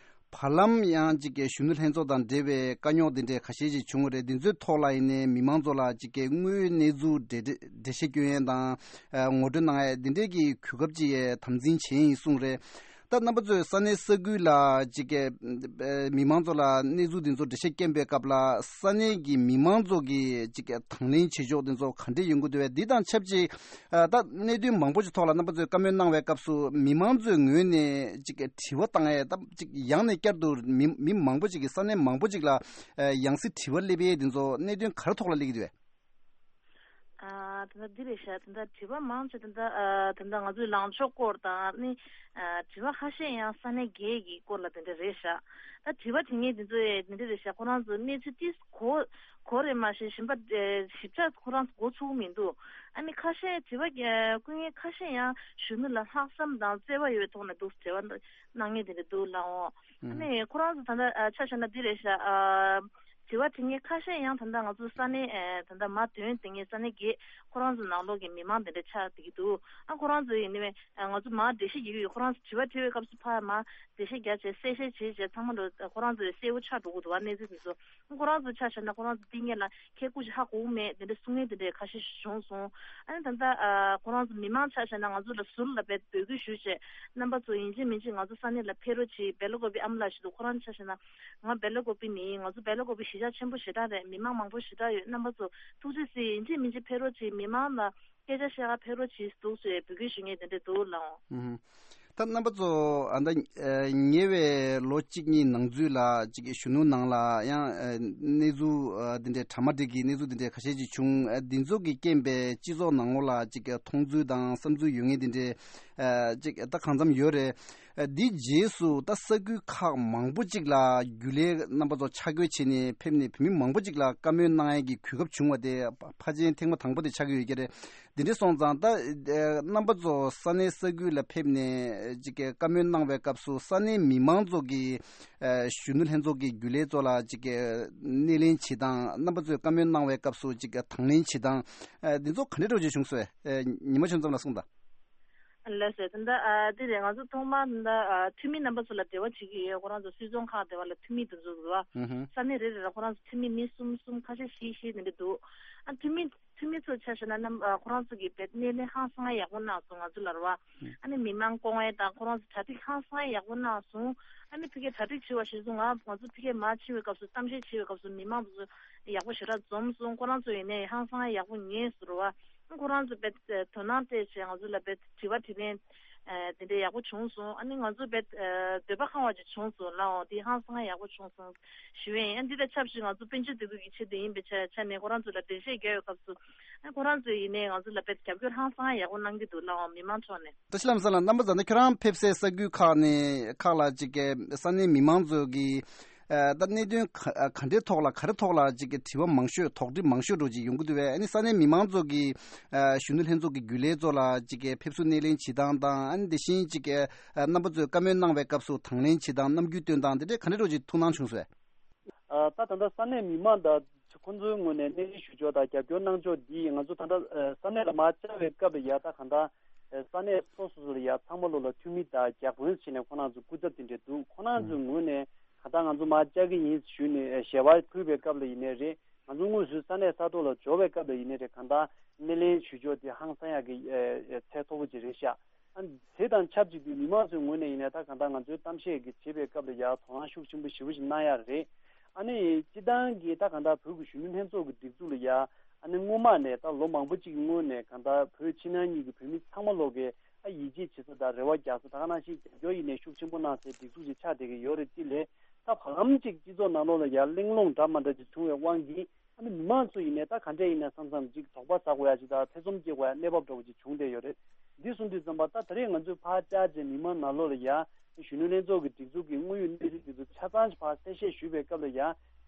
བར་ལམ་ཡང་ཅིག་གི་གཞོན་ནུ་ལྷན་ཚོགས་དང་འབྲེལ་བའི་དཀའ་རྙོག་འདི་འདྲའི་ཁ་ཤས་ཤིག་བྱུང་བ་རེད། འདི་ཚོའི་ཐོག་ལ་ཡིན་ནའི་མི་མང་ཚོ་ལ་ཅིག་གི་དངོས་ཡོད་གནས་ཚུལ་འགྲེལ་འགྲེལ་བཤད་སྐྱོན་ཡས་དང་། ཨ་ངོ་སྤྲོད་གནང་ཡས་འདི་འདྲའི་གི་གོ་སྐབས་ཅིག་ཡས་དམ་འཛིན་བྱས་ཡིན་གསུངས་རེད། ད་རྣམ་པ་ཚོས་ས་གནས་ས་ཁུལ་ལ་ཅིག་གི་ཨ་མི་མང་ཚོ་ལ་གནས་ཚུལ་འདི་ཚོ་འགྲེལ་བཤད་སྐྱོན་པའི་སྐབས་ལ། ས་གནས་ཀྱི་མི་མང་ཚོ་གིས་ཅིག་གི་དང་ལེན་བྱེད་ཕྱོགས་འདི་ཚོ་ག་འདྲས་ཡོང་གི་འདུག་བས། འདི་དང་ཆབས་ཅིག་ཨ་ད་གནད་དོན་མང་པོ་ཞིག་ཐོག་ལ་རྣམ་པ་ཚོས་བཀའ་མོལ་གནང་བའི་སྐབས་སུ། མི་མང་ཚོའི་ངོས་ནས་ཅིག་དྲི་བ་བཏང་ཡས། ད་ཅིག་ཡང་ནས་བསྐྱར་དུ་མི་མི་མང་པོ་ཅིག་གིས་ས་གནས་མང་པོ་ཅིག་ལ་ཨ་ཡང་སེ་དྲི་བ་སླེབས་ཡས་དེ་ཚོ་གནད་དོན་ག་རེ་ཐོག་ལ་སླེབས་ཀྱི་འདུག་བས། ཨ་ད་ལྟ་འདི་རེད་ཤག་ད་ལྟ་དྲི་བ་མང་ཆེ་ད་ལྟ་ཨ་ད་ལྟ་ང་ཚོའི་ལངས་ཕྱོགས་སྐོར་དང་ནི། ཨ་དྲི་བ་ཁ་ཤས་ཡང་ས་གནས་བརྒྱད་ཀྱི་སྐོར་ལ་དེ་འདྲ་རེད་ཤག་ད་དྲི་བ་དྲི་མཁན་དེ་ཚོ་ཡང་དེ་འདྲ་རེད་ཤག་ཁོ་རང་ཚོ་གནས་ཚུལ་ཏིས་གོ་གོ་རེད་མ་གཞི་ཞིབ་ཕྲ་ཨེ་ཞིབ་ཕྲ་ཁོ་རང་ཚོ་གོ་ཚུགས་མི་འདུག་ཨ་ནི་ཁ་ཤས་དྲི་བ་ཨེ་བཀོད་མཁན་ཁ་ཤས་ཡང་གཞོན་ནུ་ལ་ལྷག་བསམ་དང་བརྩེ་བ་ཡོད་པའི་ཐོག་ནས་འདུག་དྲི་བ་གནང་མཁན་དེ་འདྲ་འདུག་ལགས་འོང་། ཨ་ནི་ཁོ་རང་ཚོ་ད་ལྟ་ཨ་ཆ་བཞག་ན་འདི་རེད་ཤག་ཨ་དྲི་བ་དྲི་མཁན་ཁ་ཤས་ཡང་ད་ལྟ་ང་ཚོ་ས་གནས་ཨེ་ད་ལྟ་མར་ཐོན་དེ་ངས་ས་གནས་བརྒྱད་ཁོ་རང་ཚོ་ནང་ལོགས་ཀྱི་མི་མང་དེ་འདྲ་ཆགས་བསྡད་ཀྱི་འདུག་ཨ་ཁོ་རང་ཚོ་ཡིན་ནི་ང་ཚོ་མར་འགྲེལ་བཤད་རྒྱག་གི་ཡོད། ཁོ་རང་ཚོ་དྲི་བ་དྲི་བའི་སྐབས་སུ་ཕར་མར་འགྲེལ་བཤད་རྒྱག་བྱས་གསལ་བཤད་བྱས་བྱས་ཚང་མ་འགྲོ་ཁོ་རང་ཚོ་གསལ་པོ་ཆགས་འགྲོ་གི་འདུག་ཨ་གནས་ཚུལ་དེ་ཚོ་ཁོ་རང་ཚོ་ཆ་བཞག་ན་ཁོ་རང་ཚོ་འདི་སྔོན་ལ་ཁྱེད་སྐུ་ཞིག་ཧ་གོ་མེད་དེ་འདྲ་གསུང་མཁན་དེ་འདྲ་ཁ་ཤས་ཤིག་བྱུང་སོང་། ཨ་ནི་ད་ལྟ་ཨ་ཁོ་རང་ཚོ་མི་མང་ཆ་བཞག་ན་ང་ཚོ་ལ་ཟུར་ལ་བས་འབོད་སྐུལ་ཞུས་བྱས་རྣམ་པ་ཚོ་ཡིན་གཅིག་མིན་གཅིག་ང་ཚོ་ས་གནས་ལ་ཕེབས་རོགས་གྱིས། སྦེ་ལ་ཀོ་པི་ཨ་མ་ལགས་ཞིག་འདུག་ཁོ་རང་ཆ་བཞག་ན་ང་སྦེ་ལ་ཀོ་པི་ནི་ང་ཚོ་སྦེ་ལ་ཀོ་པི་གཞིས་ཆགས་ཆེན་པོ་ཞེ་དྲག་རེད། མི་མང་མང་པོ་ཞེ་དྲག་ཡོད། རྣམ་པ་ཚོ་ཐུགས་རྗེ་གཟིགས་ཡིན་གཅིག་མིན་གཅིག་ཕེབས་རོགས་གྱིས། མི་མང་ལ་སྐད་ཆ་བཤད་ག་ཕེབས་རོགས་གྱིས་འདུག་ཟེར་འབོད་སྐུལ་ཞུ་མཁན་དེ་འདྲ་འདུག་ལགས་འོང་། ཨུ་ཧུ། ད་རྣམ་པ་ཚོ་ཨ་ད་ཨ་ཉེ་བའི་ལོ་གཅིག་གཉིས་ནང་ཚུད་ལ་ཅིག་གཞོན་ནུ་ནང་ལ་ཡང་ཨ་གནས་ཚུལ་ཨ་འདི་འདྲའི་གྲ་མ་འགྲིག་གི་གནས་ཚུལ་འདི་འདྲའི་ཁ་ཤས་ཅིག་བྱུང་། ཨ་འདི་ཚོ་གི་རྐྱེན་པས་སྤྱི་ཚོགས་ནང་ལོགས་ལ་ཅིག་མཐོང་ཚུལ་དང་བསམ་ཚུལ་ཡོད་མཁན་འདི་འདྲའི་ཨ་ཅིག་ད་གང་འཚམ་ཡོད་རེད། ཨ་འདིའི་རྗེས་སུ་ད་ས་ཁུལ་ཁག་མང་པོ་ཅིག་ལ་རྒྱུན་ལས་རྣམ་པ་ཚོ་ཆ་བགོས་བྱས་ནས་ཕེབས་ནས་བོད་མི་མང་པོ་ཅིག་ལ་བཀའ་མོལ་གནང་ཡས་ཀྱི་གོ་སྐབས་བྱུང་བ་དེ་ཕ་ཕལ་ཆེར་ཐེངས་མ་དང་པོ་དེ་ཆགས་ཀྱི་ཡོད་ཀྱི་རེད། འདི་འདྲ་སོང་ཙང་ད་ཨ་རྣམ་པ་ཚོ་ས་གནས་ས་ཁུལ་ལ་ཕེབས་ནས་ཅིག་གི་བཀའ་མོལ་གནང་བའི་སྐབས་སུ་ས་གནས་མི་མང་ཚོ་གིས་ཨ་གཞོན་ནུ་ལྷན་ཚོགས་ཀྱི་རྒྱུན་ལས་ཚོ་ལ་ཅིག་གི་སྣེ་ལེན་བྱེད་སྟངས། རྣམ་པ་ཚོས་བཀའ་མོལ་གནང་བའི་སྐབས་སུ་ཅིག་གི་དང་ལེན་བྱེད་སྟངས། ཨ་འདི་ཚོ་ག་འདྲ་འདྲ་བོ་ཅིག་བྱུང་སོང་། ཨ་ཉི་མ་ཆོས་འཛོམས་ལགས་གསུངས་དང་། ལགས་སོ། ད་ལྟ་ཨ་འདི་རེད། ང་ཚོ་ཐོག་མར་ད་ལྟ་ཨ་འཐུས་མི་རྣམ་པ་ཚོ་ལ་འབྲེལ་བ་བྱེད་ཀྱི་ཡོད། ཁོ་རང་ཚོ་སུད་ཚོང་ཁང་དེ་བ་ལ་འཐུས་མི་དེ་ཚོ་རེད་བ། ཧུམ་ཧུམ། ས་གནས་རེ་རེ་ལ་ཁོ་རང་ཚོ་འཐུས་མི་མི་གསུམ་གསུམ་ཁ་ཤས་བཞི་བཞི་དེ་འདྲ་འདུག་ཨ་འཐུས་མི་འཐུས་མི་ཚོ་ཆ་བཞག་ན་རྣམ་ཨ་ཁོ་རང་ཚོ་གི་བེད་སྣེ་ལེན་ཧང་སང་ཡག་པོ་གནང་སོང་ང་ཚོ་ལ་རེད་བ། ཨ་ནི་མི་མང་སྐོང་བའི་དང་ཁོ་རང་ཚོ་གྲ་སྒྲིག་ཧང་སང་ཡག་པོ་གནང་སོང་། ཨ་ནི་ཕ་གིའི་གྲ་སྒྲིག་བྱེད་པ་གཞིར་བཟུང་ང་ང་ཚོ་ཕ་གིར་མར་ཕྱིན་པའི་སྐབས་སུ་གཏམ་བཤད་བྱེད་པའི་སྐབས་སུ་མི་མང་ཚོ་ཡག་པོ་ཞེ་དྲག་འཛོམས་སོང་། ཁོ་རང་ཚོ་ཡིན་ནའི་ཧང་སང་ཡག་པོ་ཉན་སོང་རེད་བ། ཁོ་རང་ཚོ་བེད་དོ་སྣང་སྤྲད་བྱས་ང་ཚོ་ལ་བེད་དྲི་བ་དྲིས་ལན་དེ་འདྲ་ཡག་པོ་བྱུང་སོང་། ཨ་ནི་ང་ཚོ་བེད་འདོད་པ་ཁེངས་པ་ཅིག་བྱུང་སོང་ལགས། འོ་དེ་ཧང་སང་ཡག་པོ་བྱུང་སོང་ཞུ་ཡིན། ཨ་འདི་དང་ཆབས་ཅིག་ང་ཚོ་དཔལ་འབྱོར་སྡེ་ཁུལ་གྱི་ཆེད་དུ་ཡིན་པའི་ཆ་ཆ་ནས་ཁོ་རང་ཚོ་ལ་འགྲེལ་བཤད་རྒྱག་པའི་སྐབས་སུ་ཨ་ཁོ་རང་ཚོ་ཡིན་ནའི་ང་ཚོ་ལ་བེད་རྒྱབ་སྐྱོར་ཧང་སང་ཡག་པོ་གནང་གི་འདུག་ལགས། མི་མང་ཕྱོགས་ནས། བཀྲ་ཤིས་ལྷ་མོ་ལགས། རྣམ་པ་ཚོ་ད་ཁྱོད་རང་ཕེབས་སའི་ས་ཁུལ་ཁག་ནས་ཁག་ལ་ཅིག་གི་ས་གནས་མི་མང་ཚོ་གི་ཨ་ད་གནད་དོན་ག་ག་འདྲའི་ཐོག་ལ་ག་རེ་ཐོག་ལ་ཅིག་གི་དྲི་བ་མང་ཤོས་དོགས་འདྲི་མང་ཤོས་འགྲོ་ཅིག་ཡོང་གི་འདུག་བས། ཨ་ནི་ས་གནས་མི་མང་ཚོ་གི་ཨ་གཞོན་ནུ་ལྷན་ཚོགས་ཀྱི་རྒྱུན་ལས་ཚོ་ལ་ཅིག་གི་ཕེབས་བསུ་སྣེ་ལེན་བྱེད་སྟངས་དང་། ཨ་ནི་དེ་བཞིན་ཅིག་གི་ཨ་རྣམ་པ་ཚོས་བཀའ་མོལ་གནང་བའི་སྐབས་སུ་དང་ལེན་བྱེད་སྟངས། རྣམ་འགྱུར་སྟོན་སྟངས་དེ་འདྲའི་ག་འདྲ་འདྲ་ཅིག་ཐུགས་སྣང་བྱུང་སོང་བས། ཨ་ད་ད་ལྟ་ས་གནས་མི་མང་དང་ཁོང་ཚོའི་ངོས་ནས་སྣེ་ལེན་ཞུ་ཕྱོགས་དང་རྒྱབ་སྐྱོར་གནང་ཕྱོགས་འདི་ང་ཚོ་ད་ལྟ་ཨ་ས་གནས་ལ་མར་བཅར་བའི་སྐབས་ལ་ཡ་ད་གང་ལྟར་ཨ་ས་གནས་སོ་སོ་སོ་ལ་ཡ་ཚང་མ་ལོ་ལ་འཐུས་མི་དང་བརྒྱ་དཔོན་བྱས་ནས་ཁོང་རྣམ་ཚོ་སྐུ་ཚབ་དེ་འདྲས་འདུག་ཁོང་རྣམ་ཚོའི་ངོས་ནས་གང་ལྟར་ང་ཚོ་མར་བཅར་གྱི་ཡིན་ཞུས་ནས་ཨ་ཞལ་པར་ཕུལ་བའི་སྐབས་ལ་ཡིན་ནའི་རེད། ང་ཚོ་དངོས་སུ་ས་གནས་ས་ཐོག་ལ་འབྱོར་བའི་སྐབས་ལ་ཡིན་ནའི་རེད། གང་ལྟར་སྣེ་ལེན་ཞུ་ཕྱོགས་དེ་ཧང་སང་ཡག་གི་ཨ་ཨ་ཚད་མཐོ་པོ་ཅིག་རེད་ཤག་ཨ་དེ་དང་ཆབས་ཅིག་ཏུ་མི་མང་ཚོའི་ངོས་ནས་ཡིན་ནའི་ད་གང་ལྟར་ང་ཚོའི་གཏམ་བཤད་ཀྱི་བྱེད་པའི་སྐབས་ལ་ཡ་དོ་སྣང་ཤུགས་ཆེན་པོ་ཞེ་པོ་ཞིག་གནང་ཡག་རེད། ཨ་ནི་སྤྱི་བཏང་གི་ད་གང་ལྟར་བོད་ཀྱི་གཞོན་ནུ་ལྷན་ཚོགས་ཀྱི་སྒྲིག་འཛུགས་ལ་ཡ་ཨ་ནི་སྔོན་མ་ནས་ད་ལོ་མང་པོ་ཅིག་གི་སྔོན་ནས་གང་ལྟར་བོད་ཕྱི་ནང་གཉིས་ཀྱི་བོད་མི་ཚང་མ་ལོག་གི་ཨ་ཡིད་ཆེས་བྱེད་ས་དང་རེ་བ་རྒྱག་ས། ད་ག་ནང་བཞིན་རྒྱབ་སྐྱོར་ཡིན་ནའི་ཤུགས་ཆེན་པོ་གནང་སའི་སྒྲིག་འཛུགས་ཅིག་ཆགས་བསྡད་ཀྱི་ཡོད་རེད། དེ་ལས་ད་བར་ལམ་ཅིག་སྤྱི་ཚོགས་ནང་ལོགས་ལ་ཡ་གླེང་སློང་འདྲ་མ་འདྲ་ཅིག་བྱུང་བའི་དབང་གིས། ཨ་ནི་མི་མང་ཚོ་ཡིན་ནའི་ད་ག་འདྲས་ཡིན་ནའི་བསམ་བསམ་ཅིག་དོགས་པ་ཟ་དགོས་ཡ་ཅིག་དང་ཐེ་ཚོམ་སྐྱེ་དགོས་ཡ་གནས་བབ་འདྲ་བོ་ཅིག་བྱུང་བསྡད་ཡོད་རེད། འདི་གསུངས་དུས་ཙམ་པ་ད་ད་རེས་ང་ཚོས་ཕར་བཅར་བྱས་མི་མང་ནང་ལོགས་ལ་ཡ་གཞོན་ནུ་ལྷན་ཚོགས་ཀྱི་སྒྲིག་འཛུགས་ཀྱི་དངོས་ཡོད་གནས་ཚུལ་འདི་ཚོ་ཆ་ཚང་ཞིག་ཕར་གསལ་བཤད་ཞུས་པའི་སྐབས་ལ་ཡ་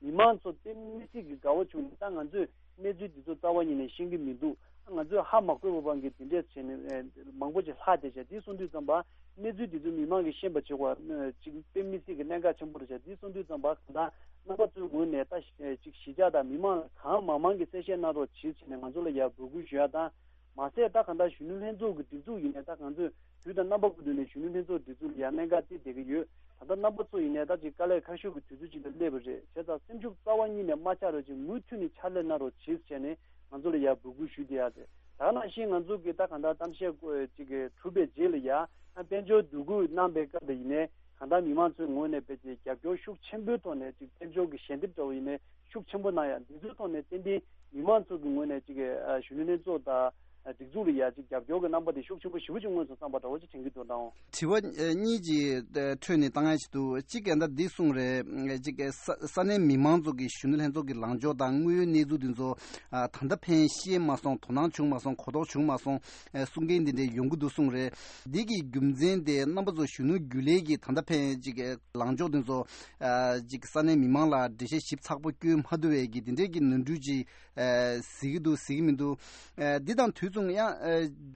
མི་མང་ཚོ་དཔེ་མི་སྲིད་ཀྱི་དགའ་བོ་བྱུང་ནས། ད་ང་ཚོས་གནས་ཚུལ་འདི་ཚོ་རྩ་བ་ཉིད་ནས་ཤེས་ཀྱི་མི་འདུག་ང་ཚོས་ཧ་མ་གོ་བའི་དབང་གིས་འདི་འདྲས་བྱས་ནས་ཨེ་མང་པོ་ཅིག་ལྷག་བསྡད་བྱས། འདི་གསུངས་དུས་ཙམ་པ་གནས་ཚུལ་འདི་ཚོ་མི་མང་གིས་ཤེས་པ་བྱེད་དགོས་ཅིག་དཔེ་མི་སྲིད་ཀྱི་གནད་འགག་ཆེན་པོ་རེད་བྱས། འདི་གསུངས་དུས་ཙམ་པ་གང་ལྟར་རྣམ་པ་ཚོའི་ངོས་ནས་ད་ཅིག་གཞིས་ཆགས་དང་མི་མང་གང་མང་མང་གིས་གསལ་བཤད་གནང་རོགས་བྱེད་བྱས་ནས་ང་ཚོ་ལ་ཡར་འབོད་སྐུལ་ཞུ་ཡ་དང་། མ་ཟད་ད་གང་ལྟར་གཞོན་ནུ་ལྷན་ཚོགས་ཀྱི་སྒྲིག་འཛུགས་ཡིན་ནའི་ད་ང་ཚོས་དུས་དང་རྣམ་པ་ཀུན་ཏུ་ནས་གཞོན་ནུ་ལྷན་ཚོགས་སྒྲིག་འཛུགས་ལ་ཡང་གནད་འགག་དེ་བསྡད་ཀྱི་ཡོད། ད་ལྟ་རྣམ་པ་ཚོ་ཡིན་ནའི་ད་ཅིག་དཀའ་ལས་ཁག་ཤོས་ཀྱི་དུས་ཚོད་ཅིག་ལ་སླེབས་པ་རེད། བྱས་ཙང་སེམས་ཤུགས་རྩ་བ་ཉིད་ནས་མ་ཆག་རོགས་ཅིག་མུ་མཐུད་ནས་ཕྱག་ལས་གནང་རོགས་བྱེད་ཟེར་ནས་ང་ཚོ་ལ་ཡང་འབོད་སྐུལ་ཞུ་བསྡད་ཡ་རེད། ད་ག་ནང་བཞིན་ང་ཚོ་གི་ད་གང་ལྟར་གཏམ་བཤད་ཅིག་གི་གྲུབ་པའི་རྗེས་ལ་ཡང་དཔལ་འབྱོར་འདུ་འགོད་གནང་པའི་སྐབས་ལ་ཡིན་ནའི་གང་ལྟར་མི་མང་ཚོའི་ངོས་ནས་དཔེ་ཅིག་རྒྱབ་སྐྱོར་ཤུགས་ཆེན་པོའི་ཐོག་ནས་ཅིག་དཔལ་འབྱོར་གྱི་ཞལ་འདེབས་འདྲ་བོ་ཡིན་ནའི་ཤུགས་ཆེན་པོ་གནང་ཡ། འདི་ཚོའི་ཐོག་ནས་ཏན་ཏན་མི་མང་ཚོ་གི་ངོས་ནས་ཅིག་གི་ཨ་གཞོན་ནུ་ལྷན་ཚོགས་དང་སྒྲིག་འཛུགས་ལ་ཡ་ཅིག་རྒྱབ་སྐྱོར་གྱི་རྣམ་པ་དེ་ཤུགས་ཆེན་པོ་ཞེ་པོ་ཅིག་མངོན་སོང་བསམ་པ་འདྲ་བོ་ཅིག་དྲན་གྱི་འདུག་ད་འོང་། དྲི་བ་ཨ་གཉིས་ཅིག་ཨ་འཕྲོས་ནས་བཏང་ཡ་ཞིག་འདུག་གཅིག་ག་ད་འདི་གསུངས་རེད། ཨ་ཅིག་གི་ས་ས་གནས་མི་མང་ཚོ་གི་གཞོན་ནུ་ལྷན་ཚོགས་ཀྱི་ལངས་ཕྱོགས་དང་དངོས་ཡོད་གནས་ཚུལ་འདི་ཚོ་ཨ་ད་ལྟ་ཕན་ཤེས་མ་སོང་། དོ་སྣང་བྱུང་མ་སོང་། གོ་རྟོགས་བྱུང་མ་སོང་། ཨ་གསུང་མཁན་འདི་འདྲས་ཡོང་གི་འདུག་གསུངས་རེད། འདི་གི་རྒྱུ་མཚན་དེ་རྣམ་པ་ཚོ་གཞོན་ནུ་རྒྱུན་ལས་ཀྱི་ད་ལྟ་ཕན་ཅིག་གི་ལངས་ཕྱོགས་དེ་ཚོ་ཨ་ཅིག་ས་གནས་མི་མང་ལ་འགྲེལ་བཤད་ཞིབ་ཚགས་པོ་བསྐྱོན་མ་ཐུབ་པའི་གི་དེ་འདྲའི་གི་ནོར་འཁྲུལ་ཅིག་ཨ་གཟིགས་ཀྱི་འདུག་གཟིགས་ཀྱི་མི་འདུག་ཨ་འདི་དང་དུས་མཚུངས་ཡང་ཨ་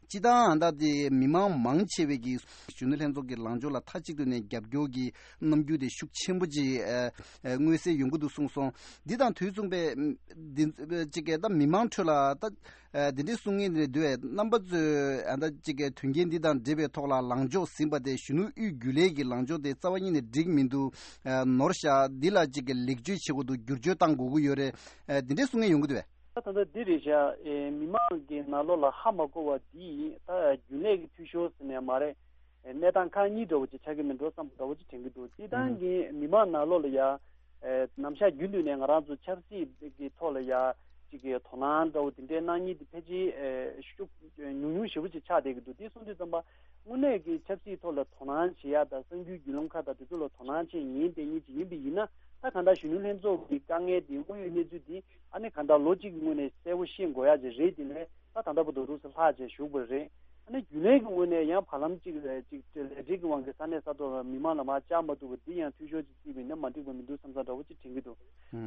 སྤྱི་བཏང་ཨ་ད་དེ་མི་མང་མང་ཆེ་བའི་གི་གཞོན་ནུ་ལྷན་ཚོགས་ཀྱི་ལངས་ཕྱོགས་ལ་མཐའ་གཅིག་ཏུ་ནས་རྒྱབ་སྐྱོར་གྱི་རྣམ་འགྱུར་དེ་ཤུགས་ཆེན་པོ་ཅིག་ཨ་ཨ་མངོན་གསལ་ཡོང་གི་འདུག་གསུངས་སོང་། འདི་དང་དུས་མཚུངས་པའི་འདི་ཅིག་གི་ད་མི་མང་ཁྲོད་ལ་ད། ཨ་དེ་འདྲའི་གསུང་མཁན་རེད་འདུག་པས། རྣམ་པ་ཚོས་ཨ་ད་ཅིག་གི་དོན་རྐྱེན་འདི་དང་འབྲེལ་བའི་ཐོག་ལ་ལངས་ཕྱོགས་ཟིན་པ་དེ་གཞོན་ནུ་དབུས་རྒྱུན་ལས་ཀྱི་ལངས་ཕྱོགས་དེ་རྩ་བ་ཉིད་ནས་འགྲིག་མི་འདུག་ཨ་ནོར་བཞག་འདི་ལ་ཅིག་གི་ལེགས་བཅོས་བྱེད་དགོས་འདུག་བསྒྱུར་བཅོས་གཏང་དགོས་ཀྱི་ཡོད་རེད། ཨ་དེ་འདྲའི་གསུང་མཁན་ཡོང་གི་འདུག་པས། ད་ད་ལྟ་འདི་རེད་ཤག་ཨེ་མི་མང་གི་ནང་ལོགས་ལ་ཧ་མ་གོ་བ་འདི་ད་རྒྱུན་ལས་ཀྱི་འཐུས་ཤོར་ཟེར་ནས་མ་རེད། གནས་སྟངས་ཁག་གཉིས་འདྲ་བོ་ཅིག་ཆགས་ཀྱི་མིན་འགྲོ་བསམ་པ་འདྲ་བོ་ཅིག་དྲན་གྱི་འདུག་སྤྱིར་བཏང་གི་མི་མང་ནང་ལོགས་ལ་ཡ། ནམ་ཞག་རྒྱུན་དུ་ནས་ང་རང་ཚོ་ཆབ་སྲིད་ཀྱི་ཐོག་ལ་ཡ། ཅིག་གི་དོ་སྣང་འདྲ་བོ་དེ་འདྲའི་གནང་མཁན་དེ་ཕལ་ཆེར་ཤུགས་ཉུང་ཉུང་ཞེ་པོ་ཅིག་ཆགས་བསྡད་ཀྱི་འདུག་དེ་སོང་དུས་ཙམ་པ་དངོས་གནས་ཀྱི་ཆབ་སྲིད་ཐོག་ལ་དོ་སྣང་བྱེད་ཡ་དང་གསར་འགྱུར་བརྒྱུད་ལམ་ཁག་དང་དེ་ཚོ་ལ་དོ་སྣང་བྱེད་ཉན་བསྡད་མཁན་ཅིག་ཡིན་པ་ཡིན་ན། ད་གང་ལྟར་གཞོན་ནུ་ལྷན་ཚོགས་ཀྱི་དཀའ་ངལ་དེ་དངོས་ཡོད་གནས་ཚུལ་དེ་ཨ་ནི་གང་ལྟར་ལོ་གཅིག་གི་སྔོན་ནས་གསལ་པོ་ཤེས་དགོས་ཡ་ཅིག་རེད། དེ་ལས། ད་ད་ལྟ་བར་དུ་རུ་སུ་ལྷག་བཅས་བཞུགས་པ་རེད། ཨ་ནི་རྒྱུན་ལས་ཀྱི་ངོས་ནས་ཡང་བར་ལམ་གཅིག་ལས་གཅིག་ལས་འབྲེལ་གྱི་དབང་གིས་ས་གནས་ས་ཐོག་ལ་མི་མང་ལ་མར་བཅར་མ་ཐུབ་པ་འདི་ཡང་འཐུས་ཤོར་ཅིག་བརྩིས་པ་ཡིན་ན་མ་འགྲིག་པ་མི་འདུག་བསམ་བསམ་འདྲ་བོ་ཅིག་དྲན་གྱི་འདུག་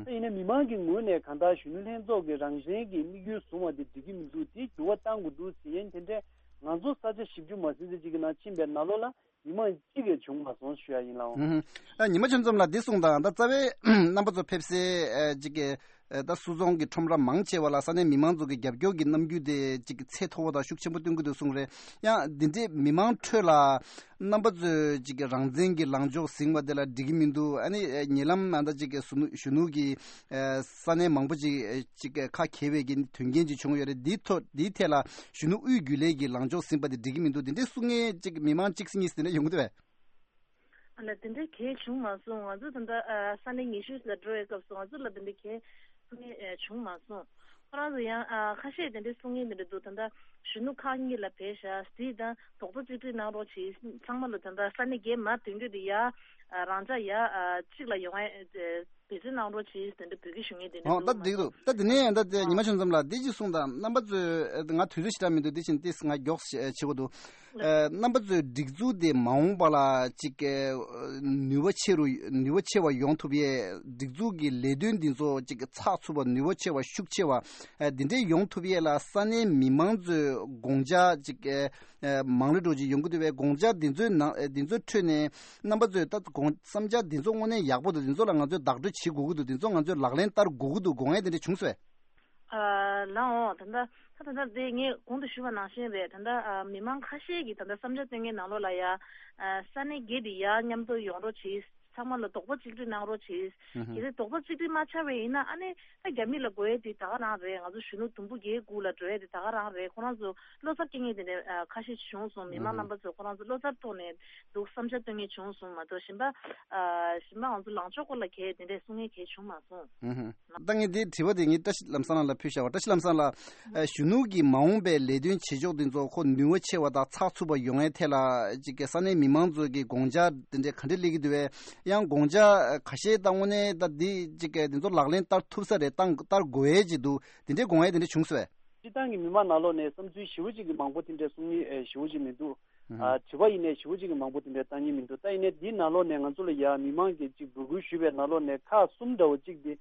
ད་ཡིན་ན་མི་མང་གི་ངོས་ནས་གང་ལྟར་གཞོན་ནུ་ལྷན་ཚོགས་ཀྱི་རང་བཙན་གྱི་དམིགས་ཡུལ་བཟུང་བ་འདི་འགྲིག་གི་མི་འདུག་འདི་འགྱུར་བ་གཏང་དགོས་འདུག་ཟེར་ཡན་དེ་འདྲས་ང་ཚོ་ས་ཆ་བཞི་བཅུ་མ་ཟིན་ཙམ་ཅིག་གི་ནང་ཕྱིན་པའི་ནང་ལོགས་ལ། མི་མང་གཅིག་ཀྱང་བྱུང་མ་སོང་ཞུ་ཡ་ཡིན་ལགས། ཨུ་ཧུ། ཨ་ཉི་མ་ཆོས་འཛོམས་ལགས། འདི་གསུངས་དང་། ད་རྩ་བའི་རྣམ་པ་ཚོ་ཕེབས་སའི་ཨ་ཅིག་གི་ཨ་ད་སུད་ཚོང་གི་ཁྲོམ་ར་མང་ཆེ་བ་ལ་ས་གནས་མི་མང་ཚོ་གི་རྒྱབ་སྐྱོར་གྱི་རྣམ་འགྱུར་དེ་ཅིག་ཚད་མཐོ་བོ་དང་ཤུགས་ཆེན་པོ་སྟོན་གྱི་འདུག་གསུངས་རེད། ཡང་འདི་འདྲའི་མི་མང་ཁྲོད་ལ་རྣམ་པ་ཚོས་ཅིག་གི་རང་བཙན་གྱི་ལངས་ཕྱོགས་ཟིན་པ་དེ་ལ་འགྲིག་གི་མི་འདུག་ཨ་ནི་ཉེ་ལམ་ཨ་ད་ཅིག་གི་གཞོན་ནུ་གཞོན་ནུ་གི་ས་གནས་མང་པོ་ཅིག་ཅིག་ཁ་གྱེས་པའི་གི་དོན་རྐྱེན་ཅིག་བྱུང་ཡོད་རེད། འདིའི་ཐོག་འདིའི་ཐད་ལ་གཞོན་ནུ་དབུས་རྒྱུན་ལས་ཀྱི་ལངས་ཕྱོགས་ཟིན་པ་དེ་འགྲིག་གི་མི་འདུག་འདི་འདྲའི་གསུང་མཁན་ཅིག་མི་མང་གཅིག་སྲིད་གཉིས་སྲིད་དེ་འདྲ་ཡོང་གི་འདུག་བས། ཨ་ལ་དེ་འདྲའི་གལ་བྱུང་མ་སོང་། ང་ཚོ་ད་ལྟ་ཨ་ས་གནས་ཉི་ཤུ་ལ་འགྲོ་བའི་སྐབས་སུ་ང་ཚོ་ལ་དེ་འདྲའི་གལ་གསུང་མཁན་ཨ་བྱུང་མ་སོང་། ཁོ་རང་ཚོ་ཡང་ཨ་ཁ་ཤས་དེ་འདྲའི་གསུང་མཁན་དེ་འདྲ་འདུག་ད་ལྟ་གཞོན་ནུ་ཁག་གཉིས་ལ་བེད་བཞག་དེ་དང་རྡོག་རྩ་གཅིག་སྒྲིལ་གནང་རོགས་གྱིས། ཚང་མ་ལ་ད་ལྟ་ས་གནས་བརྒྱད་མར་ཐོན་རྒྱུ་དེ་ཡ་ཨ་རང་འཇགས་ཡ་ཨ་གཅིག་ལ་ཡོང་ཨེ་འབད་བརྩོན་གནང་རོགས་གྱིས་དེ་འདྲ་འབོད་སྐུལ་ཞུ་མཁན་དེ་འདྲ་ཨོ་ད་འདུག་འགྲིག་འདུག་ད་དེ་ནས་ད་དེ་ཉི་མ་ཆོས་འཛོམས་ལགས་འདི་ཅིག་གསུངས་དང་། རྣམ་པ་ཚོས་ང་དུས་ཚོད་ཞེ་དྲག་མི་འདུག་འདི་བཞིན་ཏིས་ང་མགྱོགས་བྱེད་དགོས་འདུག་ཨ་རྣམ་པ་ཚོས་སྒྲིག་འཛུགས་དེ་མ་འོངས་པ་ལ་ཅིག་ནུས་པ་ཆེ་རུ་ནུས་པ་ཆེ་བ་ཡོང་ཐུབ་ཡས། སྒྲིག་འཛུགས་ཀྱི་ལས་དོན་འདི་ཚོ་ཅིག་ཚགས་ཚུད་པ་ནུས་པ་ཆེ་བ་ཤུགས་ཆེ་བ་ཨ་འདི་འདྲས་ཡོང་ཐུབ་ཡས་ལ་ས་གནས་མི་མང་ཚོས་དགོངས་འཆར་ཅིག་ཨ་མང་རེ་འགྲོ་ཅིག་ཡོང་གི་འདུག་པས། དགོངས་འཆར་འདི་ཚོའི་ནང་ཨ་འདི་ཚོའི་ཁྲོད་ནས་རྣམ་པ་ཚོས་ད་དགོངས་བསམ་འཆར་འདི་ཚོ་དངོས་གནས་ཡག་པོ་འདུག་འདི་ཚོ་ལ་ང་ཚོས་བདག་སྤྲོད་བྱེད་དགོས་ཀྱི་འདུག་འདི་ཚོ་ང་ཚོས་ལག་ལེན་བསྟར་དགོས་ཀྱི་འདུག་དགོངས་ཡས་དེ་འདྲ་བྱུང་སོང་བས། ཨ་ལགས་འོང་། ད་ལྟ་ད་ད་ལྟ་དེ་ངས་གོང་དུ་ཞུས་པ་ནང་བཞིན་རེད། ད་ལྟ་ཨ་མི་མང་ཁ་ཤས་ཀྱིས་ད་ལྟ་བསམ་འཆར་བཏོན་མཁན་ནང་ལོགས་ལ་ཡ་ཨ་ས་གནས་བརྒྱད་དེ་ཡ་མཉམ་དུ་ཡོང་རོགས་གྱིས། ཚང་མ་ལ་རྡོག་པ་གཅིག་སྒྲིལ་གནང་རོགས་གྱིས། ཧུམ་ཧུམ། གལ་སྲིད་རྡོག་པ་གཅིག་སྒྲིལ་མ་ཆགས་པ་ཡིན་ན་ཨ་ནི་ད་རྒྱ་མི་ལ་དགོས་ཡས་དེ་ད་ག་རང་རེད། ང་ཚོ་གཞོན་ནུ་དུམ་བུ་བརྒྱད་དགུ་ལ་འགྲོ་ཡས་དེ་ད་ག་རང་རེད། ཁོ་རང་ཚོ་བློ་འཚབ་སྐྱེ་མཁན་དེ་འདྲ་ཨ་ཁ་ཤས་བྱུང་སོང་། མི་མང་ཧུམ་ཧུམ། རྣམ་པ་ཚོ་ཁོ་རང་ཚོ་བློ་འཚབ་ཐོག་ནས་འདུག་བསམ་འཆར་བཏོན་མཁན་བྱུང་སོང་མ་གཏོགས་གཞན་པ་ཨ་གཞན་པ་ང་ཚོ་ལངས་ཕྱོགས་སྐོར་ལ་གལ་དེ་འདྲས་གསུང་མཁན་གལ་བྱུང་མ་སོང་། ཨུ་ཧུ། ད་ངས་འདི་དྲི་བ་དེ་ངས་བཀྲ་ཤིས་ལམ་བཟང་ལགས་ལ་ཕུལ་བཞག་པ། བཀྲ་ཤིས་ལམ་བཟང་ལགས། ཨ་གཞོན་ནུ་གི་མ་འོངས་པའི་ལས་དོན་བྱེད་ཕྱོགས་འདི་ཚོ་ཁོ་ནུས་པ་ཆེ་བ་དང་ཚགས་ཚུད་པ་ཡོང་ཡའི་ཐད་ལ་ཅིག་གི་ས་གནས་མི་མང་ཚོ་གི་དགོངས་འཆར་དེ་འདྲས་ག་འདྲས་སླེབས་ཀྱི་འདུག་བས། ཡང་དགོངས་འཆར་ཁ་ཤས་ད་དངོས་གནས་ད་འདི་ཅིག་གི་འདི་ཚོ་ལག་ལེན་བསྟར་ཐུབ་ས་རེད། བཏང་བསྟར་དགོས་ཡས་ཅིག་འདུག་འདི་འདྲས་དགོངས་ཡས་དེ་འདྲས་བྱུང་སོང་བས། སྤྱིར་བཏང་གི་མི་མང་ནང་ལོགས་ནས་བསམ་ཚུལ་ཞེ་པོ་ཅིག་གི་མང་པོ་དེ་འདྲས་གསུང་མཁན་ཨེ་ཞེ་པོ་ཅིག་མི་འདུག་ཨ་དྲི་བ་ཡིན་ནའི་ཞེ་པོ་ཅིག་གི་མང་པོ་དེ་འདྲས་བཏང་མཁན་མི་འདུག་ད་ཡིན་ནའི་འདིའི་ནང་ལོགས་ནས་ང་ཚོ་ལ་ཡ་མི་མང་གིས་ཅིག་འབོད་སྐུལ་ཞུས་པའི་ནང་ལོགས་ནས་ཁག་གསུམ་འདྲ་བོ་གཅིག་དེ་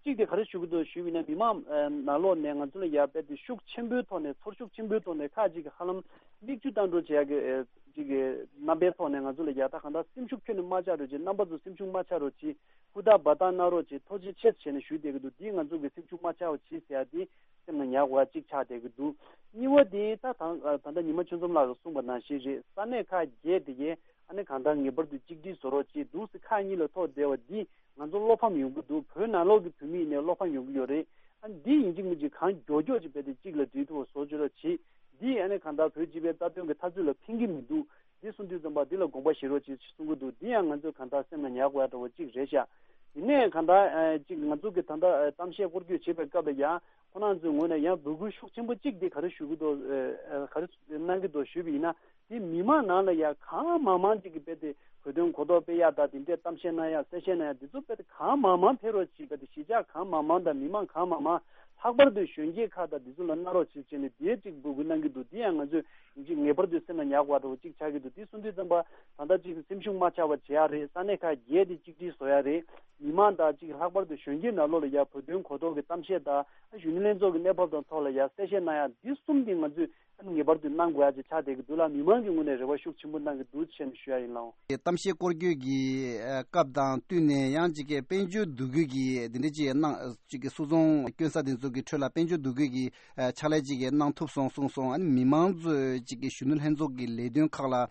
གཅིག་དེ་ག་རེ་ཞུ་གི་འདུག་ཞུས་པ་ཡིན་ན། མི་མང་ཨ་ནང་ལོགས་ནས་ང་ཚོ་ལ་ཡ་རྦད་དེ་ཤུགས་ཆེན་པོའི་ཐོག་ནས་ཚོར་ཤུགས་ཆེན་པོའི་ཐོག་ནས་ཁག་ཅིག་གི་ཧ་ལམ་མིག་ཆུ་བཏང་འགྲོ་བྱེད་ཡ་གི་ཨ་ཅིག་གི་རྣམ་པའི་ཐོག་ནས་ང་ཚོ་ལ་ཡ་ད་གང་ལྟར་སེམས་ཤུགས་ཁྱོན་ནས་མ་ཆག་རོགས་གྱིས། རྣམ་པ་ཚོ་སེམས་ཤུགས་མ་ཆག་རོགས་གྱིས། སྐུ་ཐག་འབའ་ཐག་གནང་རོགས་གྱིས། ཐུགས་རྗེ་ཆེ་ཟེར་ནས་ཞུས་བསྡད་ཀྱི་འདུག་འདིས་ང་ཚོ་གི་སེམས་ཤུགས་མ་ཆག་པ་གྱིས་ཟེར་ཡ་འདི་སེམས་ལ་ཉར་དགོས་ཡ་གཅིག་ཆགས་བསྡད་ཀྱི་འདུག་གཉིས་པ་དེ་ད་ད་ད་ལྟ་ཉི་མ་ཆོས་འཛོམས་ལགས་ཀྱིས་གསུངས་པ་ནང་བཞིན་རེད། ས་གནས་ཁག་བརྒྱད་དེ་གས་ཨ་ནི་གང་ལྟར་ངེས་པར་དུ་གཅིག་སྒྲིལ་བཟོ་རོགས་གྱིས། འདུག་སེ་ཁག་གཉིས་ལ་ཐོག་བསྡད་པ་འདི་ང་ཚོ་བློ་ཕམ་ཡོང་གི་འདུག་བོད་ནང་ལོགས་ཀྱི་བོད་མི་ཡིན་ནའི་བློ་ཕམ་ཡོང་གི་ཡོད་རེད། ཨ་ནི་འདི་ཡིན་གཅིག་མིན་གཅིག་གང་མགྱོགས་མགྱོགས་ཅིག་རྦད་དེ་གཅིག་ལ་སྒྲིལ་ཐུབ་པ་བཟོ་བཅུག་རོགས་གྱིས། འདི་ཨ་ནི་གང་ལྟར་བོད་སྤྱི་པའི་རྩ་དོན་གྱི་འཐབ་རྩོད་ལ་ཕན་གྱི་མི་འདུག་འདི་གསུང་དུས་ཙམ་པ་འདི་ལ་དགོངས་པ་བཞེས་རོགས་གྱིས་གསུང་གི་འདུག་འདི་ཡང་ང་ཚོས་གང་ལྟར་སེམས་ལ་ཉར་དགོས་ཡ་འདྲ་བོ་གཅིག་རེད་ཤག་ཡིན་ནའི་གང་ལྟར་ཨ་གཅིག་ང་ཚོ་གི་ད་ལྟ་ཨ་གཏམ་བཤད་སྐོར་སྐྱོད་བྱེད་པའི་སྐབས་ལ་ཡང་ཁོ་རང་ཚོའི་ངོས་ནས་ཡང་འབོད་སྐུལ་ཤུགས་ཆེན་པོ་གཅིག་འདི་ག་རེ་ཞུ་གི་འདུག་ཨ་ག་རེ་གནང་གི་འདུག་ཞུས་པ་ཡིན་ན། དེ་མི་མང་ནང་ལ་ཡང་གང་མང་མང་ཅིག་གིས་རྦད་དེ་གོ་སྟོན་གོ་རྟོགས་སྤེལ་ཡག་དང་། དེ་འདྲའི་གཏམ་བཤད་གནང་ཡག་གསལ་བཤད་གནང་ཡག་འདི་ཚོ་རྦད་དེ་གང་མང་མང་ཕེབས་རོགས་གྱིས། རྦད་དེ་གཞིས་ཆགས་གང་མང་མང་དང་མི་མང་གང་མང་མང་ལྷག་པར་དུ་གཞོན་སྐྱེས་ཁག་དང་འདི་ཚོ་ལ་གནང་རོགས་གྱིས་བྱས་ནས་དེའི་ཅིག་འབོད་སྐུལ་གནང་གི་འདུག་འདི་ཡང་ང་ཚོས་ཅིག་ངེས་པར་དུ་སེམས་ལ་ཉར་དགོས་པ་འདྲ་བོ་ཅིག་ཆགས་ཀྱི་འདུག་འདི་གསུང་དུས་ཙམ་པ་ད་ལྟ་ཅིག་སེམས་ཤུགས་མ་ཆག་པ་བྱེད་ཡག་རེད། ས་གནས་ཁག་བརྒྱད་དེ་གཅིག་སྒྲིལ་བཟོ་ཡག་རེད། མི་མང་དང་ཅིག་ལྷག་པར་དུ་གཞོན་སྐྱེས་ནང་ལོགས་ལ་ཡ་བོད་དོན་གོ་རྟོགས་ཀྱི་གཏམ་བཤད་དང་གཞོན་ནུ་ལྷན་ཚོགས་ཀྱི་གནས་བབ་དང་ཐོག་ལ་ཡ་གསལ་བཤད་གནང་ཡག་འདི་གསུམ་དེ་ང་ཚོས་ངེས་པར་དུ་གནང་དགོས་ཡ་ཅིག་ཆགས་བསྡད་ཀྱི་འདུག་ལ། མི་མང་གི་ངོས་ནས་རེ་བ་ཤུགས་ཆེན་པོ་གནང་གི་འདུག་ཅེས་ནས་ཞུ་ཡ་ཡིན་ལགས། གཏམ་བཤད་སྐོར་སྐྱོད་ཀྱི་ཨ་སྐབས་དང་བསྟུན་ནས་ཡང་ཅིག་གི་དཔལ་འབྱོར་འདུ་འགོད་ཀྱི་འདི་འདྲ་ཅིག་གནང་ཅིག་གི་སུད་ཚོང་སྐྱོན་ས་དེ་ཚོ་གི་ཁྲོད་ལ་དཔལ་འབྱོར་འདུ་འགོད་ཀྱི་ཨ་ཕྱག་ལས་ཅིག་གི་གནང་ཐུབ་སོང་གསུངས་སོང་། ཨ་ནི་མི་མང་ཚོས་ཅིག་གི་གཞོན་ནུ་ལྷན་ཚོགས་ཀྱི་ལས་དོན་ཁག་ལ་ཨ་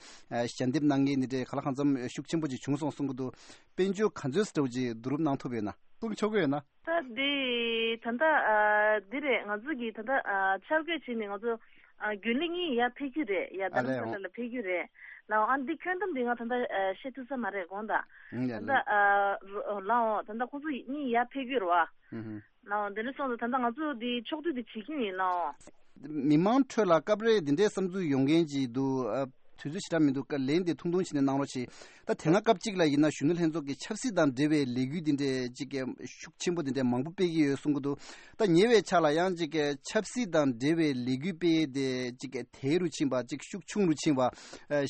ཞལ་འདེབས་གནང་མཁན་འདི་འདྲའི་ག་ལ་གང་འཚམ་ཤུགས་ཆེན་པོ་ཅིག་བྱུང་སོང་གསུང་གི་འདུག་དཔལ་འབྱོར་ག་ཚོད་ཙམ་ཅིག་བསྡུ་རུབ་གནང་ཐུབ་ཡོད་ན། གསུང་ཆོག་གི་ཡོད་ན། ད་འདི་ད་ལྟ་ཨ་འདི་རེད། ང་ཚོ་གིས་ད་ལྟ་ཨ་འཆར་འགོད་བྱས་ནས་ང་ཚོ་ཨ་རྒྱུན་ལས་གཉིས་ཡར་ཕེབས་རྒྱུ་རེད། ཡ་རྡ་རམ་ས་ལ་ལ་ཕེབས་རྒྱུ་རེད་ལགས། ཨ་འདི་ཁྱོན་བསྡོམས་འདི་ང་ད་ལྟ་ཨ་བཤད་ཐུབ་ས་མ་རེད་དགོངས་དག་ད་ལྟ་ཨ་ལགས་འོང་། ད་ལྟ་ཁོང་ཚོ་གཉིས་ཡར་ཕེབས་རྒྱུ་རེད་བ། ལགས་འོང་། དེ་འདྲ་སོང་ཙང་ད་ལྟ་ང་ཚོ་འདི་ཕྱོགས་བསྡུས་འདི་བྱེད་ཀྱི་ཡིན་ལགས་འོང་། མི་མང་ཁྲོད་ལ་སྐབས་རེ་འདི་འདྲའི་བསམ་ཚུལ་ཡོང་མཁན་ཅིག་འདུག་ཨ། དུས་ཚོད་ཞེ་དྲག་མི་འདུག་ཀ་ལན་དེ་ཐུང་ཐུང་བྱས་ནས་གནང་རོགས་བྱེད། ད་དེ་སྔ་སྐབས་གཅིག་ལ་ཡིན་ན་གཞོན་ནུ་ལྷན་ཚོགས་ཀྱི་ཆབ་སྲིད་དང་འབྲེལ་བའི་ལས་འགུལ་འདི་འདྲའི་གཅིག་གི་ཤུགས་ཆེན་པོ་འདི་འདྲའི་མང་པོ་སྤེལ་གྱི་ཡོད་གསུང་གི་འདུག་ད་ཉེ་བའི་ཆར་ལ་ཡང་གཅིག་གི་ཆབ་སྲིད་དང་འབྲེལ་བའི་ལས་འགུལ་སྤེལ་ཡས་དེ་གཅིག་གི་དལ་རུ་ཕྱིན་པ། གཅིག་ཤུགས་ཆུང་རུ་ཕྱིན་པ།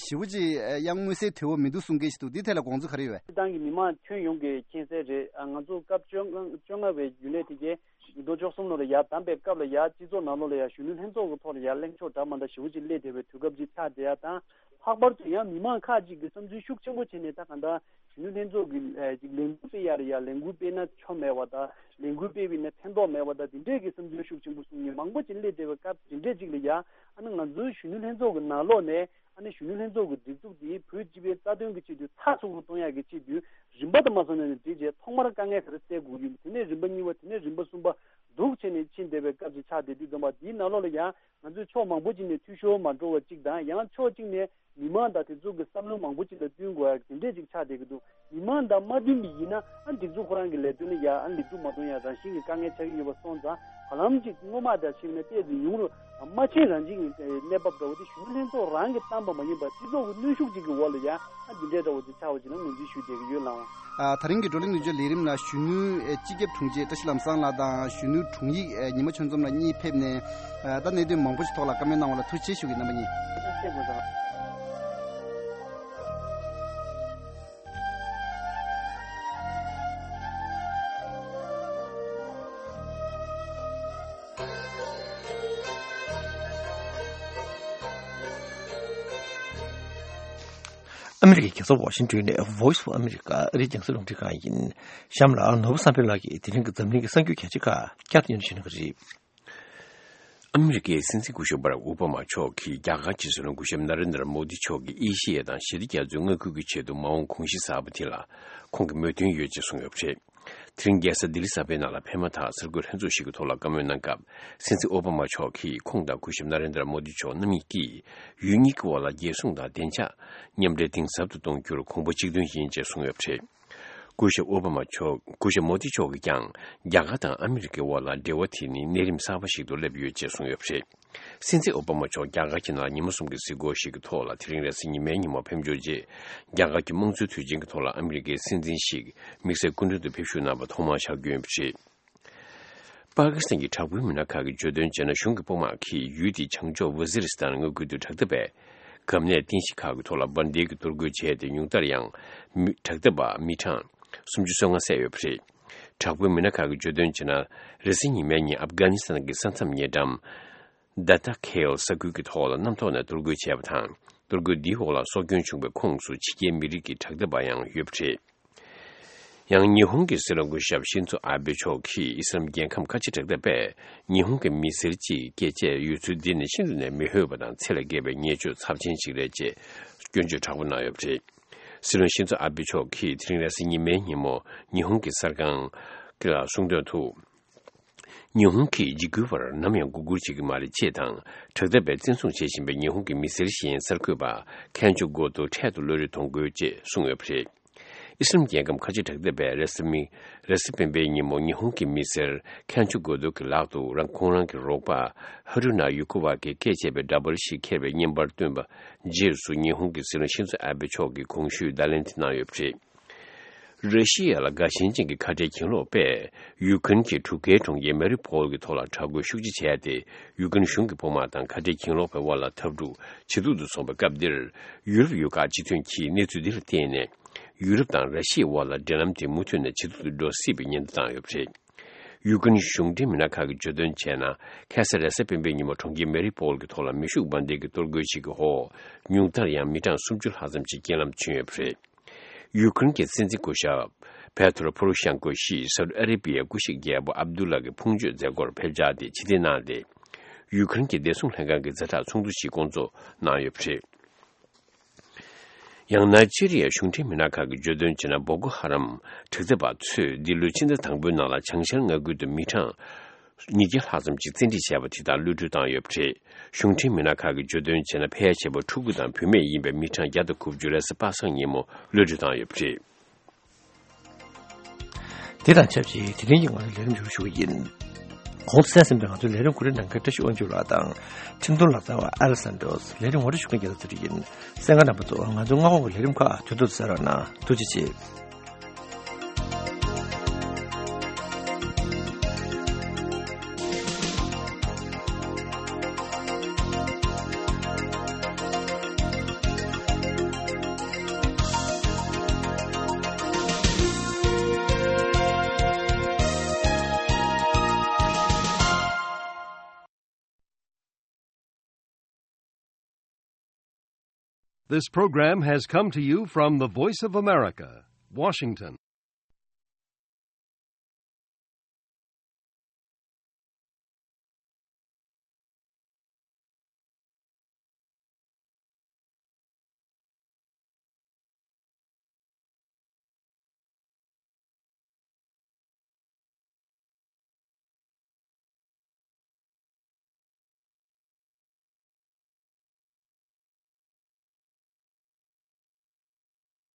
ཞེ་པོ་ཅིག་ཡང་མངོན་གསལ་དོད་པོ་མི་འདུག་གསུང་མཁན་ཞིག་འདུག་འདི་ཐད་ལ་དགོངས་ཚུལ་ག་རེ་ཡོད་པས། སྤྱིར་བཏང་གི་མི་མང་ཁྱོན་ཡོངས་ཀྱིས་མཁྱེན་གསལ་རེད། ང་ཚོ་སྐབས་བཅོ་ལྔ་བཅོ་ལྔ་བའི་རྒྱུན་ལས་དེ་གའི་ཉིས་སྟོང་བཅུ་གསུམ་ལོ་ལ་ཡར་བདམས་པའི་སྐབས་ལ་ཡར་སྤྱི་ཚོགས་ནང་ལོགས་ལ་ཡར་གཞོན་ནུ་ལྷན་ཚོགས་ཀྱི་ཐོག་ལ་ཡར་གླེང་ཕྱོགས་འདྲ་མ་འདྲ་ཞེ་པོ་ཅིག་སླེབས་བསྡད་པའི་དུས་སྐབས་ཅིག་ཆགས་བསྡད་ཡ་དང་། ལྷག་པར་དུ་ཡང་མི་མང་ཁག་ཅིག་གིས་བསམ་ཚུལ་ཤུགས་ཆེན་པོ་བྱས་ནས། ད་གང་ལྟར་གཞོན་ནུ་ལྷན་ཚོགས་ཀྱི་ཨ་ཅིག་ལས་འགུལ་སྤེལ་ཡ་རེད་ཡ། ལས་འགུལ་སྤེལ་ན་ཆོ་མེད་པ་དང་། ལས་འགུལ་སྤེལ་བ་ཡིན་ན་ཕན་ཐོགས་མེད་པ་དང་། དེ་འདྲས་ཀྱི་བསམ་ཚུལ་ཤུགས་ཆེན་པོ་གསུང་མཁན་མང་པོ་ཅིག་སླེབས་བསྡད་པའི་སྐབས་དེ་འདྲས་ཅིག་ལ་ཡ། ཨ་ནི་ང་ཚོའི་གཞོན་ནུ་ལྷན་ཚོགས་ཀྱི་ནང་ལོགས་ནས། ཨ་ནི་གཞོན་ནུ་ལྷན་ཚོགས་ཀྱི་སྒྲིག་འཛུགས་འདི་བོད་སྤྱི་པའི་རྩ་དོན་གྱི་ཆེད་དུ་ཚགས་ཚུད་པོ་གཏོང་ཡག་གི་ཆེད་དུ། རིམ་པ་དང་མ་སོང་ནས་ནས་འགྲིག་བྱས། ཐོག་མར་དཀའ་ངལ་ག་རེ་སེལ་དགོས་ཡོད། དེ་ནས་རིམ་པ་གཉིས་པ། དེ་ནས་རིམ་པ་གསུམ་པ་འདུག་བྱས་ནས་ཕྱིན་བསྡད་པའི་སྐབས་ཅིག་ཆགས་བསྡད་དུས་ཙམ་པ། འདིའི་ནང་ལོགས་ལ་ཡང་ང་ཚོས་ཕྱོགས་མང་པོ་ཅིག་ནས་འཐུས་ཤོར་མ་འགྲོ་བ་གཅིག་དང་། ཡང་ཕྱོགས་གཅིག་ནས་མི་མང་དང་དེ་ཚོ་གི་བསམ་བློ་མང་པོ་ཅིག་ལ་བསྟུན་དགོས་ཡག་དེ་འདྲས་ཅིག་ཆགས་བསྡད་ཀྱི་འདུག་མི་མང་དང་མ་བསྟུན་པ་ཡིན་ན། ཨ། སྒྲིག་འཛུགས་ཁོ་རང་གི་ལས་དོན་ལ་ཡ། ཨ། ལེགས་གྲུབ་མ་གཏོང་ཡ་རང་བཞིན་གྱི་དཀའ་ངལ་ཆགས་ཀྱི་ཡོད་པ་སོང་ཙང་། བར་ལམ་ཅིག་སྔོན་མ་དང་ཕྱིན་ནས་ཏོག་ཙམ་ཡོང་རུང་། མ་ཕྱིན་རང་བཞིན་གྱི་གནས་བབ་འདྲ་བོ་དེ་གཞོན་ནུ་ལྷན་ཚོགས་རང་གིས་བཏང་པ་མ་ཡིན་པར། སྤྱི་ཚོགས་ཀྱི་གནོན་ཤུགས་ཅིག་གི་འོག་ལ་ཡ། ཨ། འདི་འདྲའི་འདྲ་བོ་དེ་ཆགས་པ་ཅིག་ལ་ངོས་འཛིན་ཞུས་བསྡད་ཀྱི་ཡོད་ལགས། ཨ། ད་རིང་གི་བགྲོ་གླེང་ནུས་སྦྱོར་ལས་རིམ་ལ་གཞོན་ནུའི་སྤྱི་ཁྱབ་དྲུང་ཆེ་བཀྲ་ཤིས་ལམ་བཟང་ལགས་དང་། གཞོན་ནུ་དྲུང་ཡིག་ཉི་མ་ཆོས་འཛོམས་ལགས་གཉིས་ཕེབས་ནས། ཨ། ད་གནད་དོན་མང་པོ་ཞིག་ཐོག་ལ་བཀའ་མོལ་གནང་བ་ལ་ཐུགས་རྗེ་ཆེ་ཞུ་གི་ཡིན། རྣམ་པ་གཉིས། ཨ་མི་རི་ཀའི་རྒྱལ་ས་ཝ་ཤིང་ཏོན་ནས་Voice of America ཨ་རིའི་རྒྱང་སྲིང་རླུང་འཕྲིན་ཁང་ཡིན། གཤམ་ལ་ནོར་བུ་བསམ་འཕེལ་ལགས་ཀྱིས་དེ་རིང་གི་འཛམ་གླིང་གི་གསར་འགྱུར་གལ་ཆེ་ཁག་བསྐྱར་དུ་སྙན་སྒྲོན་ཞུ་གནང་གི་རེད། ཨ་མི་རི་ཀའི་སྲིད་འཛིན་སྐུ་ཞབས་བྷ་རག་ཨོ་བྷ་མ་མཆོག་གིས་རྒྱ་གར་གྱི་སྲིད་བློན་སྐུ་ཞབས་ན་རེན་དྲ་མོ་དི་མཆོག་གིས་ཨེ་ཤེ་ཡ་དང་ཞི་བདེ་རྒྱ་མཚོའི་མངའ་ཁུལ་གྱི་ཆེད་དུ་མ་འོངས་དགོངས་གཞི་གསར་པ་དེ་ལ་ཁོང་གི་མོས་མཐུན་ཡོད་ཅེས་གསུངས་ཡོད་པ་རེད། དེ་རིང་རྒྱལ་ས་ལྡི་ལི་གསར་པའི་ནང་ལ་ཕེབས་མ་ཐག་གསར་འགོད་ལྷན་ཚོགས་ཤིག་གི་ཐོག་ལ་བཀའ་མོལ་གནང་སྐབས། སྲིད་འཛིན་ཨོ་བྷ་མ་མཆོག་གིས་ཁོང་དང་སྐུ་ཞབས་ན་རེན་དྲ་མོ་དི་མཆོག་རྣམ་གཉིས་ཀྱིས་ཡུལ་གཉིས་ཀྱི་དབར་ལ་རྒྱལ་སྲུང་དང་བདེ་འཇགས་མཉམ་འབྲེལ་གཏིང་ཟབ་ཏུ་གཏོང་རྒྱུར་གོམ་པ་གཅིག་མཐུན་ཡིན་ཅེས་གསུངས་ཡོད་པ་རེད། སྐུ་ཞབས་ཨོ་བྷ་མ་མཆོག་སྐུ་ཞབས་མོ་དི་མཆོག་གིས་ཀྱང་རྒྱ་གར་དང་ཨ་མི་རི་ཀའི་དབར་ལ་འབྲེལ་བ་དེ་ནི་གནས་རིམ་གསར་པ་ཞིག་ཏུ་སླེབས་ཡོད་ཅེས་གསུངས་ཡོད་པ་རེད། སྲིད་འཛིན་ཨོ་བྷ་མ་མཆོག་རྒྱ་གར་གྱི་ནང་ཉི་མ་གསུམ་གྱི་གཟིགས་སྐོར་ཞིག་གི་ཐོག་ལ་དེ་རིང་རེས་གཟའ་ཉི་མའི་ཉིན་མོ་ཕེབས་འབྱོར་རྗེས། རྒྱ་གར་གྱི་དམངས་གཙོའི་དུས་ཆེན་གྱི་ཐོག་ལ་ཨ་མི་རི་ཀའི་སྲིད་འཛིན་ཞིག་དམིགས་བསལ་སྐུ་མགྲོན་དུ་ཕེབས་ཞུགས་གནང་བ་ཐོག་མར་ཤར་རྒྱུ་ཡིན་པ་རེད། པ་ཀི་སི་ཐན་གྱི་དྲག་པོའི་མི་སྣ་ཁག་གིས་བརྗོད་དོན་བྱས་ན། གཞུང་གི་དཔུང་དམག་གིས་ཡུལ་དེའི་བྱང་ཕྱོགས་ཝ་ཛི་རི་སི་ཐན་མངའ་ཁུལ་དུ་དྲག་འཐབ་པའི་འགག་གནད་རྟེན་གཞི་ཁག་གི་ཐོག་ལ་འབར་མདེལ་གྱིས་གཏོར་རྒོལ་བྱས་ཏེ། ཉུང་མཐར་ཡང་མི་དྲག་འཐབ་པ་མི་གྲངས་སུམ་ཅུ་སོ་ལྔ་བསད་ཡོད་པ་རེད། དྲག་པོའི་མི་སྣ་ཁག་གིས་བརྗོད་དོན་བྱས་ན། རེས་གཟའ་ཉི་མའི་ཉིན་ཨབ་གྷ་ནི་སི་ཐན་གྱི་ས་མཚམས་ཉེ་འགྲམ་ཌ་ཏ་ཁེལ་ས་ཁུལ་གྱི་ཐོག་ལ་གནམ་ཐོག་ནས་གཏོར་རྒོལ་བྱས་པ་དང་། གཏོར་རྒོལ་འདིའི་འོག་ལ་སྲོག་སྐྱོན་བྱུང་བའི་ཁོངས་སུ་ཕྱི་རྒྱལ་མི་རིགས་ཀྱི་དྲག་འཐབ་པ་ཡང་ཡོད་པ་རེད། ཡང་ཉི་ཧོང་གི་སྲིད་བློན་སྐུ་ཞབས་ཤིན་ཛོ་ཨ་བྷེ་མཆོག་གིས་ཨི་སི་རམ་རྒྱལ་ཁམས་ཁ་ཆེ་དྲག་འཐབ་པས་ཉི་ཧོང་གི་མི་སེར་གཅིག་སྐྱེས་རྗེས་ཡོད་ཚུལ་འདི་ནི་ཤིན་ཏུ་ནས་མི་འོས་པ་དང་ཚད་ལས་བརྒལ་བའི་ཉེས་སྤྱོད་ཚབས་ཆེན་ཞིག་རེད་ཅེས་སྐྱོན་བརྗོད་དྲག་པོ་གནང་ཡོད་པ་རེད། སྲིད་བློན་ཤིན་ཛོ་ཨ་བྷེ་མཆོག་གིས་དེ་རིང་རེས་གཟའ་ཉི་མའི་ཉིན་མོ་ཉི་ཧོང་གི་གསར་ཁང་ལ་གསུངས་དོན་དུ། ཉི་ཧོང་གིས་འཇིགས་སྐུལ་བར་ནམ་ཡང་མགོ་སྒུར་བྱེད་ཀྱི་མ་རེད་ཅེས་དང་། དྲག་འཐབ་པས་བཙན་བཟུང་བྱེད་བཞིན་པའི་ཉི་ཧོང་གི་མི་སེར་གཞན་གསར་འགོད་པ་ཁན་ཆོ་གོ་ཏོ་འཕྲལ་དུ་གློད་གྲོལ་གཏོང་དགོས་ཅེས་གསུངས་ཡོད་པ་རེད། ཨི་སི་རམ་རྒྱལ་ཁམས་ཁ་ཆེ་དྲག་འཐབ་པས་རེས་གཟའ་མི་རེས་གཟའ་སྤེན་པའི་ཉིན་མོ་ཉི་ཧོང་གི་མི་སེར་ཁན་ཆོ་གོ་ཏོ་གི་ལག་ཏུ་རང་ཁོང་རང་གི་རོགས་པ་ཧ་རུ་ན་ཡུ་ཁོ་བ་གིས་བཀས་བཅད་པའི་འདྲ་པར་ཞིག་འཁྱེར་བའི་བརྙན་པར་བཏོན་པ་རྗེས་སུ། ཉི་ཧོང་གི་སྲིད་བློན་ཤིན་ཛོ་ཨ་བྷེ་མཆོག་གིས་གོང་ཞུས་བརྡ་ལན་དེ་གནང་ཡོད་པ་རེད། ར་ཤི་ཡ་ལ་དགའ་ཞེན་ཅན་གྱི་ཁ་བྲལ་གྱེན་ལོག་པས་ཡུ་ཀེ་རེན་གྱི་གྲུ་ཁའི་གྲོང་ཁྱེར་མ་རི་པོལ་གྱི་ཐོག་ལ་དྲག་རྒོལ་ཤུགས་ཆེ་བྱས་ཏེ། ཡུ་ཀེ་རེན་གཞུང་གི་དཔུང་དམག་དང་ཁ་བྲལ་གྱེན་ལོག་པའི་དབར་ལ་འཐབ་འཁྲུག་ཇེ་སྡུག་ཏུ་སོང་བའི་སྐབས་འདིར། ཡུ་རོབ་ཡུལ་ཁག་སྤྱི་མཐུན་གྱིས་གནས་ཚུལ་འདི་ལ་བརྟེན་ནས། ཡུ་རོབ་དང་ར་ཤི་ཡའི་དབར་ལ་འབྲེལ་ལམ་དེ་མུ་མཐུད་ནས་ཇེ་སྡུག་ཏུ་འགྲོ་སྲིད་པའི་ཉེན་བརྡ་བཏང་ཡོད་པ་རེད། ཡུ་ཀེ་རེན་གཞུང་འབྲེལ་མི་སྣ་ཁག་གིས་བརྗོད་དོན་བྱས་ན། ཁ་སང་རེས་གཟའ་སྤེན་པའི་ཉིན་མོ་གྲོང་ཁྱེར་མ་རི་པོལ་གྱི་ཐོག་ལ་མེ་ཤུགས་འབར་མདེལ་གྱི་གཏོར་རྒོལ་ཞིག་གི་འོག་ཉུང་མཐར་ཡང་མི་གྲངས་སུམ་ཅུ་ལྷག་ཙམ་ཞིག་རྐྱེན་ལམ་བྱོན་ཡོད་པ་རེད། ཡུ་ཀེ་རེན་གྱི་སྲིད་འཛིན་སྐུ་ཞབས་པེ་ཏྲོ་པོ་རོ་ཤན་ཀོ་ཞིག་སའུ་ཏི་ཨ་རེ་བྷི་ཡའི་སྐུ་གཤེགས་རྒྱལ་པོ་ཨབ་དུ་ལ་གི་ཕུང་མཆོད་མཛད་སྒོར་ཕེབས་འཆར་དེ་ཕྱིར་འཐེན་གནང་སྟེ། ཡུ་ཀེ་རེན་གྱི་བདེ་སྲུང་ལྷན་ཁང་གི་ཛ་དྲག་ཚོགས་འདུ་ཞིག་བསྐོང་ཚོགས་གནང་ཡོད་པ་རེད། ཡང་ན་ཅི་རི་ཡའི་གཞུང་འབྲེལ་མི་སྣ་ཁག་གིས་བརྗོད་དོན་བྱས་ན། བོ་ཀོ་ཧ་རམ་དྲག་འཐབ་པ་ཚོས་འདི་ལོའི་ཕྱི་ཟླ་དང་པོའི་ནང་ལ་བྱང་ཤར་མངའ་ཁུལ་དུ་མི་གྲངས་ཉིས་བརྒྱ་ལྷག་ཙམ་ཞིག་བཙན་ཁྲིད་བྱས་པ་དེ་དག་གློད་གྲོལ་བཏང་ཡོད་པ་རེད། གཞུང་འབྲེལ་མི་སྣ་ཁག་གིས་བརྗོད་དོན་བྱས་ན། ཕལ་ཆེ་བ་ཕྲུ་གུ་དང་བུད་མེད་ཡིན་པའི་མི་གྲངས་བརྒྱ་དང་དགུ་བཅུ་རེས་གཟའ་པ་སངས་ཉིན་མོ་གློད་གྲོལ་བཏང་ཡོད་པ་རེད། དེ་དང་ཆབས་ཅིག་དེ་རིང་གི་ང་ཚོའི་ལས་རིམ་མཇུག་ཞུ་གི་ཡིན། གོང་དུ་གསན་ཟིན་པའི་ང་ཚོའི་ལས་རིམ་གོ་སྒྲིག་གནང་མཁན་བཀྲ་ཤིས་དབང་ཕྱུག་ལགས་དང་ཁྲིམས་དོན་ལག་རྩལ་བ་ཨ་ལེ་སན་ཏྲོས། ལས་རིམ་ངོ་སྤྲོད་ཞུ་མཁན་རྒྱལ་ལ་ཚེ་རིང་ཡིན། གསན་མཁན་རྣམ་པ་ཚོ། ང་ཚོའི་སྔ་དགོང་གི་ལས་རིམ་ཁག་དུས་ཐོག་ཏུ་གསན་རོགས་གནང་། ཐུགས་རྗེ་ཆེ། This program has come to you from the Voice of America, Washington.